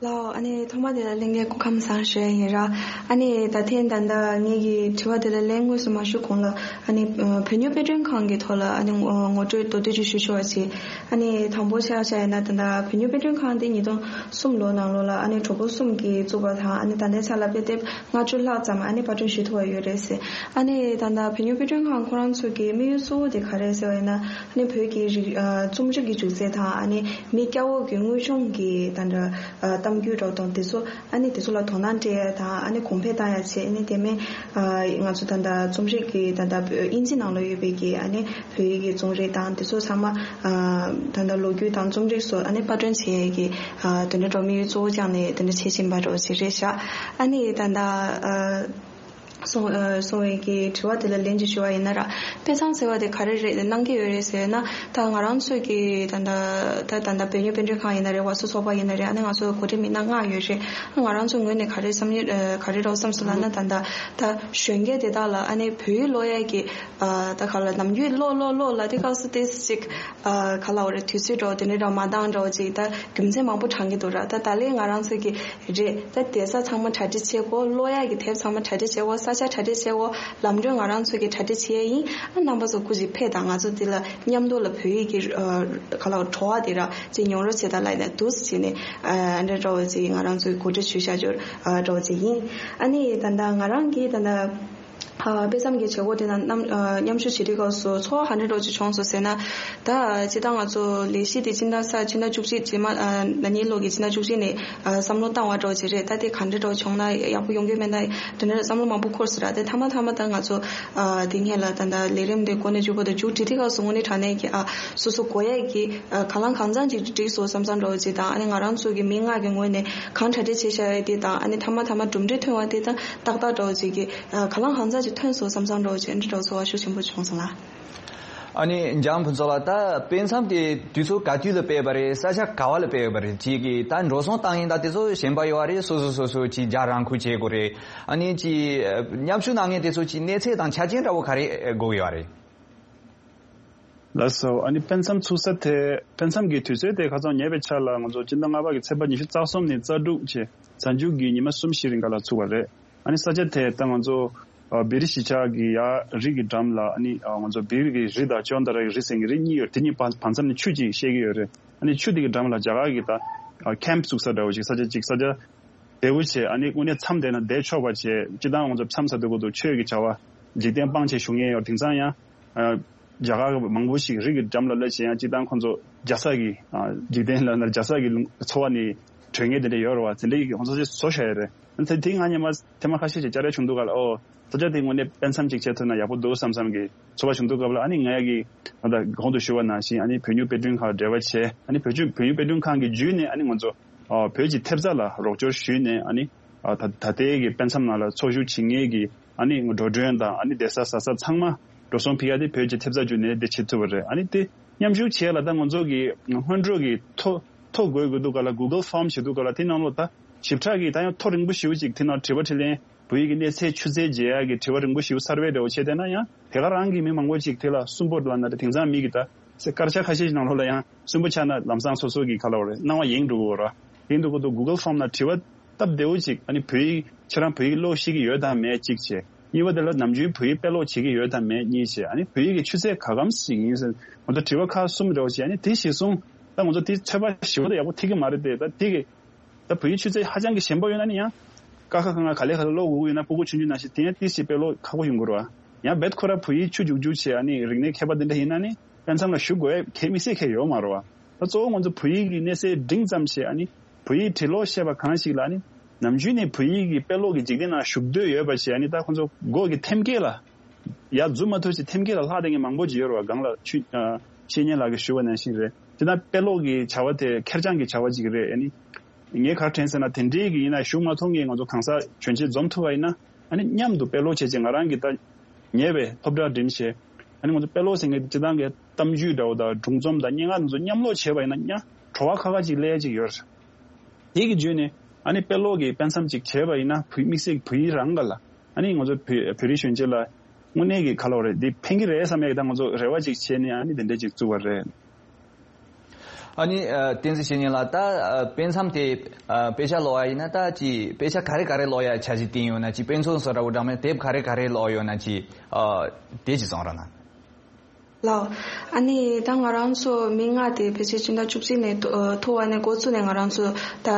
ལའོ། ཨ་ནི་ཐོག་མ་དེ་ལ་ལྷན་རྒྱས་སྐུ་ཁམས་བཟང་ཞུ་ཡ་ཡིན་ར། ཨ་ནི་ད་ཐེངས་ད་ལྟ་ངེད་ཀྱི་དྲི་བ་དེ་ལ་ལན་དངོས་སུ་མ་ཞུ་གོང་ལ། ཨ་ནི་ཨ་བོད་མྱུར་དཔེ་སྐྲུན་ཁང་གི་ཐོག་ལ་ཨ་ནི་ངོ་ངོ་སྤྲོད་མདོར་བསྡུས་ཅིག་ཞུ་ཆོག་པ་བྱེད། ཨ་ནི་དང་པོ་ཆ་བཞག་ཡིན་ན། ད་ལྟ་བོད་མྱུར་དཔེ་སྐྲུན་ཁང་དེ་ཉིས་སྟོང་གསུམ་ལོ་ནང་ལོགས་ལ་ཨ་ནི་གྲོགས་པོ་གསུམ་གྱིས་བཙུགས་པ་དང་། ཨ་ནི་ད་ལྟའི་ཆ་ལ་དཔེ་དེབ་ལྔ་བཅུ་ལྷག་ཙམ་ཨ་ནི་པར་སྐྲུན་ཞུ་ཐུབ་པ་ཡོད་རེད་ཟེར། ཨ་ནི་ད་ལྟ་བོད་མྱུར་དཔེ་སྐྲུན་ཁང་ཁོ་རང་ཚོ་གི་དམིགས་ཡུལ་གཙོ་བོ་དེ་ག་རེ་ཟེར་བ་ཡིན་ན། ཨ་ནི་བོད་ཀྱི་རིག་ཨ་རྩོམ་རིག་གི་སྒྱུ་རྩལ་དང་། ཨ་ནི་མི་སྐྱ་བོ་གི་དངོས་བྱུང་གི་ད་ལྟ་ཨ་གཏམ་རྒྱུད་འདྲ་དང་དེ་ཚོ། ཨ་ནི་དེ་ཚོ་ལ་དོ་སྣང་སྤྲད་ཡ་དང་། ཨ་ནི་གོང་འཕེལ་བཏང་ཡ་བྱས། ཨ་ནི་དེ་མིན་ཨ་ང་ཚོ་ད་ལྟ་རྩོམ་རིག་གི་ད་ལྟ་དབྱིན་ཇི་ནང་ལ་ཡོད་པའི་གི་ཨ་ནི་བོད་ཡིག་གི་རྩོམ་རིག་དང་དེ་ཚོ་ཚང་མ་ཨ་ད་ལྟ་ལོ་རྒྱུས་དང་རྩོམ་རིག་སོགས་ཨ་ནི་པར་སྐྲུན་བྱེད་ཡ་གི་ཨ་དེ་འདྲ་འདྲ་བོ་དམིགས་ཡུལ་གཙོ་བོ་བཅངས་ནས་དེ་འདྲ་བྱེད་བཞིན་པ་འདྲ་བོ་ཞིག་རེད་ཤག་ཨ་ནི་ད་ལྟ་ཨ། སོང་ཨ་སོང་བའི་གི་དྲི་བ་དེ་ལ་ལན་ཅིག་ཞུ་བ་ཡིན་ན་ར། དཔེ་མཚམས་ཟེར་བ་དེ་ག་རེ་རེད་གནང་གི་ཡོད་རེད་ཟེར་ན། ད་ང་རང་ཚོས་ཀྱི་ད་ལྟ་ད་ད་ལྟ་བོད་མྱུར་དཔེ་སྐྲུན་ཁང་ཡིན་ན་རེད། བར་སོ་ཚོགས་པ་ཡིན་ན་རེད། ཨ་ནི་ང་ཚོ་གོ་སྒྲིག་མི་སྣ་ལྔ་ཡོད་རེད། ང་རང་ཚོ་ངོས་ནས་ག་རེ་བསམ་ཡོད་ཨ་ག་རེ་རོགས་བསམ་སོང་ལབ་ན། ད་ལྟ་ད་གཞོན་སྐྱེས་དེ་དག་ལ་ཨ་ནི་བོད་ཡིག་ཀློག་ཡས་ཀྱི་ཨ་ད་ག་ལ་ནམ་རྒྱུན་ཀློག་ཀློག་ཀློག་ལབ་དུས་སྐབས་སུ་ཏོག་ཙམ་ཅིག་ཨ་ག་ལབ་དགོས་རེད། དུས་ཚོད་འདྲ་བོ་དེ་འདྲ་འདྲ་བོ་མ་འདང་འདྲ་བོ་ཅིག་ད་རྒྱུ་མཚན་མང་པོ་དྲངས་ཀྱི་འདུག་ར། ད་ད་ལན་ང་རང་ཚོ་གི་རེད། ད་བསྡད་ས་ཚང་མ་གྲ་སྒྲིག་བྱེད་དགོས། ཀློག་ཡག་གི་དེབ་ཚང་མ་གྲ་སྒྲིག་བྱེད་དགོས། ས་ཆ་གྲ་སྒྲིག་བྱེད་དགོས། ལམ་གྲོན་ང་རང་ཚོ་གིས་གྲ་སྒྲིག་བྱེད་ཡ་ཡིན། ཨ་རྣམ་པ་ཚོ་སྐུ་མཁྱེན་ཕེབས་དང་། ང་ཚོ་འདི་ལ་མཉམ་དུ་ལ་བོད་ཡིག་གི་ཨ་ག་ལ་བྲོ་བ་དེ་ར་ཅིག་མྱོང་རོལ་བྱེད་དང་ལབ་ནས་འདུག་སེ་བྱས་ནས་ཨ་འདྲ་འདྲ་བོ་ཅིག་ང་རང་ཚོ་གིས་གོ་སྒྲིག་ཞུས་བཞག་རྒྱུ་ཨ་འདྲ་བོ་ཅིག་ཡིན། ཨ་ནི་ད་ལྟ་ང་རང་གིས་ད་ལྟ་ ཨ། དཔེ་མཚམས་ཀྱི་བྱེད་སྒོ་དེ་ནང་མཉམ་ཨ། མཉམ་ཞུགས་བྱེད་དུས་སྐབས་སུ་ཚོར་བ་ག་འདྲ་འདྲ་བོ་ཅིག་བྱུང་སོང་ཟེར་ན། ད་སྤྱིར་བཏང་ང་ཚོ་ལས་གཞི་དེ་སྤྱི་ཟླ་ས་སྤྱི་ཟླ་བཅུ་གཅིག་རྗེས་མ་ཨ། ན་ནིང་ལོ་གི་སྤྱི་ཟླ་བཅུ་གཅིག་ནས་ཨ། བསམ་བློ་བཏང་བ་འདྲ་བོ་ཅིག་རེད། ད་དེ་ག་འདྲ་འདྲ་བོ་བྱུང་ན་ཡག་པོ་ཡོང་གི་མེད་ན་དེ་འདྲ་བསམ་བློ་མང་པོ་འཁོར་སོང་ར། དེ་མཐའ་མ་མཐའ་མ་ད་ང་ཚོ་ཨ། དེ་སྔོན་ལ་ད་ད་ལས་རིམ་དེ་འགོ་ནས་མཇུག་བར་དུ་མཇུག་སྒྲིལ་དུས་སྐབས་སུ་དངོས་གནས་དྲང་གནས་ཀྱི་ཨ། སོ་སོ་དགོས་ཡས་ཀྱི་ཨ། གང་ལ་གང་འཚམ་ཅིག་འགྲིག་སོང་བསམ་བསམ་འདྲ་བོ་ཅིག་དང་། ཨ་ནི་ང་རང་ཚོ་གི་མི་ལྔ་གི་ངོས་ནས་གང་གྲ་སྒྲིག་བྱས་བཞག་ཡོད་དེ་དང་། ཨ་ནི་མཐའ་མ་མཐའ་མ་གྲུབ་འབྲས་ཐོན་པ་དེ་དང་ཏག་ཏག་འདྲ་བོ་ཅིག་གི་ཨ། གང་ལ་གང་འཚམ་ཅིག་ཐོན་སོང་བསམ་བསམ་འདྲ་བོ་ཅིག་འདི་འདྲ་བོ་ཚོར་བ་ཤུགས་ཆེན་པོ་བྱུང་སོང་ལགས། ཨ་ནི་འཇམ་ཕུན་ཚོགས་ལགས། ད་དཔེ་མཚམས་དེ་དུས་ཚོད་ག་དུས་ལ་སྤེལ་བ་རེད། ས་ཆ་ག་བ་ལ་སྤེལ་བ་རེད། ཅིག་གི་ད་འགྲོ་སོང་བཏང་ཡིན་ད་དེ་ཚོ་གཞན་པ་ཡོད་རེད། སོ་སོ་སོ་སོ་ཅིག་རྒྱ་རང་ཁུལ་བྱེད་དགོས་རེད། ཨ་ནི་ཅིག་མཉམ་ཞུགས་གནང་མཁན་དེ་ཚོ་ཅིག་གནས་ཚད་དང་ཆ་རྐྱེན་འདྲ་བོ་ག་རེ་དགོས་ཀྱི་ཡོད་རེད། ལགས་སོ། ཨ་ནི་དཔེ་མཚམས་ཚུགས་ས་དེ་དཔེ་མཚམས་ཀྱི་དུས་ཚོད་དེ་ཁ་སང་ཉེ་བའི་ཆར་ལ་ང་ཚོ་སྤྱི་ཟླ་ལྔ་པ་གི་ཚེས་པ་ཉི་ཤུ་རྩ་གསུམ་ནས་རྩ་དྲུག་བྱས་གཟའ་མཇུག་གི་ཉི་མ་གསུམ་བཞི་རིང་ག་ལ་ཚུགས་པ་རེད། ཨ་ནི་ས་ཆ་དེ་ད་ང་ཚོ་ཨ། བེ་རི་གཞིས་ཆགས་ཀྱི་ཡར་རི་གི་འགྲམ་ལ། ཨ་ནི་ཨ། ང་ཚོ་བེ་རི་གི་རི་དང་ཅོན་ཏ་ར་གི་རི་ཟེར་མཁན་རི་གཉིས་ཡོད། དེ་གཉིས་བར་བར་མཚམས་ནས་ཆུ་གཅིག་བཤལ་གྱི་ཡོད་རེད། ཨ་ནི་ཆུ་དེ་གི་འགྲམ་ལ་རྒྱ་གར་གྱི་ད་ཨ། ཁེམ་བཙུགས་ས་འདྲ་བོ་ཅིག་ས་ཆ་གཅིག་ས་ཆ་བདེ་བོ་བྱས། ཨ་ནི་དངོས་གནས་མཚམས་བསྡད་ན་བསྡད་ཆོག་པ་བྱས། སྤྱིར་བཏང་ང་ཚོ་མཚམས་ས་དེ་གོ་དུ་ཆོས་ཀྱི་བྱ་བ་འཇིག་རྟེན་སྤང་བྱས་བཞུགས་མཁན་ཡོད། དེང་སང་ཡང་ཨ། རྒྱ་གར་མང་པོ་ཞིག་རི་གི་འགྲམ་ལ་སླེབས་བྱས་ཡང་སྤྱིར་བཏང་ཁོང་ཚོ་རྒྱ་ས་གི་ཨ། འཇིག་རྟེན་ལ་ལ་རྒྱ་ས་གི་ལུང་འཚོ་བ་ནས་གྲོལ་མཁན་དེ་འདྲ་ཡོད་རེད་བ། དེ་འདྲ་ཡི་ཁོང་ཚོ་བཟོ་བཞག་ཡོད་རེད། ཨ་ནི་དེ་ང་སྔོན་མ་ཐེངས་མ་ཁ་ཤས་ཤིག་བཅར་ཡ་བྱུང་འདུག་ག་ལ། ཨོ། ས་ཆ་དེ་དངོས་གནས་དཔེ་མཚམས་ཅིག་བྱས་ཐུབ་ན་ཡག་པོ་འདུག་བསམ་བསམ་གྱི་ཚོར་བ་བྱུང་འདུག་སྐབས་ལ། ཨ་ནི་ངས་ཀྱི་ད་ལྟ་གོང་དུ་ཞུ་བ་ནང་བཞིན་ཨ་ནི་བོད་ཉིད་དཔེ་སྐྲུན་ཁང་འབྲེལ་བ་བྱས། ཨ་ནི་བོད་ཀྱི་བོད་ཉིད་དཔེ་སྐྲུན་ཁང་གི་བརྒྱུད་ནས་ཨ་ནི་ང་ཚོ་ཨ། བོད་ཀྱི་ཐེབས་རྩ་ལ་རོགས་སྐྱོར་ཞུས་ནས། ཨ་ནི་ཨ། ད་ད་ལྟའི་གི་དཔེ་མཚམས་ནང་ལ་འཚོ་བཞུགས་བྱེད་མཁན་གྱི་ཨ་ནི་འགྲོ་གྲོན་དང་། ཨ་ནི་བསྡད་ས་ཟ་ས་ཚང་མ་འགྲོ་སོང་ཕུལ་ཡ་དེ་བོད་ཀྱི་ཐེབས་རྩ་བརྒྱུད་ནས་དེ་བྱེད་ཐུབ་པ་རེད། ཨ་ནི་དེ་མཉམ་ཞུགས་བྱེད་ཡ་ལ་ད་ང་ཚོ་གི་སྔོན་འགྲོ་གི་ཐོ་ཐོ་འགོད་དགོས་འདུག་ག་ལ། གུ་གལ་ཕོམ་བྱེད་འདུག་ག་ལ། དེ་ནང་ལོགས་ད་ཞིབ་ཕྲ་གི་ད་ཡང་ཐོ་རིང་པོ་ཞེ་པོ་ཅིག་དེ་ནང་དྲི་བ་དྲིས་ལན། བོད་ཡིག་གི་གནས་ཚད་ཆུ་ཚད་འཇལ་ཡག་གི་དྲི་བ་རིང་པོ་ཞེ་པོ་གསར་པའི་འདྲ་བོ་བྱས་བསྡད་ན་ཡང་། དེ་ག་རང་གི་མི་མང་པོ་ཅིག་དེ་ལ་སུན་པོ་ལབ་ན་རེད། དེང་སང་མི་གི་ད་སེ་སྐར་ཆ་ཁ་ཤས་ཤིག་ནང་ལོགས་ལ་ཡང་སུན་པོ་ཆགས་ན་ལམ་སང་སོ་སོ་གི་ག་ལབ་རེད། སྣང་བ་ཡེངས་འགྲོ་གི་ཡོད་ར། ཡིན་འདུག་གོ་དུ་གུ་གལ་ཕོམ་ལ་དྲི་བ་སྟབས་བདེ་བོ་ཅིག་ཨ་ནི་བོད་ཡིག་ཁྱེད་རང་བོད་ཡིག་ཀློག་ཤེས་ཀྱི་ཡོད་དམ་མེད་གཅིག་བྱས། གཉིས་པ་དེ་ལ་ནམ་རྒྱུན་བོད་ཡིག་དཔེ་ཀློག་བྱེད་ཀྱི་ཡོད་དམ་མེད་གཉིས་བྱས། ཨ་ནི་བོད་ཡིག་གི་ཆུ་ཚད་ག་གམ་ཞིག་ཡིན་ཟེར་ང་ཚོ་དྲི་བ་ཁག་གསུམ་འདྲ་བོ་བྱས། ཨ་ནི་དེ་གཞིར་བཟུང་ད་ང་ཚོ་དེ་ཚོད་དཔག་ཞིབ་པོ་ད་ཡག་པོ་ཐིག་གི་མ་རེད་དེ། ད་དེ་གི་ད་བོད་ཡིག་ཆུ་ཚད་ཧ་ཅང་གི་ཞན་པོ་ཡོད་ན་ནི་ཡང་། ཀ་ཁ་ག་ང་ག་ལེ་ག་ལེ་ཀློག་དགོས་ཀྱི་ཡོད་ན། སྤུ་གུ་ཆུང་ཆུང་ནང་བཞིན་དེ་ཡང་ཏིས་ཞིག་དཔེ་ཀློག་ཁག་པོ་ཡོང་གི་རེད་བ། ཡང་རྦད་ཁོ་ར་བོད་ཡིག་ཆུ་རྒྱུག་རྒྱུག་བྱས། ཨ་ནི་རིག་གནས་མཁས་པ་དེ་འདྲ་ཡིན་ན་ནི་དཔེ་མཚམས་ལ་ཞུགས་དགོས་ཡས་གལ་དམིགས་བསལ་གལ་ཡོད་མ་རེད་བ། ད་གཙོ་བོ་ང་ཚོ་བོད་ཡིག་གི་གནས་ཚད་འབྲིང་ཙམ་བྱས། ཨ་ནི་བོད་ཡིག་འབྲི་ཀློག་ཤེས་པ་གང་ཞིག་ལ་ནི་ནམ་རྒྱུན་ནས་བོད་ཡིག་གི་དཔེ་ཀློག་གི་འཇིག་རྟེན་ནང་ཞུགས་འདོད་ཡོད་པ་བྱས། ཨ་ནི་ད་ཁོ་ཚོ་མགོ་གི་ཐེམ་སྐས་ལ་ཡར་འཛུལ་མ་ཐུབ་ཅིག་ཐེམ་སྐས་ལ་ལྷག་བསྡད་མཁན་མང་པོ་ཅིག་ཡོད་རེད་བ། སྒང་ལ་ཆུ་ཨ། བཤེས་གཉེན་ལགས་ཀྱིས་ཞུ་བ་ནང་བཞིན་རེད། དེ་ན་དཔེ་ཀློག་གི་བྱ་བ་དེ་ཁེར་རྐྱང་གི་བྱ་བ་ཅིག་རེད། ཨ་ནི་ངས་ག་རེ་དྲན་ཟེར་ན། དེ་འདྲའི་གི་ཡིན་ན་ཞུགས་མ་ཐུབ་མཁན་ང་ཚོ་གང་ཟག་གྱོན་ཆས་འཛོམས་ཐུབ་པ་ཡིན་ན། ཨ་ནི་མཉམ་དུ་དཔེ་ཀློག་བྱས་རྗེས་ང་རང་གིས་ད་ཉེ་བའི་ཐོབ་གྲ་འགྲིམ་བྱས། ཨ་ནི་ང་ཚོ་དཔེ་ཀློག་ཟེར་མཁན་དེ་སྤྱིར་བཏང་གི་གཏམ་རྒྱུད་འདྲ་བོ་དང་སྒྲུང་རྩོམ་དང་སྙན་ངག་དེ་ཚོ་མཉམ་ཀློག་བྱས་པ་ཡིན་ན་ཡང་བྲོ་བ་ཁ་ཁ་ཅིག་སླེབས་ཡ་ཅིག་ཡོད་རེད། དེ་གི་བརྒྱུད་ནས་ཨ་ནི་དཔེ་ཀློག་གི་དཔེ་མཚམས་ཅིག་བྱས་པ་ཡིན་ན། བོད་དམིགས་བསལ་བོད་ཡིག་རང་ག་ལ་ཨ་ནི་ང་ཚོ་བོད་བོད་རིགས་གཞོན་སྐྱེས་ལ་དངོས་གནས་ཀྱི་ག་ལབ་རེད། འདི་ཕན་གྱི་རེད་བསམ་ཡ་གི་ད་ང་ཚོ་རེ་བ་ཅིག་བྱས་ནས་ཨ་ནི་དེ་འདྲ་ཅིག་བཙུགས་པ་རེད། ཨ་ནི་ཨ། བསྟན་འཛིན་བཤེས་གཉེན་ལགས། ད་ཨ། དཔེ་མཚམས་དེ་ཨ། དཔེ་ཆ་ཀློག་ཡ་ཡིན་ན་ད་ཅི་དཔེ་ཆ་ག་རེ་ག་རེ་ཀློག་ཡ་འཆར་གཞི་བཏིང་ཡོད་ན། ཅི་དཔེ་མཚོན་བཟོ་འདྲ་བོ་འདྲ་མིན་དེབ་ག་རེ་ག་རེ་ཀློག་ཡོད་ན་ཅི་ཨ། དེ་ཅི་གསུང་རོགས་གནང་། ལགས། ཨ་ནི་ད་ང་རང་ཚོ་མི་ལྔ་དེ་ཕལ་ཆེར་སྤྱི་ཟླ་བཅུ་གཅིག་ནས་ཐོ་ཨ། ཐོ་བ་ནས་འགོ་བཙུགས་ནས་ང་རང་ཚོ་ད་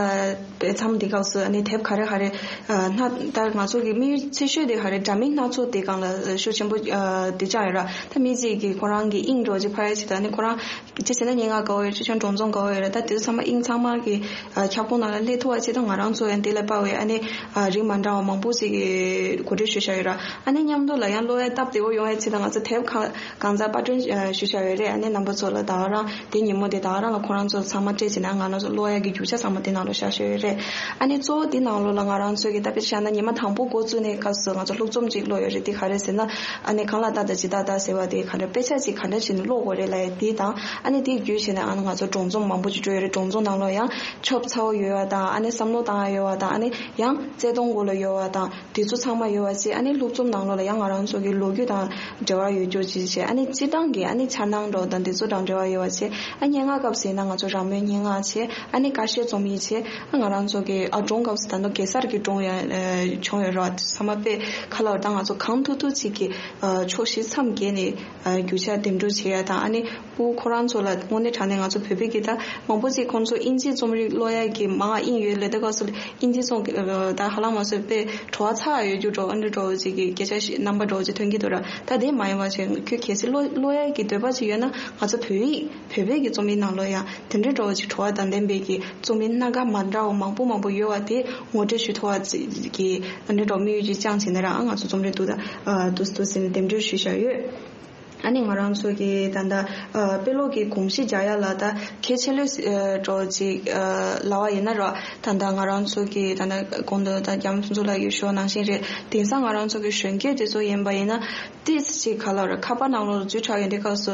དཔེ་མཚམས་འདི་སྐབས་སུ་ཨ་ནི་དེབ་ག་རེ་ག་རེ་ཨ། སྣ་ད་ང་ཚོ་གི་དམིགས་ཡུལ་ཆེ་ཤོས་དེ་ག་རེ། འདྲ་མིན་སྣ་ཚོགས་དེ་སྒང་ལ་ཤུགས་ཆེན་པོ་ཨ། དེ་བཅངས་ཡོད་ར། ད་མི་གཅིག་གིས་ཁོ་རང་གི་དབྱིངས་འདྲ་བོ་ཅིག་ཕར་ཡ་བྱས། ད་ཨ་ནི་ཁོ་རང་གཅིག་བྱས་ན་སྙན་ངག་དགའ་བོ་ཡོད། གཅིག་བྱས་ན་སྒྲུང་རྩོམ་དགའ་བོ་ཡོད་རེད། ད་དེ་ཚོ་ཚང་མ་དབྱིངས་ཚང་མ་གི་ཨ། ཁྱབ་ཁོངས་ནང་ལ་སླེབས་ཐུབ་པ་བྱས། ད་ང་རང་ཚོ་ཡང་དེ་ལ་དཔག་པའི་ཨ་ནི་ཨ། རིགས་མ་འདྲ་བ་མང་པོ་ཅིག་གི་གོ་སྒྲིག་ཞུས་བཞག་ཡོད་ར། ཨ་ནི་མཉམ་དུ་ལ་ཡང་ཀློག་ཡ་སྟབས་བདེ་བོ་ཡོང་ཡ་ཆེད་དུ་ང་ཚོ་དེབ་གང་གང་ཚང་པར་སྐྲུན་ཨ། ཞུས་བཞག་ཡོད་རེད། ཨ་ནི་རྣམ་པ་ཚོ་ལ་ད་ག་རང་དེ་ཉིན་མོ་དེ་ད་ག་རང་ལ་ཁོ་རང་ཚོ་ཚང་མ་སྤྲད་བྱས་ན་ང་རང་ཚོ་ཀློག་ཡ་གི་རྒྱུ་ཆ་ཚང་མ་དེ་ནང་ལ་བཞག་བཞག་ཡོད་རེད། ཨ་ནི་གཙོ་བོ་དེ་ནང་ལོགས་ལ་ང་རང་ཚོ་གི་ད་དཔེ་ཆ་བཞག་ན་ཉི་མ་དང་པོ་འགོ་བཙུགས་ནས་སྐབས་སུ་ང་ཚོ་ལྷུག་རྩོམ་ཅིག་ཀློག་ཡོད་རེད། དེ་ག་རེ་ཟེར་ན། ཨ་ནི་གང་ལ་བལྟ་དང་ཇི་ལྟར་བལྟ་ཟེར་བ་དེ་ག་འདྲ། དཔེ་ཆ་ཅིག་ག་འདྲ་བྱས་ནས་ཀློག་དགོས་རེད་ལབ་ཡ་དེ་དང་། ཨ་ནི་དེ་བརྒྱུད་བྱས་ནས་ཨ་ནི་ང་ཚོ་སྒྲུང་རྩོམ་མང་པོ་ཅིག་བྲིས་ཡོད་རེད། སྒྲུང་རྩོམ་ནང་ལོགས་ཡང་ཆོབ་ཚ་བོ་ཡོད་པ་དང་། ཨ་ནི་བསམ་བློ་བཏང་ཡ་ཡོད་པ་དང་། ཨ་ནི་ཡང་བརྩེ་དུང་སྐོར་ལ་ཡོད་པ་དང་། དེ་ཚོ་ཚང་མ་ཡོད་པ་བྱས། ཨ་ནི་ལྷུག་རྩོམ་ནང་ལོགས་ལ་ཡང་ང་རང་ཚོ་གི་ལོ་རྒྱུས་དང་འབྲེལ་བ་ཡོད་རྒྱུ་ཅིག་བྱས། ཨ་ནི་སྤྱིར་བཏང་ ཁང་གི་ཨ་ནི་འཆར་སྣང་འདྲ་བོ་དང་དེ་ཚོ་དང་འབྲེལ་བ་ཡོད་པ་བྱས། ཨ་སྙན་ངག་སྐབས་སུ་ཡིན་ན་ང་ཚོ་རང་མོས་སྙན་ངག་བྱས། ཨ་ནི་ཀ་ཤོད་རྩོམ་ཡིག་བྱས། ཨ་ང་རང་ཚོ་གི་ཨ་སྒྲུང་སྐབས་སུ་ད་ནི་གེ་སར་གྱི་སྒྲུང་ཡང་ཨ་བྱུང་ཡོད་རེད་བ། ཚང་མ་དཔེ་ག་ལ་བ་ད་ང་ཚོ་གང་ཐུབ་ཐུབ་ཅིག་གི་ཨ་ཕྱོགས་བཞི་མཚམས་བརྒྱད་ནས་ཨ་རྒྱུ་ཆ་འདེམས་སྒྲུག་བྱེད་ཡ་དང་། ཨ་ནི་སྤུ་གུ་ཁོ་རང་ཚོ་ལ་དངོས་གནས་དྲང་གནས་ང་ཚོ་བོད་པའི་གི་ད་མང་པོ་ཅིག་ཁོང་ཚོ་དབྱིན་ཇིའི་རྩོམ་རིག་ཀློག་ཡ་གི་མང་ཨིན་ཡོད་ལེ། ད་སྐབས་སུ་ལ་དབྱིན་ཇིའི་རྩོམ་གི་ཨ་ད་ཧ་ལམ་ང་ཚོ་དཔེ་བྲོ་བ་ཚ་ཡོད་རྒྱུ་འདྲ་བོ་ཨ་འདྲ་འདྲ་བོ་ཅིག་གི་སྐད་ཆ་ཞིག་རྣམ་པ་འདྲ་བོ་ཅིག་ཐོན་གྱི་འདུག་ར། ད་དེ་མ་ཡིན་པ་བྱས་ཁྱོད་གལ་སྲིད་ཀློག་ཀློག་ཡ་གི་འདོད་པ་ཅིག་ཡོད་ན་ང་ཚོ་བོད་ཡིག་བོད་པའི་གི་རྩོམ་ཡིག་ནང་ལོགས་ཡང་དེ་འདྲའི་འདྲ་བོ་ཅིག་བྲོ་བ་དང་ལྡན་པའི་གི་རྩོམ་ཡིག་སྣ་ཁ་མ་འདྲ་བ་མང་པོ་མང་པོ་ཡོད་པ་དེ་ངོ་སྤྲོད་ཞུ་ཐུབ་པ་ཅིག་གི་ཨ་འདྲ་འདྲ་བོ་དམིགས་ཡུལ་ཅིག་བཅངས་བྱས་ནས་ར། ཨ་ང་ཚོ་རྩོམ་རིག་འདུག་ད་ཨ་འདུག་འདུག་ཟེར་ནས་འདེམས་སྒྲུག་ཞུས་བཞག་ཡོད། ཨ་ནི་ང་རང་ཚོ་གི་ད་ལྟ་ཨ་དཔེ་ཀློག་གི་གོམས་གཤིས་རྒྱག་ཡ་ལ་ད་གལ་ཆེ་ལོས་ཨ་འདྲ་བོ་ཅིག་ཨ་ལབ་པ་ཡིན་ན་ར། ད་ལྟ་ང་རང་ཚོ་གི་ད་ལྟ་གོང་དུ་ད་རྒྱ་མི་ཕུན་ཚོགས་ལགས་ཀྱིས་ཞུས་པ་ནང་བཞིན་རེད། དེང་སང་ང་རང་ཚོ་གི་གཞོན་སྐྱེས་དེ་ཚོ་ཡིན་པ་ཡིན་ན་ཏིས་ཅིག་ག་ལབ་རེད། ཁ་པར་ནང་ལོགས་ལ་འཛུལ་དྲགས་ཡོང་དུས་སྐབས་སུ་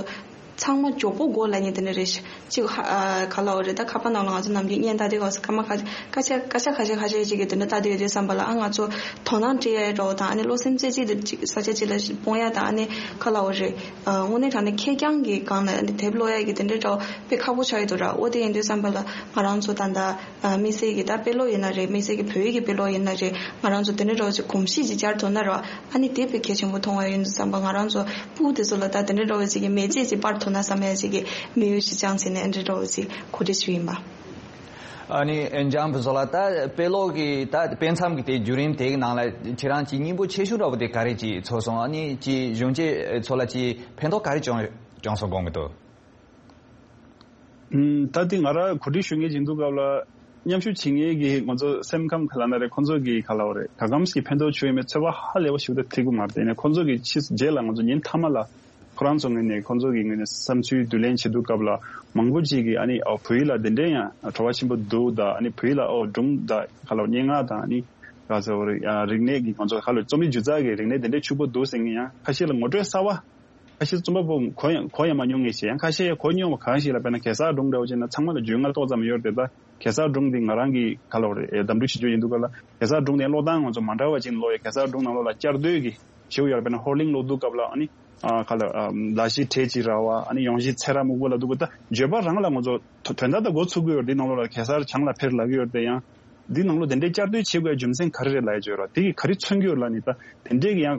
ཚང་མ་མགྱོགས་པོ་མགོ་ལ་ཉན་དེ་འདྲ་རེད་ཤག་ཅིག་ཧ་ཨ་ག་ལབ་རེད། ད་ཁ་པར་ནང་ལ་ང་ཚོ་ནམ་རྒྱུན་བརྙན་ལྟ་དུས་སྐབས་སུ་སྐར་མ་ཁ་སྐར་ཆ་སྐར་ཆ་ཁ་ཤས་ཁ་ཤས་ཅིག་གི་དེ་འདྲ་ལྟ་དུས་ཡོད་དུས་བསམ་པ་ལ། ཨ་ང་ཚོ་དོ་སྣང་སྤྲད་ཡ་འདྲ་བོ་དང་། ཨ་ནི་བློ་སེམས་རྩེ་གཅིག་ཏུ་ཅིག་ས་ཆ་གཅིག་ལ་སྤུངས་ཡ་དང་། ཨ་ནི་ག་ལབ་རེད། ཨ་དངོས་གནས་དྲང་གནས་ཁེར་རྐྱང་གི་སྒང་ལ་ཨ་ནི་དེབ་ཀློག་ཡ་གི་དེ་འདྲའི་འདྲ་བོ་དཔེ་ཁག་པོ་ཆགས་ཡོད་འདུག་ར། འོ་དེ་ཡིན་དུས་བསམ་པ་ལ་ང་རང་ཚོ་ད་ལྟ་ཨ་དམིགས་བསལ་གྱི་ད་དཔེ་ཀློག་ཡིན་ན་རེད། དམིགས་བསལ་གྱི་བོད་ཡིག་གི་དཔེ་ཀློག་ཡིན་ན་རེད། ང་རང་ཚོ་དེ་འདྲའི་འདྲ་བོ་ཅིག་གོམས་གཤིས་ཅིག་སྦྱར་ཐུབ་ན་ར། ཨ་ནི་དེ་དཔེ་གལ་ཆེན་པོ་མཐོང་བ་ཡིན་དུས་བསམ་པ། ང་རང་ཚོ་སྤུ་གུ་དེ་ཚོ་ལ་ད་དེ་འདྲའི་འདྲ་བོ་ཅིག་གི་མེ་ལྕེ་ཅིག་སྤར་ཐུབ་ན་བསམ་ཡ་ཅིག་གི་དམིགས་ཡུལ་ཅིག་བཅངས་བྱས་ནས་ཨ་འདྲའི་འདྲ་བོ་ཅིག་གོ་སྒྲིག་ཞུས་ཡིན་པ། ཨ་ནི་འཇམ་དཔལ་བཟོ་ལགས། ད་དཔེ་ཀློག་གི་ད་དཔེ་མཚམས་ཀྱི་དེ་བརྒྱུད་རིམ་དེའི་ནང་ལ་ཁྱེད་རང་ཅིག་སྙིང་པོ་ཆེ་ཤོས་འདྲ་བོ་དེ་ག་རེ་ཅིག་ཚོར་སོང་། ཨ་ནི་ཅིག་གཞོན་སྐྱེས་ཚོ་ལ་ཅིག་ཕན་ཐོགས་ག་རེ་བྱུང་བྱུང་སོང་དགོངས་ཀྱི་འདུག་ཨུམ། ད་དེ་ང་རང་གོ་སྒྲིག་ཞུ་མཁན་ཅིག་འདུག་སྐབས་ལ་མཉམ་ཞུགས་བྱེད་མཁན་གྱི་ང་ཚོ་སེམས་ཁམས་ག་ལབ་ན་རེད། ཁོང་ཚོ་གི་ག་ལབ་རེད། ག་གམ་ཞིག་ཕན་ཐོགས་བྱུང་ཡོད་མེད་ཚོད་དཔག་ཧ་ལས་པ་ཞིག་ད་ཐིག་གི་མ་རེད། དེ་ནས་ཁོང་ཚོ་གི་ཕྱི་རྗེས་ལ་ང་ཚོ་ཉིན་མཐའ་མ་ལ་ཁོ་རང་ཚོ་ངོས་ནས་ཁོང་ཚོ་གི་ངོས་ནས་བསམ་ཚུལ་བསྡུ་ལེན་བྱེད་དུས་སྐབས་ལ་མང་པོ་ཅིག་གིས་ཨ་ནི་ཨོ་བོད་ཡིག་ལ་དེ་འདྲའི་ཡང་བྲོ་བ་ཆེན་པོ་འདུག་ད་ཨ་ནི་བོད་ཡིག་ལ་ཨོ་སྒྲུང་ད་ག་ལབ་སྙན་ངག་དང་ཨ་ནི་ག་ཚོད་རེད། ཡང་རིག་གནས་ཀྱི་ང་ཚོ་ག་ལབ་རྩོམ་རིག་སྒྱུ་རྩལ་གྱི་རིག་གནས་དེ་འདྲའི་ཕྱུག་པོ་འདུག་ཟེར་མཁན་ཡང་ཁ་ཤས་ལ་ངོ་སྤྲོད་གསར་བ། ཁ་ཤས་རྩོམ་པ་པོ་གོ་ཡང་གོ་ཡང་མ་མྱོང་མཁན་ཞིག་ཡང་ཁ་ཤས་ཡང་གོ་མྱོང་བ་གང་ཞིག་ལ་དཔེར་ན་གེ་སར་སྒྲུང་འདྲ་བོ་བྱས་ན་ཚང་མ་ལ་རྒྱུས་མངའ་ཏོག་ཙམ་ཡོད་རེད་དེ། ད་གེ་སར་སྒྲུང་འདི་ང་རང་གིས་ག་ལབ་རེད། ཨེ་གདམ་འདུག་བྱེད་རྒྱུ་ཡིན་འདུག་ག་ལ། གེ་སར་སྒྲུང་དེ་ཀློག་སྟངས་ང་ཚོ་མ་འདྲ་བ་ཅིག་ཀློག་ཡ། གེ་སར་སྒྲུང་ནང་ལོགས་ལ་བསྐྱར་ཟློས་ཀྱི་བྱེད་དགོས་ཡོད་རེད། དཔེར་ན་ཧོར་གླིང་ཀློག་དུས་སྐབས་ལ་ཨ་ནི་ཨ་ག་ལབ་ཨ་ལ་ཤི་བྲེ་ཅིག་ར་བ། ཨ་ནི་ཡོང་ཤི་ཚེ་ར་སྨུག་པོ་ལབ་འདུག་ག་ད་བརྗོད་པ་རང་ལ་ང་ཚོ་དོན་དག་དང་མགོ་ཚུགས་ཀྱི་ཡོད་རེད། འདི་ནང་ལོགས་ལ་གེ་སར་བྱང་ལ་ཕེབས་ལབ་ཀྱི་ཡོད་རེད་དེ། ཡང་འདི་ནང་ལོགས་དེ་འདྲའི་བསྐྱར་ཟློས་བྱེད་དགོས་ཡ་རྒྱུ་མཚན་ག་རེ་རེད་ལབ་ཡ་བརྗོད་ར། དེ་གིས་ག་རེ་མཚོན་གྱི་ཡོད་ལབ་ནི། ད་དེ་འདྲའི་གི་ཡང་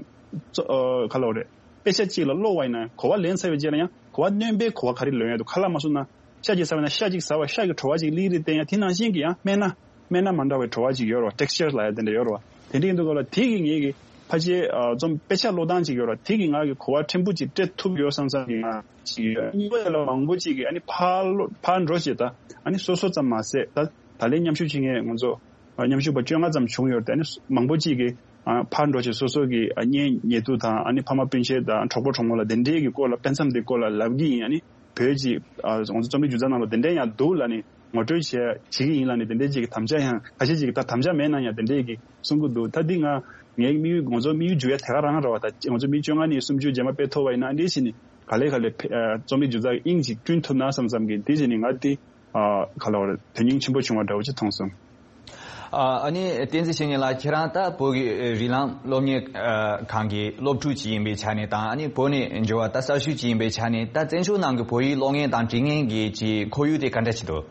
ཙོ་ཨ་ག་ལབ་རེད། དཔེ་ཆ་གཅིག་ལ་ཀློག་པ་ཡིན་ན་གོ་བ་ལེན་ཚར་བའི་རྗེས་ལ་ཡང་གོ་བ་སྣོན་པའི་གོ་བ་ག་རེ་ལོན་ཡ་འདུག་ཁ་ལག་མ་བཟོ་ན་ཤ་གཅིག་ཟ་བ་ན་ཤ་གཅིག་ཟ་བ་ཤ་གི་བྲོ་བ་གཅིག་ལི་རེ་བསྟན་ཡ། དེ་ནང་བཞིན་གི་ཡང་སྨན་སྣ་སྨན་སྣ་མ་འདྲ་བའི་བྲོ་བ་གཅིག་ཡོད་རེད་བ། ཊེག་སི་ཅར་ལབ་ཡ་དེ་འདྲ་ཡོད་རེད་བ། དེ་འདྲ་ཡིན་དུས་སྐབས་ལ་དེ་གི་ངེད་ཀྱི་ཕལ་ཆེར་ཨ་རྩོམ་དཔེ་ཆ་ཀློག་སྟངས་གཅིག་ཡོད་རེད་བ། དེ་གི་ང་གི་གོ་བ་ཕྲན་བུ་གཅིག་སྤྲད་ཐུབ་ཡོད་བསམ་བསམ་གི་ང་གཅིག་ཡོད། གཉིས་པ་ཡ་ལ་མང་པོ་གཅིག་གི་ཨ་ནི་ཕར་ལོ་ཕར་འགྲོ་བྱེད་ད་ཨ་ནི་སོ་སོ་ཙམ་མ་ཟད་ད་ད་ལན་མཉམ་ཞུགས་བྱེད་མཁན་ང་ཚོ་མཉམ་ཞུགས་པ་བཅོ་ལྔ་ཙམ་བྱུང་ཡོད་རེད་དེ། ཨ་ནི་མང་པོ་གཅིག་གིས་ཨ་ཕར་འགྲོ་བྱེད་སོ་སོ་གི་ཨ་གཉེན་ཉེ་དུ་དང་ཨ་ནི་ཕ་མ་སྤུན་མཆེད་དང་གྲོགས་པོ་གྲོགས་མོ་ལ་དེ་འདྲའི་གི་སྐོར་ལ་དཔེ་མཚམས་དེ་སྐོར་ལ་ལབ་གི་ཡིན། ཨ་ནི་བོད་ཀྱི་ཨ་ང་ཚོ་རྩོམ་རིག་སྒྱུ་རྩལ་ནང་ལ་དེ་འདྲའི་ཡང་འདུག་ལབ་ནས་ངོ་སྤྲོད་བྱེད་བྱེད་ཀྱི་ཡིན་ལབ་ནས་དེ་འདྲའི་ཅིག་གི་དམ་བཅའ་ཡང་ཁ་ཤས་ཅིག་གིས་ད་དམ་བཅའ་མེད་ན་ཡང་དེ་འདྲའི་གི་གསུང་གི་འདུག་ད་འདི་ང་ངའི་དམིགས་ཡུལ་ང་ཚོ་དམིགས་ཡུལ་འཇུག་ཡ་དེ་ག་རང་རེད་བ། ད་ང་ཚོ་མི་བཅོ་ལྔ་ནས་སུམ་ཅུ་རྗེས་མ་དཔེ་ཐོབ་པ་ཡིན་ན་ཨ་འདྲའི་བྱས་ནས་ག་ལེ་ག་ལེ་ཕེ་ཨ་རྩོམ་རིག་སྒྱུ་རྩལ་གྱི་དབྱིངས་ཅིག་བསྐྲུན་ཐུབ་ན་བསམ་བསམ་གི་དེ་བྱས་ནས་ང་འདི་ཨ་ག་ལ་བ་རེད། དོན་སྙིང་ཆེན་པོ་བྱུང་བ་འདྲ་བོ་ཅིག་མཐོང་སོང་། ཨ་ཨ་ནི་བསྟན་འཛིན་བཤེས་གཉེན་ལགས། ཁྱེད་རང་ད་བོད་ཀྱི་རིགས་ལམ་སློབ་གཉེར་ཨ་ཁང་གི་སློབ་ཕྲུག་ཅིག་ཡིན་པའི་ཆ་ནས་དང་། ཨ་ནི་བོད་ནས་འབྱོར་བ་ད་གསར་ཞུགས་ཅིག་ཡིན་པའི་ཆ་ནས་ད་བཙན་བྱོལ་ནང་གི་བོད་ཡིག་ཀློག་མཁན་དང་འབྲི་མཁན་གྱི་ཅིག་ཁོར་ཡུག་དེ་ག་འདྲ་ཅིག་འདུག་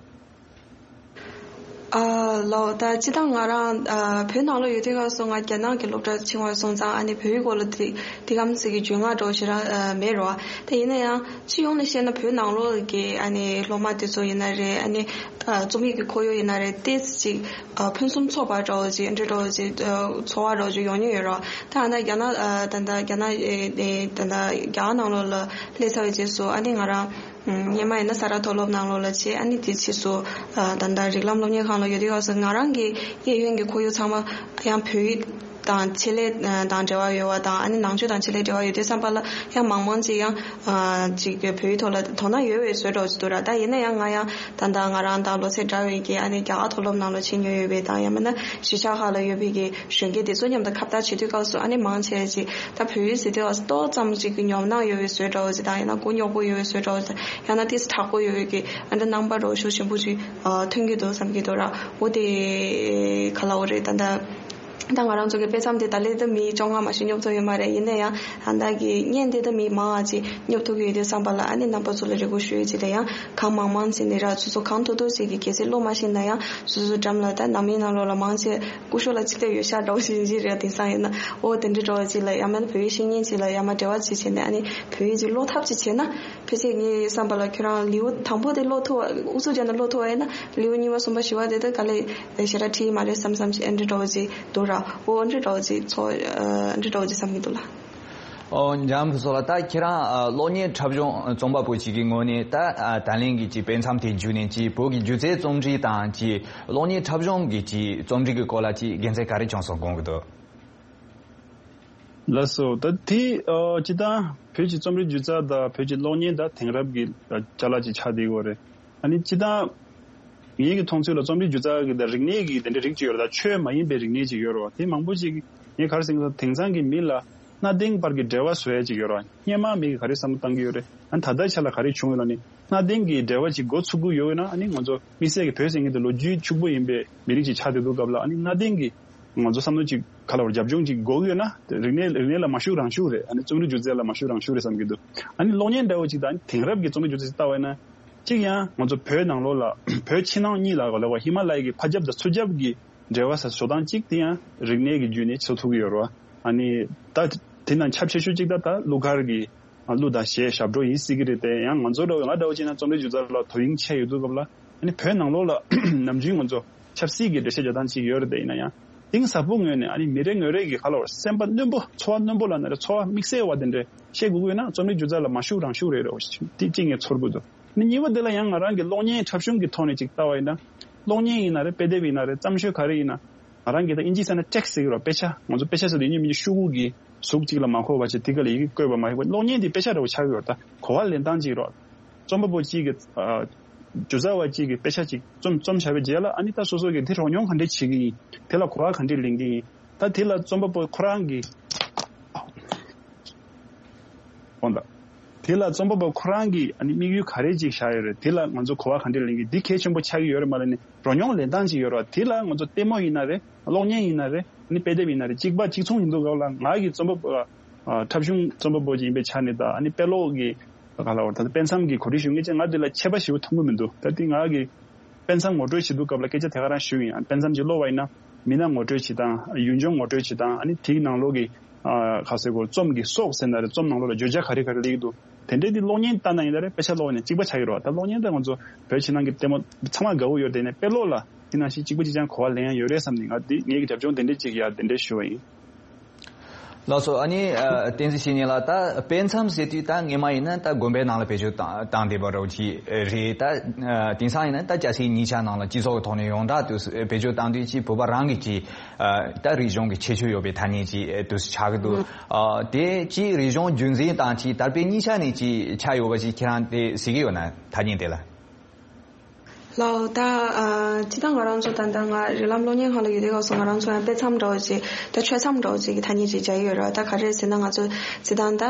ཨ་ལོ། ད་སྤྱིར་བཏང་ང་རང་ཨ་བོད་ནང་ལོགས་ཡོད་དུས་སྐབས་སུ་ང་རྒྱ་ནག་གི་སློབ་གྲྭར་ཕྱིན་པ་སོང་ཙང་ཨ་ནི་བོད་ཡིག་སྐོར་ལ་དེ་དེ་གམ་ཟིག་གི་རྒྱུས་མངའ་འདྲ་བོ་ཞེ་དྲག་ཨ་མེད་རེད་བ། དེ་ཡིན་ན་ཡང་སྤྱི་ཡོངས་ནས་བཤད་ན་བོད་ནང་ལོགས་ཀྱི་ཨ་ནི་སློབ་མ་དེ་ཚོ་ཡིན་ན་རེད། ཨ་ནི་ཨ་རྩོམ་ཡིག་གི་ཁོར་ཡུག་ཡིན་ན་རེད། ཏོག་ཙམ་ཅིག་ཨ་ཕུན་སུམ་ཚོགས་པ་འདྲ་བོ་ཅིག་འདྲ་འདྲ་བོ་ཅིག་ཨ་ཚོར་བ་འདྲ་བོ་ཅིག་ཡོང་མྱོང་ཡོད་རེད་བ། ད་ཨ་ནི་རྒྱ་ནག་ཨ་ད་ལྟ་རྒྱ་ནག་ཨེ་ཨེ་ད་ལྟ་རྒྱ་གར་ནང་ལོགས་ལ་སླེབས་ཚར་བའི་རྗེས་སུ་ཨ་ནི་ང་རང་སྔོན་མ་ཡིན་ན་ས་རཱ་མཐོ་སློབ་ནང་ལོགས་ལ་བྱས། ཨ་ནི་དེ་ཕྱིས་སུ་ཨ་ད་ལྟ་རིགས་ལམ་སློབ་གཉེར་ཁང་ལ་ཡོད་དུས་སྐབས་སུ་ང་རང་གི་གཡས་གཡོན་གྱི་ཁོར་ཡུག་ཚང་མ་ཡང་བོད་ཡིག་དང་ཆེད་ལས་དང་འབྲེལ་བ་ཡོད་པ་དང་། ཨ་ནི་ནང་ཆོས་དང་ཆེད་ལས་འབྲེལ་བ་ཡོད་དུས་ཙམ་པ་ལ་ཡང་མང་མང་ཅིག་ཡང་ཨ་ཅིག་བོད་ཡིག་ཐོག་ལ་དོ་སྣང་ཡོད་པའི་བཟོ་འདྲ་ཅིག་འདུག་ར། ད་ཡིན་ན་ཡང་ང་ཡང་ད་ལྟ་ང་རང་དང་ལོ་ཚད་འདྲ་བའི་གི་ཨ་ནི་རྒྱ་གར་མཐོ་སློབ་ནང་ལ་ཕྱིན་མྱོང་ཡོད་པའི་དང་ཡང་མིན་ན་གཞིས་ཆགས་ཁག་ལ་ཡོད་པའི་གི་གཞོན་སྐྱེས་དེ་ཚོ་མཉམ་དུ་ཁ་བརྡ་བྱེད་དུས་སྐབས་སུ་ཨ་ནི་མང་ཆེ་ཅིག་ད་བོད་ཡིག་ཟེར་དུས་སྐབས་སུ་ཏོག་ཙམ་ཅིག་གི་ཉོབ་སྣང་ཡོད་པའི་བཟོ་འདྲ་བོ་ཅིག་དང་། ཡང་ན་མགོ་རྙོག་པོ་ཡོད་པའི་བཟོ་འདྲ་བོ་ཅིག་དང་། ཡང་ན་ཏིས་དྲག་པོ་ཡོད་པའི་གི་ཨ་འདྲ་རྣམ་པ་འདྲ་བོ་ཤུགས་ཆེན་པོ་ཅིག་ཨ་ཐོན་གྱི་འདུག་བསམ་གྱི་འདུག་ར། འོ་དེ་ག་ལ་འོ་རེད། ད་ལྟ་ ད་ང་རང་ཚོ་གི་དཔེ་མཚམས་དེ་ད་ལས་ད་མི་བཅོ་ལྔ་མ་ཞིག་སྙོབ་ཐུབ་ཡོད་མ་རེད། ཡིན་ན་ཡང་ད་ལྟ་གི་བརྙན་དེ་ད་མི་མང་ང་ཅིག་སྙོབ་ཐུབ་ཀྱི་ཡོད་དུས་བསམ་པ་ལ། ཨ་ནི་རྣམ་པ་ཚོ་ལ་རེ་སྐུལ་ཞུ་ཡོད་ཅིག་ད་ཡང་གང་མང་མང་ཟིན་ནས་ར། སོ་སོ་གང་ཐུབ་ཐུབ་ཅིག་གི་གལ་སྲིད་ཀློག་མ་ཤེས་ན་ཡང་སོ་སོ་འགྲམ་ལ་ད་ནང་མི་ནང་ལོགས་ལ་མང་ཆེ་སྐུ་ཞབས་ལ་ཅིག་སླེབས་ཡོད་ཤག་འདྲ་བོ་ཞིག་ཡིན་གྱི་རེད། དེང་སང་ཡིན་ན་ཨོ་དེ་འདྲ་འདྲ་བོ་ཅིག་ལ་ཡང་མིན་ན་བོད་ཡིག་ཤེས་མཁན་ཅིག་ལ་ཡང་མ་འབྲེལ་བ་ཅིག་བྱས་ནས། ཨ་ནི་བོད་ཡིག་ཅིག་ཀློག་ཐབས་ཅིག་བྱས་ན། ཕལ་ཆེར་ངའི་བསམ་པ་ལ་ཁྱོད་རང་ལེའུ་དང་པོ་དེ་ཀློག་ཐུབ་པ། ཨུ་ཚུགས་བརྒྱབ་ནས་ཀློག་ཐུབ་པ་ཡིན་ན་ལེའུ་གཉིས་པ་གསུམ་པ་བཞི་པ་དེ་ད་ག་ལེ་ཞེ་དྲག་འཕྲད་ཀྱི་མ་རེད་བསམ་བསམ་ཞིག་ཨེ་འདྲ་འདྲ་བོ་ཅིག་འདུག་ར། འོ་འདྲ་འདྲ་བོ་ཅིག་ཚོ་ཨ་འདྲ་འདྲ་བོ་ཅིག་བསམ་གྱི་འདུག་ལ། ཨོ་འཇམ་ཕུན་ཚོགས་ལགས། ད་ཁྱེད་རང་ཨ་གློག་བརྙན་འཁྲབ་གཞུང་རྩོམ་པ་པོ་ཞིག་གི་ངོས་ནས་ད་ཨ་ད་ལན་གྱི་ཅིག་དཔེ་མཚམས་དེ་བརྒྱུད་ནས་ཅིག་བོད་ཀྱི་སྒྱུ་རྩལ་རྩོམ་རིག་དང་ཅིག་གློག་བརྙན་འཁྲབ་གཞུང་གི་ཅིག་རྩོམ་རིག་གི་སྐོར་ལ་ཅིག་དགེ་མཚན་ག་རེ་བྱུང་སོང་དགོངས་ཀྱི་འདུག་ལགས་སོ། ད་དེ་ཨ་སྤྱིར་བཏང་བོད་ཀྱི་རྩོམ་རིག་སྒྱུ་རྩལ་དང་བོད་ཀྱི་གློག་བརྙན་ད་དེང་རབས་ཀྱི་ཨ་ཅ་ལག་ཅིག་ཆགས་བསྡད་ཡོད་རེད། ཨ་ནི་སྤྱིར་བཏང་ངེད་ཀྱི་མཐོང་ཚུལ་ལ་རྩོམ་རིག་སྒྱུ་རྩལ་གྱི་ད་རིག་གནས་ཀྱི་དེ་འདྲའི་རིགས་ཅིག་ཡོད་རེད། ད་ཆོས་མ་ཡིན་པའི་རིག་གནས་ཅིག་ཡོད་རེད་བ། དེ་མང་པོ་ཅིག་ངས་ག་རེ་ཟེར་གྱི་འདུག་དེང་སང་གི་མི་ལ་གནའ་དེང་བར་གྱི་འབྲེལ་བ་བཟོ་ཡ་ཅིག་ཡོད་རེད་བ། སྔོན་མ་མི་གིས་ག་རེ་བསམ་བློ་བཏང་གི་ཡོད་རེད། ཨ་ནི་ད་ལྟའི་ཆ་ལ་ག་རེ་བྱུང་ཡོད་ལབ་ན། གནའ་དེང་གི་འབྲེལ་བ་ཅིག་འགོ་ཚུགས་ཀྱི་ཡོད་ན། ཨ་ནི་ང་ཚོ་དམིགས་བསལ་གྱི་བོད་ཟེར་མཁན་དེ་ལོ་རྒྱུས་ཕྱུག་པོ་ཡིན་པའི་མི་རིགས་ཅིག་ཆགས་བསྡད་དུས་སྐབས་ལ། ཨ་ནི་གནའ་དེང་གི་ང་ཚོ་བསམ་བློ་ཅིག་ག་ལ་བར་རྒྱབ་ལྗོངས་ཅིག་དགོས་ཀྱི་ཡོད་ན། རིག་གནས་རིག་གནས་ལ་མ་ཞུགས་རང་ཞུགས་རེད། ཨ་ནི་རྩོམ་རིག་སྒྱུ་རྩལ་ལ་མ་ཞུགས་རང་ཞུགས་རེད་བསམ་གྱི་འདུག་ཨ་ནི་གློག་བརྙན་འདྲ་བོ་ཅིག་དང་དེང་རབས་ཀྱི་རྩོམ་རིག་སྒྱུ་རྩལ་ཅིག་ལྟ་བ་ཡིན་ན། གཅིག་ཡང་ང་ཚོ་བོད་ནང་ལོགས་ལ་བོད་ཕྱི་ནང་གཉིས་ལ་ག་ལ་བ་ཧི་མ་ལ་ཡ་གི་ཕ་རྒྱབ་དང་ཚུར་རྒྱབ་ཀྱི་འབྲེལ་བ་ཟེར་བཟོ་སྟངས་གཅིག་དེ་ཡང་རིག་གནས་ཀྱི་བརྒྱུད་ནས་བཟོ་ཐུབ་ཀྱི་ཡོད་རེད་བ། ཨ་ནི་ད་དེ་ནང་ཁྱབ་ཆེ་ཤོས་གཅིག་ད་ད་གླུ་གར་གྱི་གླུ་དང་གཞས་ཞབས་བྲོ་ཡིན་སྲིད་ཀྱི་རེད་དེ། ཡང་ང་ཚོ་འདྲ་བོ་ང་འདྲ་བོ་བྱས་ན་རྩོམ་རིག་སྒྱུ་རྩལ་ལ་དོ་དབྱིངས་ཆེ་ཡོད་དུས་སྐབས་ལ། ཨ་ནི་བོད་ནང་ལོགས་ལ་ནམ་རྒྱུན་ང་ཚོ་ཆབ་སྲིད་ཀྱི་འགྲེལ་བཤད་རྒྱག་སྟངས་གཅིག་ཡོད་རེད་དེ། ཡིན་ན་ཡང་གཏིང་ཟབ་པོ་ངོས་ནས་ཨ་ནི་མི་རེ་ངོ་རེ་གི་ག་ལ་བར་སེམས་པ་རྣོན་པོ་ཚོར་བ་རྣོན་པོ་ལབ་ན་རེད། ཚོར་བ་དམིགས་བསལ་བ་དེ་འདྲ་བཤད་དགོས་ཀྱི་ཡོད་ན་རྩོམ་རིག་སྒྱུ་རྩལ་ལ་མ་ཞུགས་རང་ཞུགས་རེད་རེད་བ། དེ་གཅིག་ངས་ཚོར་གྱི་འདུག་ནི་གཉིས་པ་དེ་ལ་ཡང་ང་རང་གི་གློག་བརྙན་འཁྲབ་གཞུང་གི་ཐོག་ནས་ཅིག་ལྟ་བ་ཡིན་ན། གློག་བརྙན་ཡིན་ན་རེད། དཔེ་དེབ་ཡིན་ན་རེད། བརྩམས་ཆོས་ག་རེ་ཡིན་ན། ང་རང་གིས་ད་ཨིན་ཇིའི་ས་ནས་ཊེག་སི་ཟེར་གྱི་རེད་བ། དཔེ་ཆ། ང་ཚོ་དཔེ་ཆ་ཟེར་དུས་ཡིན་གཅིག་མིན་གཅིག་ཤོག་གུ་གི་གཟུགས་གཅིག་ལ་མ་གོ་བ་བྱས་དེ་ག་ལ་ཡི་གེ་བཀོད་པ་མ་ཡིན་པ། གློག་བརྙན་དེ་དཔེ་ཆ་འདྲ་བོ་ཆགས་ཀྱི་ཡོད་རེད། ད་གོ་བ་ལེན་སྟངས་གཅིག་རེད། རྩོམ་པ་པོ་གཅིག་གིས་ཨ་སྒྱུ་རྩལ་བ་གཅིག་གིས་དཔེ་ཆ་གཅིག་རྩོམ་རྩོམ་བྱས་པའི་རྗེས་ལ། ཨ་ནི་ད་སོ་སོ་གིས་དེ་རོལ་མྱོང་ག་འདྲས་བྱེད་ཀྱི་ཡིན། དེ་ལ་གོ་བ་ག་འདྲས་ལེན་གྱི་ཡིན། ད་དེ་ལ་རྩོམ་པ་པོ་ཁོ་རང་གིས། འོ་ད། དེ་ལ་རྩོམ་པ་པོ་ཁོ་རང་གིས་ཨ་ནི་དམིགས་ཡུལ་ག་རེ་ཅིག་བཞག་ཡོད་རེད། དེ་ལ་ང་ཚོ་གོ་བ་ག་འདྲས་ལེན་གྱི། འདི་གལ་ཆེན་པོ་ཆགས་ཀྱི་ཡོད་རེད་མ་ལབ་ནས། རོལ་མྱོང་ལེན་སྟངས་ཅིག་ཡོད་རེད་བ། དེ་ལ་ང་ཚོ་ལྟད་མོ་ཡིན་ན་རེད། གློག་བརྙན་ཡིན་ན་རེད། ཨ་ནི་དཔེ་དེབ་ཡིན་ན་རེད། གཅིག་པ་གཅིག་མཚུངས་ཡིན་དུས་སྐབས་ལ། ང་གི་རྩོམ་པ་པོ་ཨ་འཁྲབ་གཞུང་རྩོམ་པ་པོ་ཅིག་ཡིན་པའི་ཆ་ནས་དང་། ཨ་ནི་དཔེ་ཀློག་གི་ག་ལ་བར་ད་ལྟ་དཔེ་མཚམས་ཀྱི་གོ་སྒྲིག་ཞུ་མཁན་ཅིག་ང་དེ་ལ་ཁྱད་པར་ཞེ་པོ་མཐོང་གི་མི་འདུག་ད་དེ་ང་གི་དཔེ་མཚམས་ངོ་སྤྲོད་བྱེད་དུས་སྐབས་ལ་སྐད་ཆ་དེ་ག་རང་ཞུས་ཡིན། ཨ་དཔེ་མཚམས་ཅིག་ཀློག་པ་ཡིན་ན་མི་སྣ་ངོ་སྤྲོད་བྱེད་སྟངས། ཡུལ་ལྗོངས་ངོ་སྤྲོད་བྱེད་སྟངས། ཨ་ནི་དེའི་ནང་ལོགས་ཀྱི་ཨ་ག་ཟེར་དགོས། རྩོམ་གྱི་སྲོག་ཟེར་ན་རེད། རྩོམ་ནང་ལོགས་ལ་བརྗོད་བྱ་ག་རེ་ག་རེ་སླེབས་ཀྱི་འདུག་དེ་འདྲའི་དེ་གློག་བརྙན་ལྟ་ན་ཡིན་ད་རེད། དཔེ་ཆ་ཀློག་ནས་གཅིག་པ་ཆགས་ཀྱི་རེད་བ། ད་གློག་བརྙན་ད་ང་ཚོ་བོད་ཕྱི་ནང་གི་ལྟད་མོ་ཚང་མ་དགའ་བོ་ཡོད་རེད། དེ་ནས་དཔེ་ཀློག་ལ་དེ་ནང་བཞིན་གཅིག་པ་གཅིག་རྐྱང་གོ་བ་ལེན་ཡ་ཡོད་རེད་བསམ་ནས། ང་དེ་ངེད་ཀྱི་རྒྱབ་ལྗོངས་དེ་འདྲས་ཅིག་ཡ་དེ་འདྲས་ཞུ་བ་ཡིན། ལགས་སོ། ཨ་ནི་ཨ་བསྟན་འཛིན་བཤེས་གཉེན་ལགས། ད་དཔེ་མཚམས་ཟེར་དུས་ད་སྔོན་མ་ཡིན་ན་ད་དགོན་པའི་ནང་ལ་བེད་སྤྱོད་བཏང་བཏང་བསྡད་པ་འདྲ་བོ་ཅིག་རེད། ད་ཨ་དེང་སང་ཡིན་ན་ད་སྐྱ་སེར་གཉིས་ཆ་ནང་ལ་སྤྱི་ཚོགས་ཀྱི་ཐོག་ནས་ཡོངས་གྲགས་དུ་བེད་སྤྱོད་བཏང་དུས་ཅིག་བོད་པ་རང་གི་ཅིག་ཨ་ད་རིག་གཞུང་གི་ཁྱད་ཆོས་ཡོད་པའི་ཐ་སྙད་ཅིག་དུ་ཆགས་ཀྱི་འདུག་ཨ་དེ་ཅིག་རིག་གཞུང་རྒྱུན་འཛིན་དང་ཅིག་དར་སྤེལ་གཉིས་ཆ་ནས་ཅིག་ཆགས་ཡོད་པ་ཅིག་ཁྱེད་རང་དེ་གཟིགས་ཀྱི་ཡོད་ན། ཐ་སྙད་དེ་ལ། ལགས། ད་ཨ་སྤྱིར་བཏང་ང་རང་ཚོ་ད་ལྟ་ང་རིགས་ལམ་གློག་བརྙན་ཁང་ལ་ཡོད་དུས་སྐབས་སུ་ང་རང་ཚོ་ཡང་དཔེ་མཚམས་འདྲ་བོ་ཅིག་ད་ཆོས་མཚམས་འདྲ་བོ་ཅིག་གི་ཐ་སྙད་ཅིག་སྦྱར་ཡོད་རེད། ད་ག་རེ་ཟེར་ན། ང་ཚོ་སྤྱིར་བཏང་ད་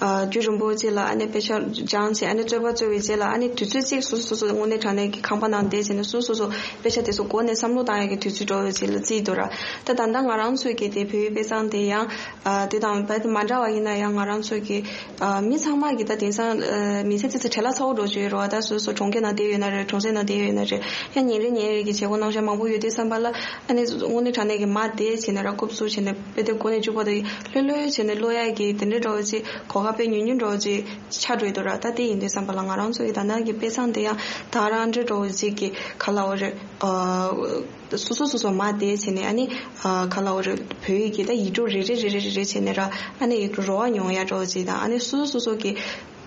ཨ་རྒྱུན་རིང་པོ་ཅིག་ལ་ཨ་ནི་དཔེ་ཆ་སྦྱངས་བྱས། ཨ་ནི་རྩོད་པ་རྩོད་པའི་རྗེས་ལ་ཨ་ནི་དུས་ཚོད་ཅིག་སོ་སོ་སོ་སོ་དངོས་གནས་དྲང་གནས་ཀྱི་ཁང་པ་ནང་བསྡད་བྱས་ནས་སོ་སོ་སོ་དཔེ་ཆ་དེ་ཚོ་མགོ་ནས་བསམ་བློ་བཏང་ཡག་གི་དུས་ཚོད་འདྲ་བོ་ཅིག་ལ་བརྩིས་འདུག་ར། ད་ད་ལྟ་ང་རང་ཚོའི་གི་དེ་བོད་ཡིག་དཔེ་མཚམས་དེ་ཡང་ཨ་དེ་དང་རྦད་དེ་མ་འདྲ་བ་ཡིན་ན་ཡང་། ང་རང་ཚོའི་གི་ཨ་མི་ཚང་མ་གི་ད་དེང་སང་ཨ་མི་ཚེ་ཙི་ཙི་བྲེལ་བ་ཚ་བོ་འགྲོ་བཞིན་ཡོད་རེད་བ། ད་སོ་སོ་གྲོང་ཁྱེར་ནང་བསྡད་ཡོད་ན་རེད། གྲོང་གསེབ་ནང་བསྡད་ཡོད་ན་རེད། ཡང་ཉིན་རེ་ཉིན་རེ་གི་བྱེད་སྒོ་རྣམ་གཞག་མང་པོ་ཡོད་དུས་ཙམ་པ་ལ། ཨ་ནི་དངོས་གནས་དྲང་གནས་ཀྱི་མར་བསྡད་བྱས་ནས་ར་རྐུབ་བཙུགས་བྱས་ནས་དཔེ་དེབ་མགོ་ནས་མཇུག་བར་དུ་ལྷོད་ལྷོད་བྱས་ནས་ཀློག་ཡག་གི་དེ་འདྲའི་འདྲ་བོ་ཅིག་གོ་སྐབས་དཔེ་ཉུང་ཉུང་འདྲ་བོ་ཅིག་ཆགས་འགྲོ་ཡི་འདུག་ར། ད་དེ་ཡིན་དུས་ཙམ་པ་ལ་ང་རང་ཚོ་གི་ད་ལྟ་གི་དཔེ་མཚམས་དེ་ཡང་ད་རང་འདྲ་འདྲ་བོ་ཅིག་གི་ག་ལབ་དགོས་རེད། ཨ་སོ་སོ་སོ་སོ་མར་བསྡད་བྱས་ནས། ཨ་ནི་ཨ་ག་ལབ་དགོས་རེད། བོད་ཡིག་གི་ད་ཡིག་འབྲུ་རེ་རེ་རེ་རེ་རེ་རེ་བྱས་ནས་ར། ཨ་ནི་ཡིག་འབྲུ་རོ་བ་མྱོང་ཡ་འདྲ་བོ་ཅིག་དང་། ཨ་ནི་སོ་སོ་སོ་སོ་གི་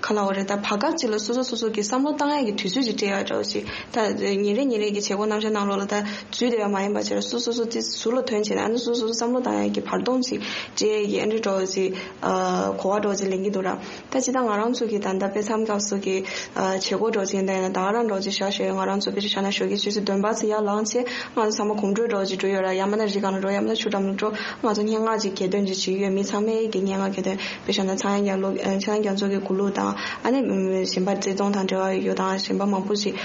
ག་ལབ་དགོས་རེད། ད་བར་སྐབས་ཅིག་ལ་སོ་སོ་སོ་སོ་གི་བསམ་བློ་བཏང་ཡ་གི་དུས་ཚོད་ཅིག་སྤྲད་ཡ་འདྲ་བོ་ཅིག་ད་ཉིན་རེ་ཉིན་རེ་གི་བྱེད་སྒོ་རྣམ་གཞག་ནང་ལོགས་ལ་ད་འཛུལ་བསྡད་ཡ་མ་ཡིན་པ་བྱས་ར། སོ་སོ་སོ་སོ་དེ་ཟུར་ལ་ཐོན་བྱས་ནས། ཨ་ནི་སོ་སོ་སོ་བསམ་བློ་བཏང་ཡ་གི་བར་སྟོང་ཅིག་སྤྲད་ཡ་གི་ཨ་འདྲ་འདྲ་བོ་ཅིག་ཨ་གོ་བ་འདྲ་བོ་ཅིག་ལེན་གྱི་འདུག་ར། ད་ཅི་ད་ང་རང་ཚོ་གི་ད་ལྟ་དཔེ་མཚམས་སྐབས་སུ་གི་ཨ་བྱེད་སྒོ་འདྲ་བོ་ཅིག་ཡིན་ད་ཡིན་ན། ད་ག་རང་འདྲ་བོ་ཅིག་བཞག་ཞོར་ང་རང་ཚོ་དཔེ་ཆ་ཤ་ན་ཞོགས་ཀས་ཆུ་ཚོད་བདུན་པ་ཙམ་ཡར་ལངས་བྱས། ང་ཚོ་ཚང་མ་གོམ་བགྲོད་འདྲ་བོ་ཅིག་འགྲོ་ཡོད་ར། ཡང་མིན་ན་རི་སྒང་ལ་འགྲོ། ཡང་མིན་ན་ཆུ་འགྲམ་ལ་འགྲོ། ང་ཚོ་སྙན་ངག་ཅིག་གྱེར་འདོན་ཅིག་བྱེད་ཀྱི་ཡོད། མི་ཚང་མས་ཀྱི་སྙན་ངག་གྱེར་འདོན། དཔེ་བཞག་ན་ཚངས་དབྱངས་རྒྱ་ལོ། ཨ་ཚངས་དབྱངས་རྒྱ་མཚོ་གི་མགུར་གླུ་དང་། ཨ་ནི་གཞན་པ་བརྩེ་དུང་དང་འབྲེལ་བ་ཡོད་དང་གཞན་པ་མང་པོ་ཞིག་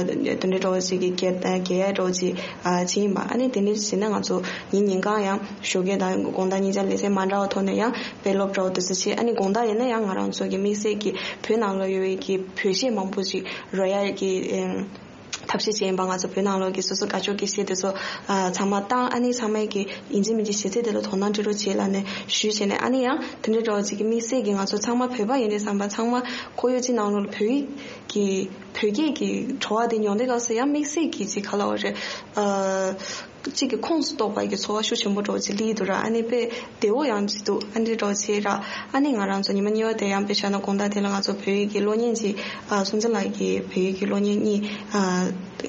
དེ་འདྲའི་འདྲ་བོ་ཞིག་གི་རྒྱལ་རྒྱལ་ཡ་འདྲ་བོ་ཞིག་བྱས་ཡིན་པ། ཨ་ནི་དེ་འདྲའི་བྱས་ན་ང་ཚོ་ཉིན་ཉིན་གང་ཡང་ཞོགས་ཀས་དང་དགོང་དག་གཉིས་ཆ་ལས་ཚེ་མ་འདྲ་བ་ཐོག་ནས་ཡང་དཔེ་སློབ་འདྲ་བོ་དེ་ཚོ་བྱས། ཨ་ནི་དགོང་དག་ཡིན་ན་ཡང་ང་རང་ཚོ་གི་དམིགས་བསལ་གྱི་བོད་ནང་ལ་ཡོད་པའི་གི་བོད་གཞས་མང་པོ་ཞིག་རོལ་ཡ་གི་ཐབས་ཤེས་བྱས་ཡིན་པ། ང་ཚོ་བོད་ནང་ལོགས་ཀྱི་སོ་སོ་དགའ་ཕྱོགས་ཀྱི་གཞས་དེ་ཚོ་ཚང་མ་བཏང་། ཨ་ནི་ཚང་མས་ཀྱི་ཡིན་གཅིག་མིན་གཅིག་གཞས་ཚིག་དེ་ལ་དོ་སྣང་སྤྲད་རོགས་བྱེད་ལབ་ནས་ཞུས་བྱས་ནས། ཨ་ནི་ཡང་དེ་འདྲའི་འདྲ་བོ་ཅིག་གི་དམིགས་བསལ་གྱི་ང་ཚོ་ཚང་མ་བོད་པ་ཡིན་དུས་ཙམ་པ་ཚང་མ་ཁོར་ཡུག་ཅིག་ནང་ལོགས་ལ་བོད་ཡིག་གི་བོད་སྐད་ཀྱི་བྲོ་བ་དེ་མྱོང་དུས་སྐབས་སུ་ཡང་དམིགས་བསལ་གྱི་ཅིག་ག་ལབ་དགོས་རེད། གཅིག་གི་ཁོངས་སུ་གཏོགས་པ་གི་ཚོར་བ་ཤུགས་ཆེན་པོ་འདྲ་བོ་ཅིག་སླེབས་འདུག་ར། ཨ་ནི་དཔེ་བདེ་བོ་ཡང་ཅིག་འདུག་ཨ་འདྲའི་འདྲ་བོ་བྱས་ར། ཨ་ནི་ང་རང་ཚོ་ཉི་མ་གཉིས་པ་དེ་ཡང་དཔེ་བཞག་ན་དགོང་དག་དེ་ལ་ང་ཚོ་བོད་ཡིག་གི་གློག་བརྙན་ཅིག་ཨ་སྲོང་བཙན་ལགས་ཀྱི་བོད་ཡིག་གི་གློག་བརྙན་གཉིས་ཨ་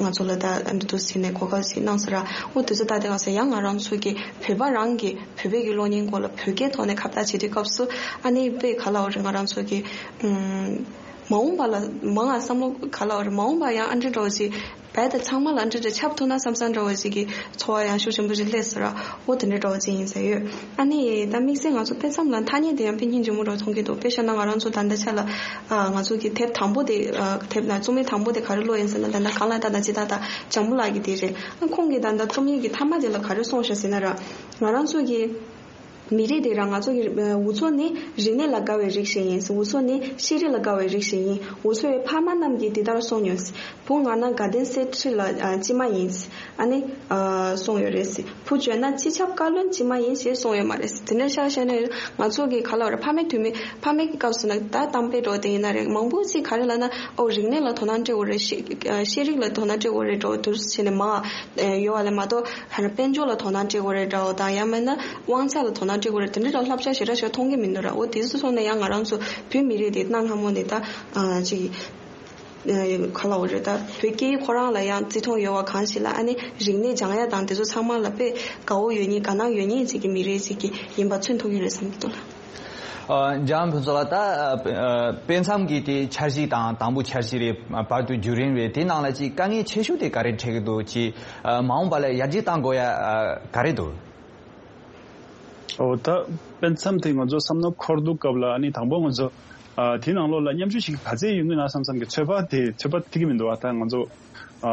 ང་ཚོ་ལ་ད་ཨ་འདྲ་འདུག་ཟེར་ནས་གོ་སྐབས་ཅིག་གནང་སོང་ར། འོ་དེ་ཚོ་ད་དེ་ག་ས་ཡང་ང་རང་ཚོ་གི་བོད་པ་རང་གི་བོད་པའི་གི་གློག་བརྙན་སྐོར་ལ་བོད་སྐད་ཐོག་ནས་ཁ་བརྡ་བྱེད་དུས་སྐབས་སུ། ཨ་ནི་དཔེ་ག་ལབ་དགོས་རེད། ང་རང་ཚོ་གི་ཨུམ། མ་འོངས་པ་ལ་མང་ང་བསམ་བློ་ག་ལབ་དགོས་རེད། མ་འོངས་པ་ཡང་ཨ་འདྲ་འདྲ་བོ་ཅིག་བས་ད་ཚང་མ་ལ་འདྲ་འདྲ་ཁྱབ་ཐུབ་ན་བསམ་བསམ་འདྲ་བོ་ཞིག་གི་ཚོར་བ་ཡང་ཤུགས་ཆེན་པོ་ཞིག་སླེབས་སོང་ར། འོ་དེ་འདྲ་འདྲ་བོ་ཅིག་ཡིན་ཟེར་ཡོད། ཨ་ནི་ད་དམིགས་བསལ་ང་ཚོ་དཔེ་མཚམས་ལ་ཐ་སྙད་དེ་ཡང་དཔེ་སྙིང་རྗེ་མོ་འདྲ་བོ་མཐོང་གི་འདུག་དཔེ་བཞག་ན་ང་རང་ཚོ་ད་ལྟ་ཆ་ལ་ཨ་ང་ཚོ་གི་དེབ་དང་པོ་དེ་ཨ་དེབ་ན་རྩོམ་ཡིག་དང་པོ་དེ་ག་རེ་ཀློག་ཡིན་ཟེར་ན། ད་ལྟ་གང་ལ་ད་ད་ཅི་ད་ད་ལྕམ་པོ་ལགས་ཀྱི་དེ་རེད། ཨ་ཁོང་གིས་ད་ལྟ་རྩོམ་ཡིག་གི་མཐའ་མ་དེ་ལ་ག་རེ་གསུངས་ཤག་ཟེར་ན་ར། ང་རང་ཚོ་གི་མི་རིགས་དེ་རང་ང་ཚོ་གི་འུ་ཚོ་ནི་རིག་གནས་ལ་དགའ་བའི་རིགས་ཤིག་ཡིན། འུ་ཚོ་ནི་ཤེས་རིག་ལ་དགའ་བའི་རིགས་ཤིག་ཡིན། འུ་ཚོའི་ཕ་མ་རྣམས་ཀྱིས་འདི་ལྟར་གསུངས་མྱོང་། བུ་ང་ན་དགའ་ལྡན་གསེར་ཁྲི་ལ་ཨ་སྐྱེས་མ་ཡིན། ཨ་ནི་ཨ་གསུངས་ཡོད་རེད། བུ་བྱོན་ན་སྤྱི་ཁྱབ་བཀའ་བློན་སྐྱེས་མ་ཡིན་ཞེས་གསུངས་ཡོད་མ་རེད། དེ་འདྲ་ཤག་བཤད་ན་ང་ཚོ་གི་ག་ལབ་རེད། ཕ་མའི་དུས་མི་ཕ་མའི་སྐབས་སུ་ན་ད་གཏམ་དཔེ་འདྲ་བོ་དེ་ཡིན་ན་རེད། མང་པོ་ཅིག་ག་རེ་ལབ་ན། ཨོ་རིག་གནས་ལ་དོ་སྣང་སྤྲད་དགོས་རེད། ཤེས་ཤེས་རིག་ལ་དོ་སྣང་སྤྲད་དགོས་རེད་འདྲ་བོ་དུ་བྱས་ནས་མ་ཡོད་པ་ལས་མ་གཏོགས། ཧ་ན་དཔལ་འབྱོར་ལ་དོ་སྣང་སྤྲད་དགོས་རེད་འདྲ་བོ་དང་། ཡང་མིན་ན་དབང་ཆ་ལ་དོ་སྣང་སྤྲད་དགོས་རེད། དེ་འདྲ་འདྲ་བསླབ་བྱ་ཞེ་དྲག་ཞིག་མཐོང་གི་མི་འདུག་ར། འོ་དེ་ཚོ་སོང་ནས་ཡང་ང་རང་ཚོ་བོད་མི་རིགས་དེ་གནའ་སྔ་མོ་ནས་ད་ཨ་ཅིག་ཨ་ག་ལབ་དགོས་རེད། ད་བོད་སྐད་ཁོ་རང་ལ་ཡང་བརྩི་མཐོང་ཡོད་པ་གང་ཞིག་ལ། ཨ་ནི་རིག་གནས་སྦྱང་ཡ་དང་དེ་ཚོ་ཚང་མ་ལ་དཔེ་དགའ་བོ་ཡོད་མཁན་དགའ་སྣང་ཡོད་མཁན་ཅིག་གི་མི་རིགས་ཅིག་གི་ཡིན་པ་མཚོན་ཐུབ་ཀྱི་རེད་བསམ་གྱི་འདུག་ལ། ཨ་འཇམ་དབྱངས་ཕུན་ཚོགས་ལགས། ད་ཨ་ཨ་དཔེ་མཚམས་ཀྱི་དེ་འཆར་གཞི་དང་དང་པོ་འཆར་གཞི་རེད། བར་དུ་བརྒྱུད་རིམ་རེད། དེ་ནང་ལ་ཅིག་དཀའ་ངལ་ཆེ་ཤོས་དེ་ག་རེ་འཕྲད་ཀྱི་འདུག་ཅིག་ཨ་མ་འོངས་པ་ལ་ཡར་རྒྱས་གཏང་དགོས་ཡ་ཨ་ག་རེ་འདུག་ཨོ་ད་དཔེ་མཚམས་དེ་ང་ཚོ་བསམ་བློ་འཁོར་དུས་སྐབས་ལ། ཨ་ནི་དང་པོ་ང་ཚོ་ཨ་དེ་ནང་ལོགས་ལ་མཉམ་ཞུགས་བྱེད་མཁན་ག་ཚད་ཡོང་གི་ན་བསམ་བསམ་གྱི་ཚོད་དཔག་དེ་ཚོད་དཔག་ཐིག་གི་མི་འདུག་ཨ་ད་ང་ཚོ་ཨ་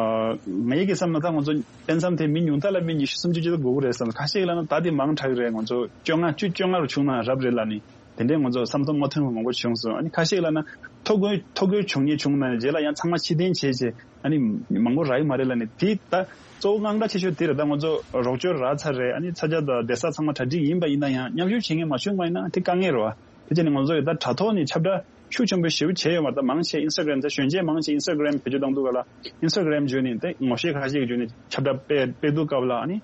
ངའི་གི་བསམ་ན་ད་ང་ཚོ་དཔེ་མཚམས་དེ་མི་ཉུང་མཐའ་ལ་མི་ཉི་ཤུ་སུམ་ཅུ་ཅིག་ལ་དགོས་ཀྱི་རེད་བསམ། ཁ་ཤས་ལ་ན་ད་དེ་མང་དྲགས་ཀྱི་རེད། ང་ཚོ་བཅོ་ལྔ་བཅུ་བཅོ་ལྔ་རུ་བྱུང་ན་རབ་རེད་ལབ་ནི་དེ་འདྲའི་ང་ཚོ་བསམ་བློ་མ་ཐོན་པ་མང་པོ་བྱུང་སོང་། ཨ་ནི་ཁ་ཤས་ལ་ན་ཐོ་འགོད་ཐོ་འགོད་བྱུང་ཉེ་བྱུང་ན་རྗེས་ལ་ཡང་ཚང་མ་ཕྱིར་འཐེན་བྱས་བྱས། ཨ་ནི་མང་པོ་རག་གི་མ་རེད་ལབ་ནི་དེ་ད་གཙོ་བོ་དངངས་སྐྲག་ཆེ་ཤོས་དེ་རེད། ད་ང་ཚོ་རོགས་སྐྱོར་རག་ཚར་རེད། ཨ་ནི་ས་ཆ་དང་བསྡད་ས་ཚང་མ་གྲ་སྒྲིག་ཡིན་པ་ཡིན་ན་ཡང་མཉམ་ཞུགས་བྱེད་མཁན་མ་བྱུང་བ་ཡིན་ན་དེ་དཀའ་ངལ་རེད་བ། དེ་བྱས་ནས་ང་ཚོ་ཡི་ད་དྲ་ཐོག་ནས་ཁྱབ་བསྒྲགས་ཤུགས་ཆེན་པོ་ཞེ་པོ་བྱས་ཡོད་མ་རེད། ད་མང་ཆེ་ཨིན་སི་ཊ་གྷ་རམ་ད་གཞོན་སྐྱེས་མང་ཆེ་ཨིན་སི་ཊ་གྷ་རམ་བེད་སྤྱོད་བཏང་དུས་ག་ལ་ཨིན་སི་ཊ་གྷ་རམ་བརྒྱུད་ནས་དེ་ངོ་ཤེས་ཁ་ཤས་ཀྱི་བརྒྱུད་ནས་ཁྱབ་བསྒྲགས་སྤེལ་སྤེལ་དུས་སྐབས་ལ། ཨ་ནི་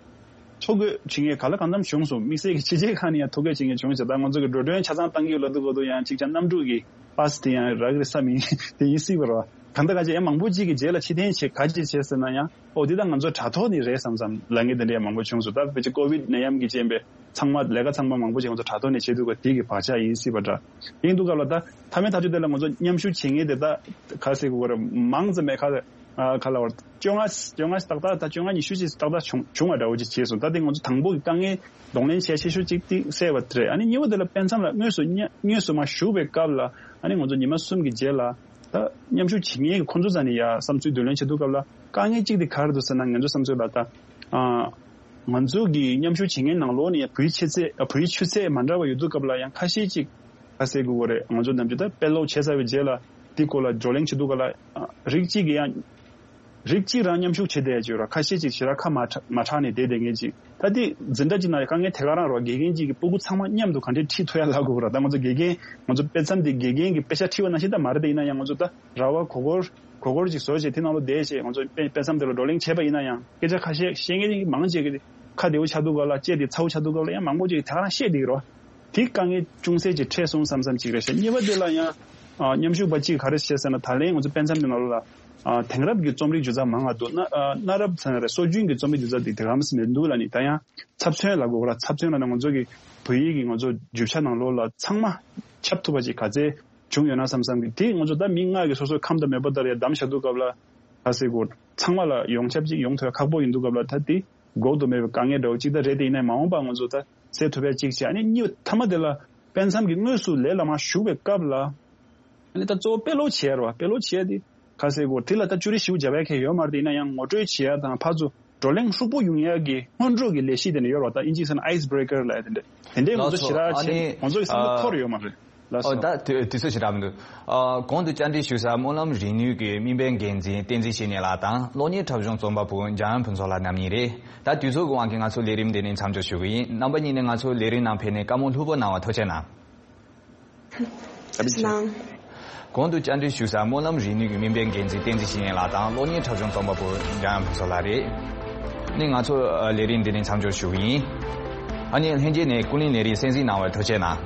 ཐོ་འགོད་བྱེད་མཁན་ག་ལ་གང་འཚམ་བྱུང་སོང་། དམིགས་བསལ་གྱི་ཕྱི་རྒྱལ་ཁག་ནས་ཡང་ཐོ་འགོད་བྱེད་མཁན་བྱུང་ཞེས། ད་ང་ཚོ་གི་འགྲོ་གྲོན་ཆ་ཚང་བཏང་གི་ཡོད་ལབ་དུས་གོ་དུས་ཡང་གཅིག་ཀྱང་གནམ་གྲུ་གི་པ་སི་དེ་ཡང་རག་གི་རེད་བསམ་ཡིན། དེ་ཡིན་སྲིད་པ་རེད་བ། གང་ལྟར་གང་ཅི་ཡང་མང་པོ་ཅིག་གི་རྗེས་ལ་ཕྱིར་འཐེན་བྱེད་ག་ཅི་བྱས་ཟེར་ན་ཡང་། ཨོ་འདི་ད་ང་ཚོ་དྲ་ཐོག་ནས་རེད་བསམ་བསམ་ལབ་མཁན་དེ་འདྲ་ཡང་མང་པོ་བྱུང་སོང་། ད་ཕལ་ཆེར་ཀོ་བིད་ནད་ཡམས་ཀྱི་རྐྱེན་པས་ཚང་མ་ལས་ཀ་ཚང་མ་མང་པོ་ཅིག་ང་ཚོ་དྲ་ཐོག་ནས་བྱེད་དུས་ག་དེ་གི་བག་ཆགས་ཡིན་སྲིད་པ་འདྲ། ཡིན་དུས་སྐབས་ལ་ད་མཐའ་མའི་ཐག་གཅོད་དེ་ལ་ང་ཚོ་མཉམ་ཞུགས་བྱེད་མཁན་དེ་ད་ག་ཟེར་དགོས་རེད། མང་ཙམ་མེད་ཁ། ཨ་ག་ལ་བར་བཅོ་ལྔ་བཅོ་ལྔ་ཏག་ཏག་ད་བཅོ་ལྔ་ཉི་ཤུ་ཅིག་ཏག་ཏག་བྱུང་བྱུང་བ་འདྲ་བོ་ཅིག་བྱས་སོང་། ད་དེ་ང་ཚོ་དང་པོ་གི་དཀའ་ངལ་གདོང་ལེན་བྱས་ཆེ་ཤོས་ཅིག་དེ་སེལ་བ་དེ་རེད། ཨ་ནི་གཉིས་པ་དེ་ལ་དཔེ་མཚམས་ལ་དངོས་སུ་མཉམ་དངོས་སུ་མ་ཞུགས་པའི་སྐབས་ལ། ཨ་ནི་ང་ཚོ་ཉི་མ་གསུམ་གྱི་རྗེས་ལ་ད་མཉམ་ཞུགས་བྱེད་མཁན་གྱི་ཁོང་ཚོ་རྩ་ནས་ཡ་བསམ་ཚུལ་བསྡུ་ལེན་བྱེད་དུས་སྐབས་ལ་དཀའ་ངལ་གཅིག་དེ་ག་རེ་འདུག་ཟེར་ན། ང་ཚོ་བསམ་ཚུལ་ལ་ད་ཨ་ང་ཚོ་གི་མཉམ་ཞུགས་བྱེད་མཁན་ནང་ལོགས་ནས་ཡ་བོད་ཡིག་ཆུ་ཚད་ཨ་བོད་ཡིག་ཆུ་ཚད་མ་འདྲ་བ་ཡོད་དུས་སྐབས་ལ་ཡང་ཁ་ཤས་ཅིག་ག་ཟེར་དགོས་རེད། ང་ཚོ་ནམ་རྒྱུན་ད་དཔེ་ཀློག་བྱས་ཚར་བའི་རྗེས་ལ་དེ་སྐོར་ལ་བགྲོ་གླེང་བྱེད་དུས་སྐབས་ལ་ཨ་རིགས་གཅིག་གིས་ཡང་རིགས་གཅིག་རང་མཉམ་ཞུགས་བྱེད་བསྡད་ཡ་ཅིག་ཡོད་ར། ཁ་ཤས་ཅིག་ཞེ་དྲག་ཁ་མ་གྲག་མ་གྲགས་ནས་བསྡད་བསྡད་མཁན་ཅིག་ད་དེ་འཛིན་གྲྭ་གཅིག་ནང་ཡང་དཀའ་ངལ་དེ་ག་རང་རེད་བ། དགེ་རྒན་གཅིག་གིས་སྤུ་གུ་ཚང་མ་མཉམ་དུ་ག་འདྲས་ཁྲིད་ཐུབ་ཡ་ལབ་དགོས་ར། ད་ང་ཚོ་དགེ་རྒན་ང་ཚོ་དཔེ་མཚམས་དེ་དགེ་རྒན་གྱིས་དཔེ་ཆ་ཁྲིད་པ་ནང་བཞིན་ད་མ་རེད། དེ་ཡིན་ན་ཡང་ང་ཚོ་ད་ར་བ་གོ་སྐོར་གོ་སྐོར་ཅིག་བཟོ་བྱས་དེ་ནང་ལ་བསྡད་བྱས་ང་ཚོ་དཔེ་དཔེ་མཚམས་དེ་ལ་བགྲོ་གླེང་བྱས་པ་ཡིན་ན་ཡང་སྐད་ཆ་ཁ་ཤས་བཤད་མཁན་མང་ཆེ་གི་ཁ་བདེ་བོ་ཆགས་དུས་སྐབས་ལ་ལྕེ་དེ་ཚ་བོ་ཆགས་དུས་སྐབས་ལ་ཡང་མང་པོ་ཅིག་དེ་ག་རང་བཤད་བསྡད་ཀྱི་རེད་བ། དེ་དཀའ་ངལ་ཅུང་ཟད་ཅིག་འཕྲད་སོང་བསམ་བསམ་ཅིག་རེད་ཤག་གཉིས་པ་དེ་ལ་ཡང་ཨ་མཉམ་ཞུགས་པ་གཅིག་ག་རེ་བཤད་ཟེར་ན། ད་ལན་ང་ཚོ་དཔེ་མཚམས་དེ་ནང་ལོགས་ལ་ཨ་དེང་རབས་ཀྱི་རྩོམ་རིག་སྒྱུ་རྩལ་མང་ང་འདུག་གནའ་ཨ་གནའ་རབས་ཟེར་ན་རེད། སྲོལ་རྒྱུན་གྱི་རྩོམ་རིག་སྒྱུ་རྩལ་དེ་དེ་ག་རང་མི་འདུག་ལབ་ནི། ད་ཡང་ཚབ་མཚོན་ལབ་དགོས་ར། ཚབ་མཚོན་ལབ་ན་ང་ཚོ་གི་བོད་ཡིག་གི་ང་ཚོ་རྒྱུ་ཆ་ནང་ལོགས་ལ་ཚང་མ་ཁྱབ་ཐུབ་པ་ཅིག་ག་ཚད་བྱུང་ཡོད་ན་བསམ་བསམ་གི། དེ་ང་ཚོ་ད་མི་ལྔ་གི་སོ་སོའི་ཁམས་དང་མོས་པ་ལྟར་ཡ་བདམས་བཞག་དུས་སྐབས་ལ་ག་ཟེར་དགོས། ཚང་མ་ལ་ཡོངས་ཁྱབ་ཅིག་ཡོང་ཐུབ་ཡ་ཁག་པོ་ཡིན་དུས་སྐབས་ལ་ད་དེ་འགོག་ཏུ་མེད་པའི་དཀའ་ངལ་འདྲ་བོ་ཅིག་ད་རེད། དེ་ཡིན་ནའི་མ་འོངས་པ་ང་ཚོ་ད་སེལ་ཐུབ་ཡ་ཅིག་བྱས། ཨ་ནི་གཉིས་མཐའ་མ་དེ་ལ་དཔེ་མཚམས་ཀྱི་དངོས་སུ་ལས་ལ་མ་ཞུགས་པའི་སྐབས་ལ་ ཨ་ནི་ད་གཙོ་བོ་དཔེ་ཀློག་བྱེད་ཡ་རེད་བ། དཔེ་ཀློག་བྱེད་ཡ་དེ་ག་ཟེར་དགོས། དེ་ལ་ད་ཅུ་རེ་ཞིབ་རྒྱབ་ཡ་གང་ཡང་ཡོད་མ་རེད། དེ་ཡིན་ན་ཡང་ངོ་སྤྲོད་བྱེད་ཡ་དང་ཕར་ཚུར་བགྲོ་གླེང་ཧྲུག་པོ་ཡོང་ཡ་གི་སྔོན་འགྲོ་གི་ལས་གཞི་དེ་འདྲ་ཡོད་རེད་བ། ད་ཨིན་ཇིའི་ཟེར་ན་ཨའི་སི་བྷི་རེ་ཀར་ལབ་ཡ་དེ་འདྲ། དེ་འདྲའི་ང་ཚོ་ལགས་སོ། ཞེ་དྲག་ཨ་བྱེད་ནི་ང་ཚོ་གི་བསམ་བློ་ཨ་འཁོར་ཡོད་མ་རེད། ལགས་ཨོ། སོ། ད་དུས་དུས་ཚོད་ཞེ་དྲག་མི་འདུག་ཨ། གོང་དུ་བཅར་འདྲི་ཞུ་ས་སྨོན་ལམ་རིག་ནུས་ཀྱི་སྨན་པའི་འགན་འཛིན་བསྟན་འཛིན་བཤེས་གཉེན་ལགས་དང་གློག་བརྙན་འཁྲབ་གཞུང་རྩོམ་པ་པོ་འཇམ་དབྱངས་ཕུན་ཚོགས་ལགས་རྣམ་གཉིས་རེད། ད་དུས་ཚོད་ཀྱི་དབང་གིས་ང་ཚོ་ལས་རིམ་འདི་ནས་མཚམས་འཇོག་ཞུ་གི་ཡིན། རྣམ་པ་གཉིས་ནས་ང་ཚོ་ལས་རིམ་ནང་ཕེབས་ནས་བཀའ་མོལ་ལྷུག་པོ་གནང་བར་ཐུགས་རྗེ་གནང་། ཐུགས་རྗེ་གནང་། གོང་དུ་བཅར་འདྲི་ཞུ་ས་སྨོན་ལམ་རིག་ནུས་ཀྱི་སྨན་པའི་འགན་འཛིན་བསྟན་འཛིན་བཤེས་གཉེན་ལགས་དང་གློག་བརྙན་འཁྲབ་གཞུང་རྩོམ་པ་པོ་འཇམ་དབྱངས་ཕུན་ཚོགས་ལགས་རེད། ནི་ང་ཚོ་ཨ་ལས་རིམ་འདི་ནས་མཚམས་འཇོག་ཞུ་གི་ཡིན། ཨ་ནི་ལྷན་རྒྱས་ནས་ཀུན་གླེང་ལས་རིམ་གསན་གཟིགས་གནང་བར་ཐུགས་རྗེ་གནང་།